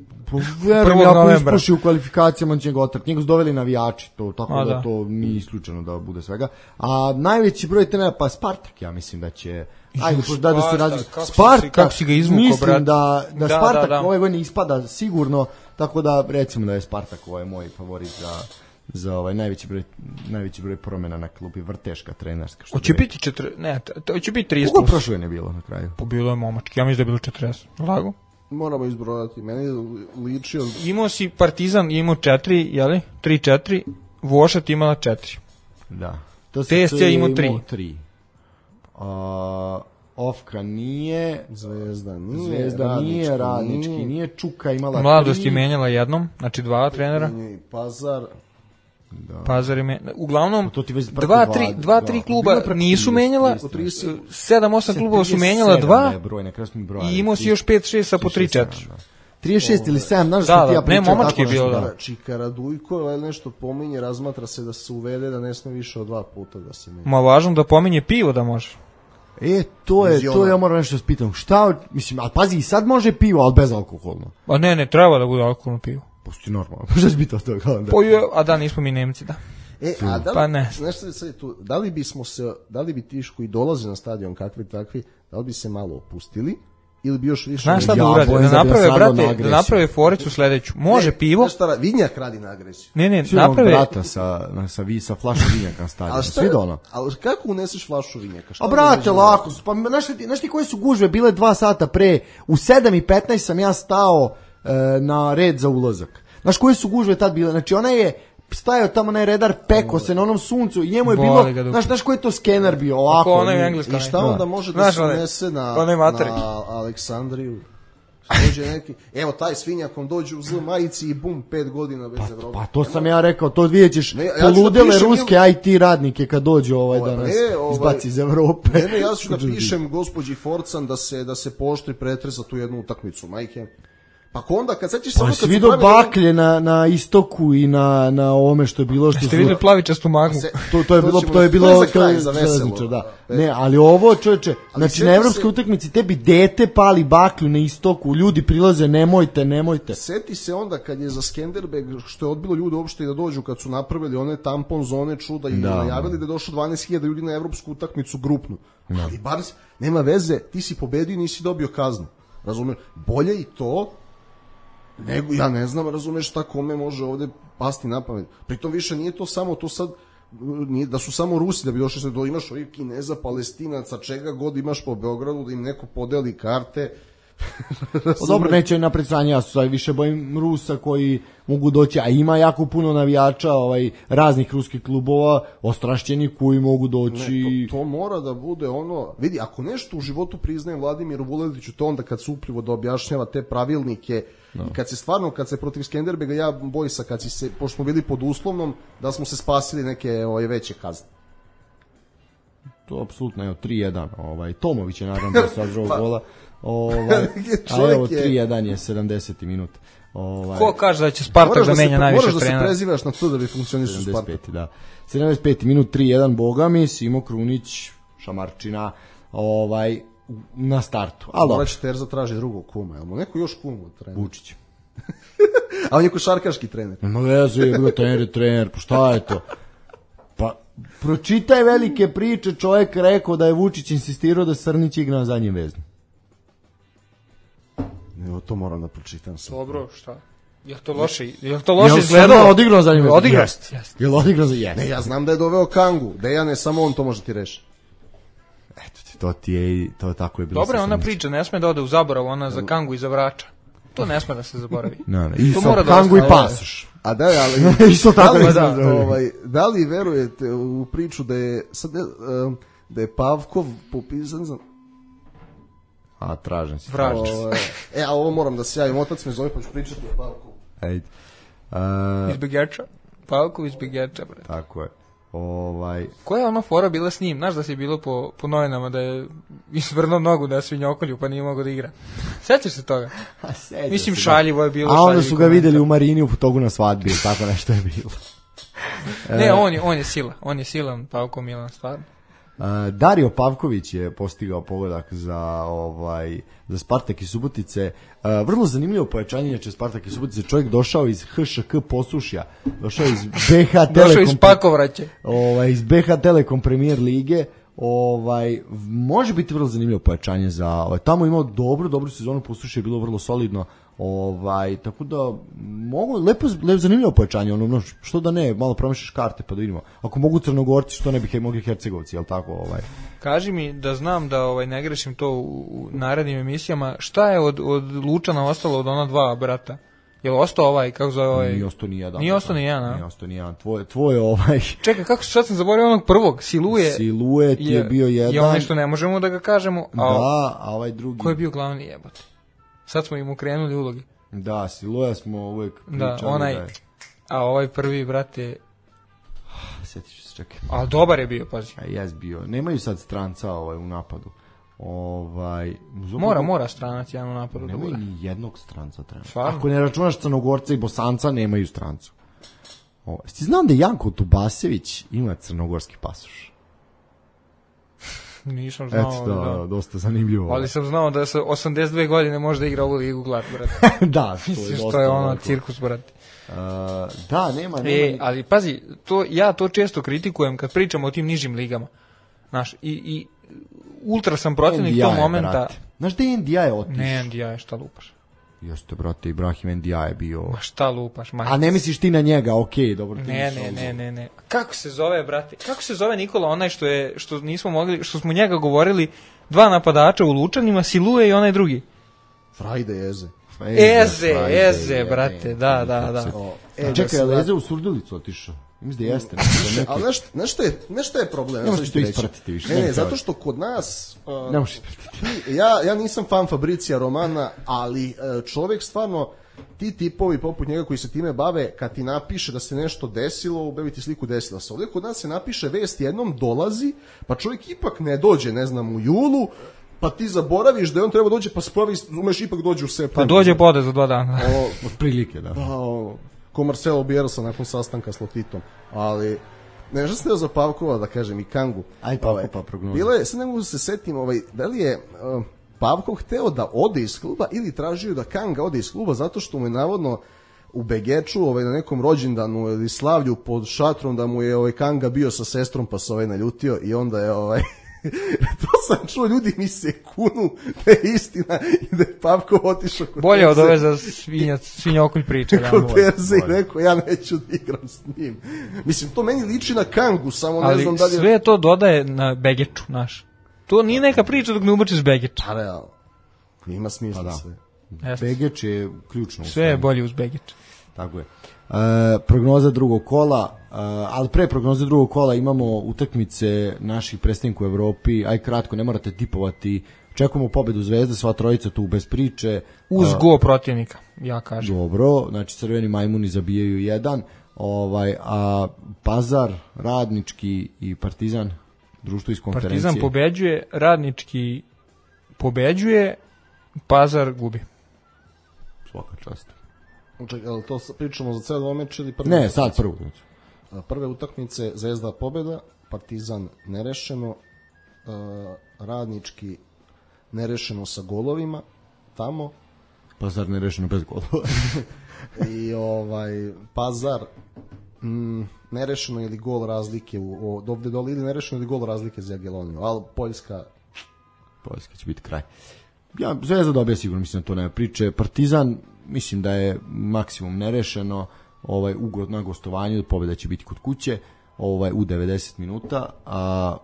Verujem, ako ispuši u kvalifikacijama, on će ga otrati. Njega su doveli navijači, to, tako a, da, da to nije isključeno da bude svega. A najveći broj trenera, pa Spartak, ja mislim da će... Ajde, da, da se razli... Spartak, kako si ga izvuko, mislim brat? da, da, da Spartak da, da. ove godine ispada sigurno, tako da recimo da je Spartak ovaj moj favorit za... za ovaj najveći broj najveći broj promjena na klubi, vrteška trenerska. Hoće biti četiri, ne, to će biti trideset. Koliko prošle ne bilo na kraju? Po bilo je momački, ja mislim da je bilo četrdeset. Lago? Moramo izbrojati, meni ličio... Imao si Partizan, imao četiri, jeli? tri četiri, Vošat imala četiri. Da. To T S C imao tri. tri. Uh, Ofka nije, Zvezda nije, Zvezda Radnički nije, Radnički nije, nije, Čuka imala Mladost tri. je menjala jednom, znači dva trenera. Pazar. Da. Pazar je menjala. Uglavnom, to ti već dva, tri, dva, tri kluba nisu menjala, sedam, osam klubova su menjala dva i imao si još pet, šest sa po tri, četiri. trideset šest ili sedam, znaš da, što ti ja pričam. Ne, momački je bilo, da. Čika Dujko, nešto pominje, razmatra se da se uvede da ne sme više od dva puta da se menja. Ma važno da pominje pivo da može. E, to je, to ja moram nešto spitam. Šta, mislim, ali pazi, i sad može pivo, ali bez alkoholno. Pa ne, ne, treba da bude alkoholno pivo. Pusti normalno, šta će biti od toga? Pa je, a da, nismo mi Nemci, da. E, a da li, pa ne. Nešto sad tu, da li bismo se, da li bi ti koji dolaze na stadion kakvi takvi, da li bi se malo opustili ili bi još više... Znaš šta da Ja, urade? bojim Da da bi naprave, nas radilo na brate, da agresiju. naprave foricu sledeću. Može Ne, pivo? znaš šta, vinjak radi na agresiju. Ne, ne, Svi onog naprave... brata sa, na, sa, vi, sa flašom vinjaka na stadionu. Ali šta, Svi do ono. ali kako uneseš flašu vinjaka? Šta A da brate, uđe? lako, pa znaš ti, znaš ti koje su gužve bile dva sata pre, u sedam i petnaest sam ja stao e, na red za ulazak. Znaš koje su gužve tad bile, znači ona je stajao tamo onaj redar, peko se na onom suncu i njemu je Boli bilo, ga dupe. znaš, znaš koji je to skener bio, ovako. Ako onaj ni- engleski. I šta Da. onda može da Znaš, se onaj- unese na, onaj materi. na Aleksandriju? Dođe neki, evo taj svinjakom dođe u zlu majici i bum, pet godina bez Evrope. Pa to sam ja rekao, to vidjet ćeš Ne, ja ću da poludele pišem ruske njemu- I T radnike kad dođu ovaj Ovaj, da nas ne, ovaj- izbaci iz Evrope. Ne, ne, ja ću da pišem gospođi Forcan da se da se poštri pretres za tu jednu utakmicu, majke. Pa ko onda, kad sećaš se Pa ono si kad su vidio pravili- baklje na, na istoku i na, na ovome što je bilo što Ste su... videli plavičastu magmu? Se- To, to je To bilo, ćemo- to je bilo, to je za to je kraj, za veselo. železničar, da. Ne, ali ovo, čoveče, znači sjeti na evropskoj se- utakmici tebi dete pali baklju na istoku, ljudi prilaze, nemojte, nemojte. Seti se onda kad je za Skenderbeg, što je odbilo ljude uopšte i da dođu, kad su napravili one tampon zone čuda i Da. najavili da je došlo dvanaest hiljada ljudi na evropsku utakmicu grupnu. Ali bar nema veze, ti si pobedio i nisi dobio kaznu. Razumeš? Bolje i to, nego, ja ne znam, razumeš šta kome može ovde pasti na pamet. Pritom više nije to samo, to sad, nije da su samo Rusi da bi došli sve do, imaš ovih Kineza, Palestinaca, čega god imaš po Beogradu, da im neko podeli karte. Pa dobro, neće napred sranje, ja se više bojim Rusa koji mogu doći, a ima jako puno navijača ovaj, raznih ruskih klubova, ostrašćeni koji mogu doći... Ne, to, to mora da bude ono, vidi, ako nešto u životu priznajem Vladimiru Vuletiću, to onda kad se uplivo da objašnjava te pravilnike, no. I kad se stvarno, kad se protiv Skenderbega, ja Bojsa, kad si se, pošto smo bili pod uslovnom, da smo se spasili neke ovaj, veće kazne. To apsolutno, evo, tri jedan, ovaj, Tomović je naravno da se održao gola, ovaj, a Čovjek evo, je- tri jedan je sedamdeseti minut. Ovaj, Ko kaže da će Spartak Moraš da da, se, menja najviše moraš da se trenera? prezivaš na to da bi funkcionisao Spartak. sedamdeset peti, da. sedamdeset peti minut, tri jedan, boga mi, Simo Krunić, Šamarčina, ovaj, na startu. Ali Morat će Terza traži drugog kuma, jel mu neko još kuma od trenera? Vučić. A on je košarkaški trener. Nema veze, je bio trener, je trener, pa šta je to? Pa, pročitaj velike priče, čovjek rekao da je Vučić insistirao da Srnić igra na zadnjem veznu. Evo, to moram da pročitam sad. Dobro, šta? Je to loše? Je to loše Jel izgledalo? Srna odigrao na zadnjem veznu? Odigrao. Jest, jest. Jel odigrao za jest? Ne, ja znam da je doveo Kangu, Dejane, samo on to može ti reši. Eto ti, to ti je, to tako je bilo. Dobro je sa ona Srnićem. priča, ne sme da ode u zaborav, ona za Kangu i za Vrača. To ne sme da se zaboravi. Ne, ne, i To sa mora da Kangu i ostane. pasoš. A da, ali Isto tako da, li, da, da, da. ovaj, da li verujete u priču da je sad ne, um, da je Pavkov popisan za A, tražim si. Vrač. ovaj, e, a ovo moram da se javim, otac me zove pa ću pričati o Pavkovu. Ajde. A, Izbjegača. Pavkov izbjegača, bre. tako je. Ovaj, Koja je ono fora bila s njim? Znaš da si bilo po, po novinama da je isvrnuo nogu da je svinjokolju pa nije mogao da igra. Sećaš se toga? Mislim šaljivo je bilo. a onda šaljivi su ga komentar. videli u Marini u togu na svadbi, ili tako nešto je bilo. Ne, on je, on je sila. On je silan, Pavko Milan, stvarno. Uh, Dario Pavković je postigao pogodak za ovaj za Spartak i Subotice. Uh, vrlo zanimljivo pojačanje, inače Spartak i Subotice, čovjek došao iz H Š K Posušja, došao iz B H Došao iz Telekom, Pakovraće. ovaj iz B H Telekom Premier lige. Ovaj može biti vrlo zanimljivo pojačanje za ovaj tamo imao dobru dobru sezonu, Posušje je bilo vrlo solidno. Ovaj tako da mogu lepo lepo zanimljivo pojačanje, ono no, što da ne, malo promišljaš karte pa da vidimo. Ako mogu Crnogorci, što ne bi mogli Hercegovci, jel tako, ovaj. Kaži mi da znam da ovaj ne grešim to u, u narednim emisijama. Šta je od, od Lučana ostalo od ona dva brata? Jel ostao ovaj, kako zove ovaj? Nije ostao ni jedan. Nije ostao ni jedan, a? Nije ostao ni jedan. Tvoj, tvoj ovaj... Čekaj, kako se sad sam zaboravio onog prvog? Siluje. Siluet je, je bio jedan. Je onaj što ne možemo da ga kažemo. A, da, a ovaj drugi... Ko je bio glavni jebote? Sad smo im ukrenuli ulogi. Da, Siluja smo uvek pričali. Da, onaj... Da je... A ovaj prvi, brate... Sjetit ću se, čekaj. A dobar je bio, pazi. A jes bio. Nemaju sad stranca ovaj, u napadu. Ovaj... Mora, mora stranac jedan u napadu da Nemaju bude. ni jednog stranca trenutno. Stvarno? Ako ne računaš Crnogorca i Bosanca, nemaju strancu. O, ti znam da Janko Tubasević ima crnogorski pasoš? Nisam znao. Eto, da, da, dosta zanimljivo. Ali sam znao da sa osamdeset dve godine može da igra ovu ligu glad, brate. Da, to je Mislim dosta. što je ono ovako. cirkus, brate. Uh, da, nema, nema. E, ali pazi, to, ja to često kritikujem kad pričamo o tim nižim ligama. Znaš, i, i ultra sam protivnik N D I, tog momenta. brate. Znaš da je N D I otišao? Ne, N D I, šta lupaš? Jeste, brate, Ibrahim N D I je bio... Ma šta lupaš, majke. A ne misliš ti na njega, okej, okay, dobro. Ti Ne, ne, ne, ne, ne. Kako se zove, brate? Kako se zove Nikola, onaj što je, što nismo mogli, što smo njega govorili, dva napadača u Lučanima, Siluje i onaj drugi. Frajde Eze. Eze, Eze, brate, da, da, da. E, Čekaj, ali Eze u Surdulicu otišao? Mislim da jeste. Ali znaš, znaš što je, znaš što je problem? Ne možeš to ispratiti više. Ne, ne, zato što kod nas... Uh, ne možeš ispratiti. Ja, ja nisam fan Fabricija Romana, ali uh, čovjek stvarno, ti tipovi poput njega koji se time bave, kad ti napiše da se nešto desilo, ubevi ti sliku desila se. Ovdje kod nas se napiše vest jednom dolazi, pa čovjek ipak ne dođe, ne znam, u julu, pa ti zaboraviš da je on treba dođe, pa spravi, umeš ipak dođe u septembru. Pa dođe pode za dva dana. O, od prilike, da. Da, o, ko Marcelo Bielsa nakon sastanka s Lotitom. Ali, nešto sam teo za Pavkova da kažem i Kangu. Aj Pavko pa prognoza. Bilo je, sad ne mogu se setim, ovaj, da li je uh, Pavkov hteo da ode iz kluba ili tražio da Kanga ode iz kluba zato što mu je navodno u Begeču, ovaj, na nekom rođendanu ili slavlju pod šatrom da mu je ovaj, Kanga bio sa sestrom pa se ovaj naljutio i onda je ovaj... to sam čuo, ljudi mi se kunu da je istina i da je Pavkov otišao kod bolje Perze. od ove za svinjac, svinjokolj priče. Da, kod Perze i rekao, ja neću da igram s njim. Mislim, to meni liči na Kangu, samo ali ne znam da li je... sve to dodaje na Begeču, naš. To nije neka priča dok ne ubačiš Begeč. Pa realno. Ima smisla Pa da. sve. Jeste. Begeč je ključno. Sve je bolje uz Begeč. Tako je. E, prognoza drugog kola, e, ali pre prognoze drugog kola imamo utakmice naših predstavnika u Evropi, aj kratko, ne morate tipovati, čekamo pobedu Zvezde, sva trojica tu bez priče. Uz e, go protivnika, ja kažem. Dobro, znači crveni majmuni zabijaju jedan, ovaj, a Pazar, Radnički i Partizan, društvo iz konferencije. Partizan pobeđuje, Radnički pobeđuje, Pazar gubi. Svaka čast. Čekaj, ali to pričamo za ceo meč ili prvi? Ne, sad prvo. Prve utakmice Zvezda pobeda, Partizan nerešeno, Radnički nerešeno sa golovima tamo. Pazar nerešeno bez golova. I ovaj Pazar mm, nerešeno ili gol razlike u o, dovde dole ili nerešeno ili gol razlike za Jagielloniju, ali Poljska Poljska će biti kraj. Ja, Zvezda dobija sigurno, mislim da to nema priče. Partizan, mislim da je maksimum nerešeno, ovaj, ugod na gostovanju, pobjeda će biti kod kuće, ovaj, u devedeset minuta, a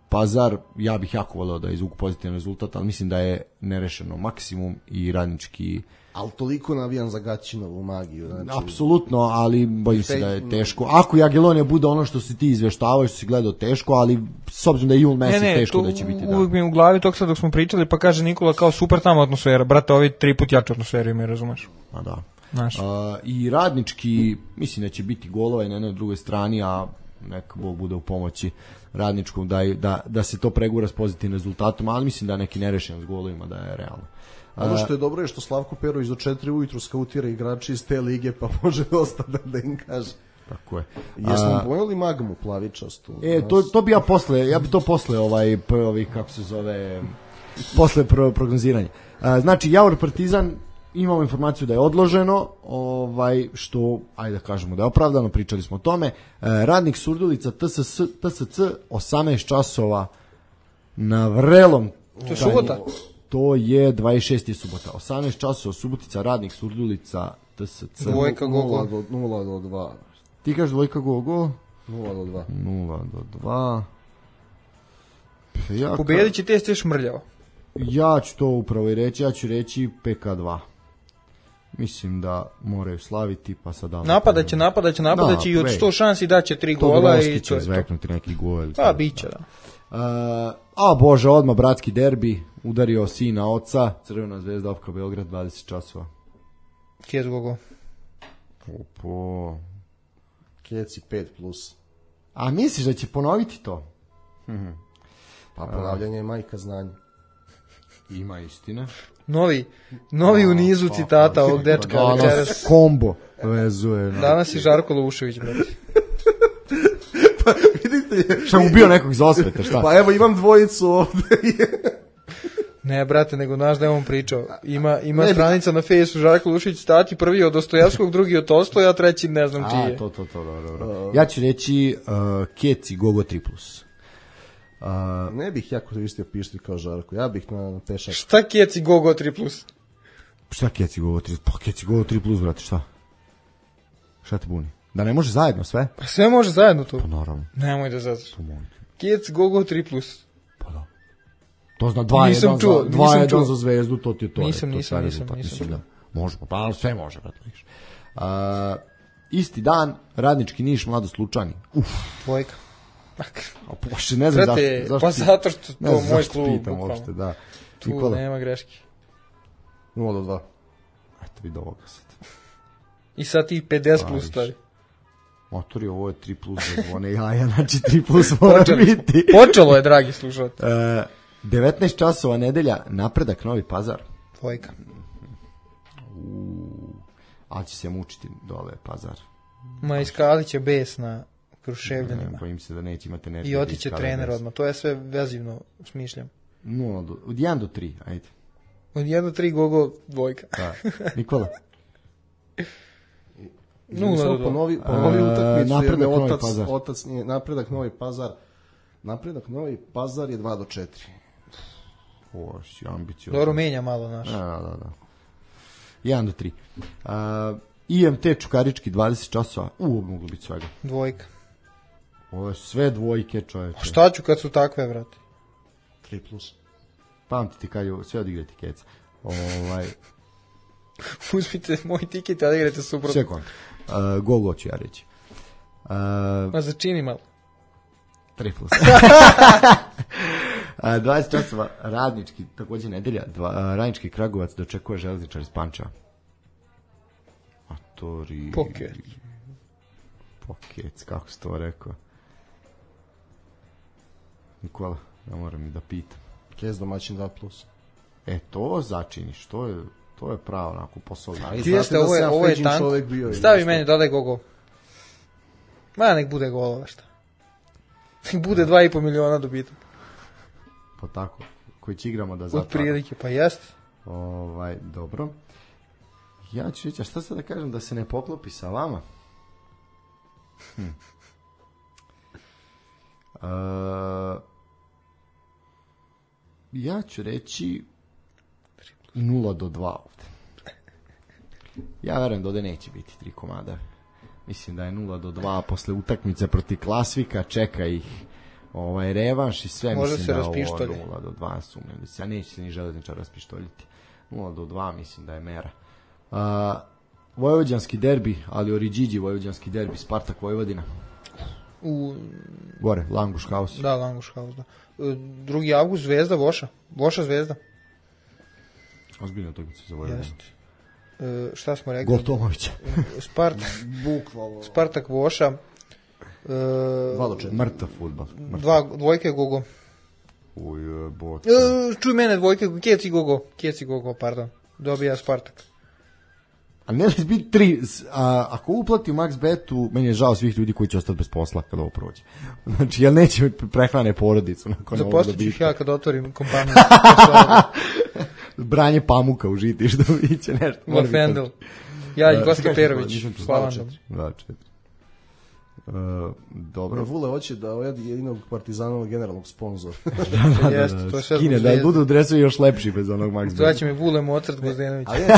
Pazar, ja bih jako voleo da izvuku pozitivan rezultat, ali mislim da je nerešeno maksimum i Radnički... Ali toliko navijam za Gaćinovu magiju. Znači... Apsolutno, ali bojim se da je teško. Ako Jagiellonija bude ono što si ti izveštavao, što si gledao teško, ali s obzirom da je jul mesec teško da će biti. Da. Uvijek mi je u glavi tog sad dok smo pričali, pa kaže Nikola kao super tamo atmosfera. Brate, ovi tri put jaču atmosferu imaju, razumeš? A da. Znaš. A, i Radnički, mislim da će biti golova i na jednoj drugoj strani, a neka Bog bude u pomoći Radničkom da, da, da se to pregura s pozitivnim rezultatom, ali mislim da neki nerešen s golovima da je realno. Ono što je dobro je što Slavko Perović do četiri ujutru skautira igrači iz te lige, pa može dosta da, da im kaže. Tako je. Jesmo pojeli magmu plavičastu? E, to, to bi ja posle, ja bi to posle, ovaj, ovih, kako se zove, posle pro, prognoziranja. A, znači, Javor Partizan, imamo informaciju da je odloženo, ovaj, što, ajde da kažemo da je opravdano, pričali smo o tome. E, Radnik Surdulica, T S C, osamnaest časova na Vrelom. To je subota? To je dvadeset šesta subota. osamnaest časova Subotica, Radnik Surdulica, T S C. Dvojka go-go. nula do dva. Ti kažeš dvojka go-go? nula do dva. nula do dva. Ja, pobedit će te ste šmrljao. Ja ću to upravo i reći, ja ću reći P K dva. Mislim da moraju slaviti, pa sad dam. Napadaće, napadaće, napadaće i od sto šansi daće tri gola i to je to. Zveknuti neki gol. Pa, biće, da. Uh, a bože, odmah bratski derbi, udario sina oca, Crvena zvezda Ofka Beograd, dvadeset časova. Kjec gogo. Opo. Kjeci pet plus. A misliš da će ponoviti to? Pa ponavljanje je majka znanja. Ima istina. Novi, novi u nizu citata ovog dečka. Danas kombo vezuje. Danas je Žarko Lušević, brate. pa vidite... Šta mu bio nekog iz osvete, šta? Pa evo imam dvojicu ovde. Ne, brate, nego znaš da je on pričao. Ima, ima stranica na Fejsu Žarko Lušić, stati prvi od Dostojevskog, drugi od Tolstoja, a treći ne znam čiji je. A, to, to, to, dobro, dobro. Ja ću reći uh, Keci Gogo tri plus. Uh, ne bih ja koristio pištolj kao Žarko, ja bih na, na pešak. Šta Keci Gogo tri plus? Šta Keci Gogo tri plus? Pa Keci Gogo tri plus, brate, šta? Šta te buni? Da ne može zajedno sve? Pa sve može zajedno to. Pa naravno. Nemoj da zatraš. Pa može. Keci Gogo tri plus. Pa da. To zna dva Nisam jedan čuo, za, dva nisam jedan čuo. za Zvezdu, to ti je to. Nisam, je, to nisam, je nisam, rezultat, nisam mislim čuo. da može, pa sve može, brate, vidiš. Uh, isti dan, Radnički Niš, Mladost Lučani. Uf, Dvojka. a poše, ne znam Brate, zašto, zašto pa ti- zato što ne to znam moj zašto klub, pitam bukvalno. uopšte, da. Tu Nikola, nema greške. nula do dva. eto vidi ovoga sad. I sad ti pedeset Pa, plus više. stavi. Motori, ovo je tri plus za zvone jaja, znači tri plus mora Počeli smo. biti. Počelo je, dragi slušalci. E, devetnaest časova nedelja, Napredak Novi Pazar. Dvojka. Ali će se mučiti dole Pazar. Ma iskali će bes na Kruševljanima. Bojim se da neće imati energije. I da otiće iskale trener bez. odmah. To je sve vezivno, smišljam. Nula do, od jedan do tri, ajde. Od jedan do tri Gogo dvojka. Da. Nikola. Nula do dva. Ponovi, ponovi A, utakmicu, jer Napredak me Novi otac, Pazar. otac nije, napredak Novi Pazar, napredak Novi Pazar je dva do četiri. O, si ambiciozno. Dobro, menja malo naš. Da, da, da. jedan do tri. Uh, I M T Čukarički dvadeset časova. U, ovo moglo biti svega. Dvojka. Ovo je sve dvojke, čoveče. A šta ću kad su takve, vrati? tri plus. Pamtiti kad je sve odigrati keca. Ovaj, Uzmite moj tiket, a igrate suprotno. sekund. Uh, gol go ću ja reći. Uh, Ma začini malo. tri plus. Uh, dvadeset časova Radnički, također nedelja, dva, uh, Radnički Kragujevac dočekuje Železničar iz Pančeva. Atori... Poket. Pokec, kako si to rekao? Nikola, ja moram i da pitam. Kez domaćin dva plus. E, to začiniš, to je, to je pravo onako posao. Ali Ti jeste, ovo je, ovo je tanko. Stavi meni, dodaj Gogo. Ma, nek bude golova, šta? Nek bude dva i po miliona dobitak. Pa tako, koji će igramo da Od zatvara. prilike, pa jeste. Ovaj, dobro. Ja ću reći, a šta sad da kažem da se ne poklopi sa vama? Hm. Uh, ja ću reći nula do dva ovde. Ja verujem da ovde neće biti tri komada. Mislim da je nula do dva posle utakmice protiv Klasvika, čeka ih ovaj revanš i sve. Može mislim se da je ovo raspištolji. nula do dva sumnjam da se, ja neće se ni Železničar raspištoljiti. nula do dva mislim da je mera. Uh, Vojvođanski derbi, ali Oriđiđi Vojvođanski derbi, Spartak Vojvodina. U, Gore, Languš Haus. da, Languš Haus, da. E, drugi avgust, Zvezda, Voša. Voša, Zvezda. Ozbiljno utakmica za Vojvodinu. Jeste. E, šta smo rekli? Gol Tomovića. Spartak, Bukvalno. Spartak Voša. E, Dva do četiri. Mrtav fudbal. dva, dvojke Gogo. Ujebote. E, čuj mene, dvojke, Keci Gogo. Keci Gogo, pardon. Dobija Spartak. A ne da biti tri, s- a, ako uplati u Max Betu, meni je žao svih ljudi koji će ostati bez posla kada ovo prođe. Znači, jel neće prehrane porodicu nakon ovog Zaposlit ću ih dobitka. ja kad otvorim kompaniju. Branje pamuka u žiti, što biće nešto. Mora biti Lafendel. to. Ja i Da, Goska kažeš, Perović. nisam čuo. Slavan. Dva do četiri. Dva, četiri. Uh, dobro. Vule hoće da ojedi jedinog Partizanovog generalnog sponzora. Jeste, to je sve Skine, zbog da Zvezde. budu dresovi još lepši bez onog Max Beta. Zvaće me Vule Mozart Gozdenović. ali, ne, ne,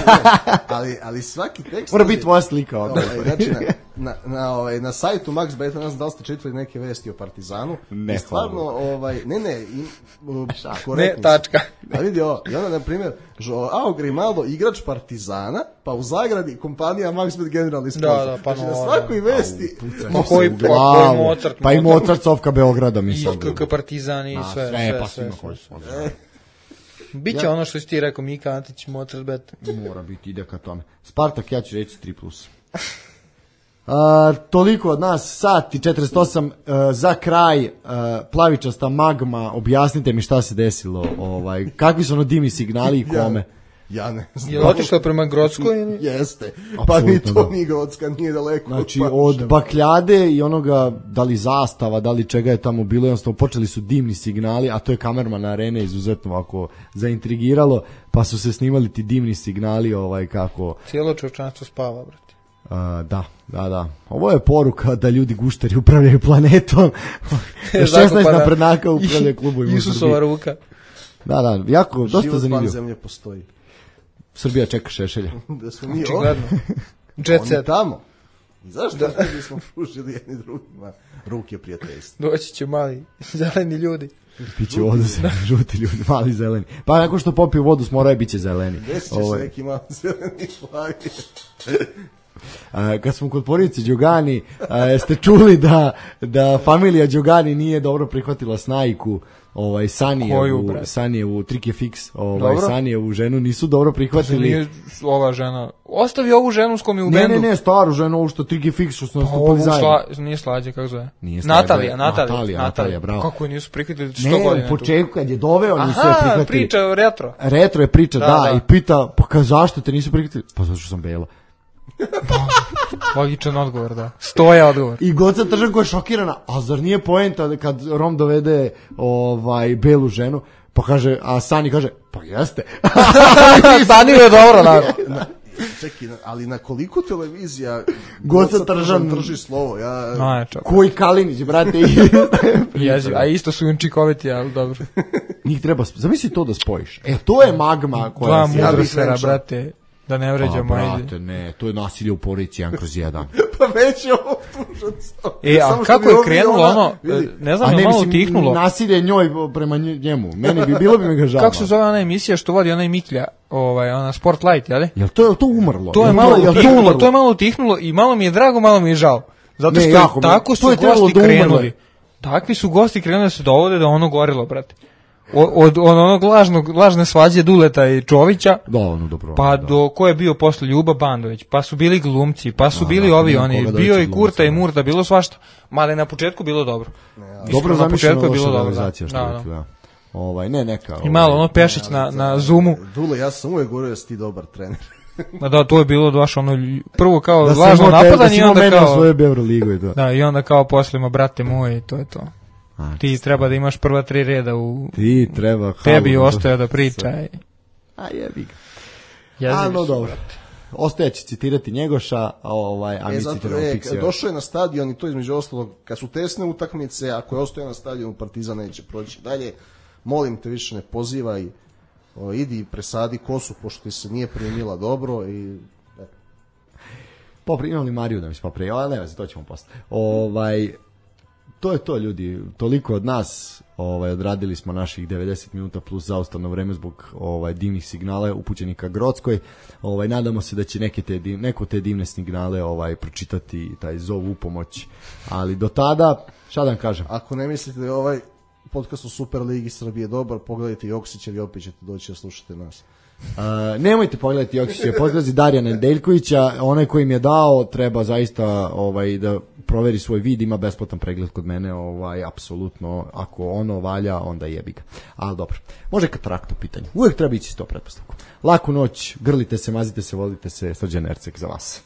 ali, ali svaki tekst... Mora biti tvoja slika ovdje. Ovaj, znači, na, na, na, ovaj, na sajtu Max Beta, ne znam da li ste čitali neke vesti o Partizanu. Ne, I stvarno, ovaj, ne, ne, im, uh, Ne, korektni su. tačka. A vidi ovo, i onda, na primjer, Joao Grimaldo, igrač Partizana, pa u zagradi kompanija Max Bet generalni sponsor. Da, da, pa znači, na no, svakoj da. vesti... Ma koji, U pa koji glavu. Mozart? Pa i Mozart Sofka Beograda, I mislim. KK Partizan i A, sve, sve, sve, pa sve, svima sve. koji su. Biće ono što si ti rekao, Mika Antić, Mozart Bet. Mora biti, ide ka tome. Spartak, ja ću reći tri plus. A, toliko od nas, sat i četrdeset osam, a, za kraj, a, plavičasta magma, objasnite mi šta se desilo, ovaj, kakvi su ono dimi signali i kome. Ja ne znam. Je li otišao prema Grockoj ili? Jeste. Pa ni Apsolutno, to da. ni Grocka nije daleko. Znači, pa od še- bakljade i onoga, da li zastava, da li čega je tamo bilo, jednostavno počeli su dimni signali, a to je kamerman na Arene izuzetno ovako zaintrigiralo, pa su se snimali ti dimni signali, ovaj, kako... Cijelo čovječanstvo spava, brate. A, da, da, da. Ovo je poruka da ljudi gušteri upravljaju planetom. šesnaest naprednaka upravljaju klubovima u Isusova Srbiji. ruka. Da, da, jako, dosta Život van zanimljivo. zemlje postoji. Srbija čeka Šešelja. Da smo mi Očigledno. ovdje, Jet oni set. tamo. I zašto da. ne bismo pružili jedni drugima ruke prijateljstva? Doći će mali zeleni ljudi. Piće vodu se žuti ljudi, mali zeleni. Pa nakon što popiju vodu smoraju, bit će zeleni. Desit će Ovo se je- neki malo zeleni flag. A, kad smo kod porodice Đogani, a, jeste čuli da, da familija Đogani nije dobro prihvatila snajku, ovaj, Koju, Sanijevu, brate? Sanijevu, Trike Fix, ovaj, Dobro. Sanijevu ženu, nisu dobro prihvatili. Nije ova žena. Ostavi ovu ženu s kom je u Ne, bendu. ne, ne, staru ženu, ovo što Trike Fix, što su Pa nastupali ovu zajedno. sla, nije slađe, kako zove? Nije Slađe, Natalija, Natalija. Natalija, Natalija, bravo. Kako je nisu prihvatili sto Ne, godina? u početku kad je doveo, nisu je Aha, prihvatili. priča o retro. Retro je priča, da, Da, da, da. i pita, pa ka, zašto te nisu prihvatili? Pa zato što sam bela. Logičan odgovor, da. Stoja odgovor. I Goca Tržanko je šokirana, a zar nije poenta da kad Rom dovede ovaj belu ženu, pa kaže, a Sani kaže, pa jeste. Stanio je dobro, naravno. Čekaj, na- ali na koliko televizija Goca Goca Tržan drži slovo? Ja, Najčak. Koji Kalinić, brate. Jeziv. A isto su učinkoviti, ali dobro. Njih treba, sp- zamisli to da spojiš. E, to je magma koja Dva se... Ja bih mudrosfera, rekao. brate. Da ne Pa, vređamo, ajde. brate, ne, to je nasilje u porodici jedan kroz jedan. pa već je ovo tužac. E, a Samo što kako bi je ovdje krenulo ona- ono, vidi, ne znam, A je ne, malo mislim, utihnulo. nasilje njoj prema nj- njemu. Meni bi, bilo bi mi ga žao. Kako se zove ona emisija što vodi onaj Miklja, ovaj, ona Spotlight, jel? Jel to, jel to umrlo? To je Jel malo jel utihnulo, umrlo? to je malo utihnulo i malo mi je drago, malo mi je žao. Zato Ne, što jako je, mi je- tako to su je trebalo gosti da umrle. krenuli. Takvi su gosti krenuli da se dovode da ono gorilo, brate. Od, od, od onog lažnog, lažne svađe Duleta i Čovića, Da, ono dobro. pa da. do ko je bio posle Ljuba Bandović, pa su bili glumci, pa su Da, bili da, ovi nema oni, koga da bio veće i Kurta glumca, i da. Murta, bilo svašta. Mada je na početku bilo dobro. Dobro Iskreno, na zamišljeno početku je bilo loša dobro. realizacija, što Da, bi da. rekli, da. Ovaj, ne, neka. I malo ovaj, ono Pešić na, na Zoomu, Dule, ja sam uvijek govorio da si ti dobar trener. ma da, to je bilo baš ono, lj- prvo kao Da si lažno imao te- da napadanje si i imao onda mene u kao, svojoj Euroligu i to. da, i onda kao poslima, brate moj, to je to. A, Ti treba da imaš prva tri reda u Ti treba... tebi halu, ostaje da priča. i A jebi ga. jezivi A, no su, dobro. brate. Ostaje će citirati Njegoša, a, ovaj, a E, mi zato, citiramo e, Pixija. došao je na stadion i to između ostalog, kad su tesne utakmice, ako je ostao na stadionu, Partizan neće proći dalje. Molim te, više ne pozivaj, o, idi i presadi kosu, pošto ti se nije primila dobro i... E, Popri, imam li Mariju da mi se popri, ali ne veze, to ćemo posle. Ovaj, to je to, ljudi, toliko od nas, ovaj, odradili smo naših devedeset minuta plus zaustavno vreme zbog ovaj, divnih signala upućenih ka Grockoj. Ovaj, nadamo se da će neke te, div- neko te divne signale ovaj, pročitati taj zov u pomoć. Ali do tada, šta da vam kažem? Ako ne mislite da je ovaj podcast u Superligi Srbije dobar, pogledajte Joksića i opet ćete doći da slušate nas. Uh, nemojte pogledati Joksića, podlazi Darijana Nedeljkovića, onaj koji im je dao treba zaista ovaj, da proveri svoj vid, ima besplatan pregled kod mene, ovaj, apsolutno, ako ono valja, onda jebi ga. Ali dobro, može katarakta u pitanju, uvijek treba ići s to pretpostavku. Laku noć, grlite se, mazite se, volite se, Srđan Ercek za vas.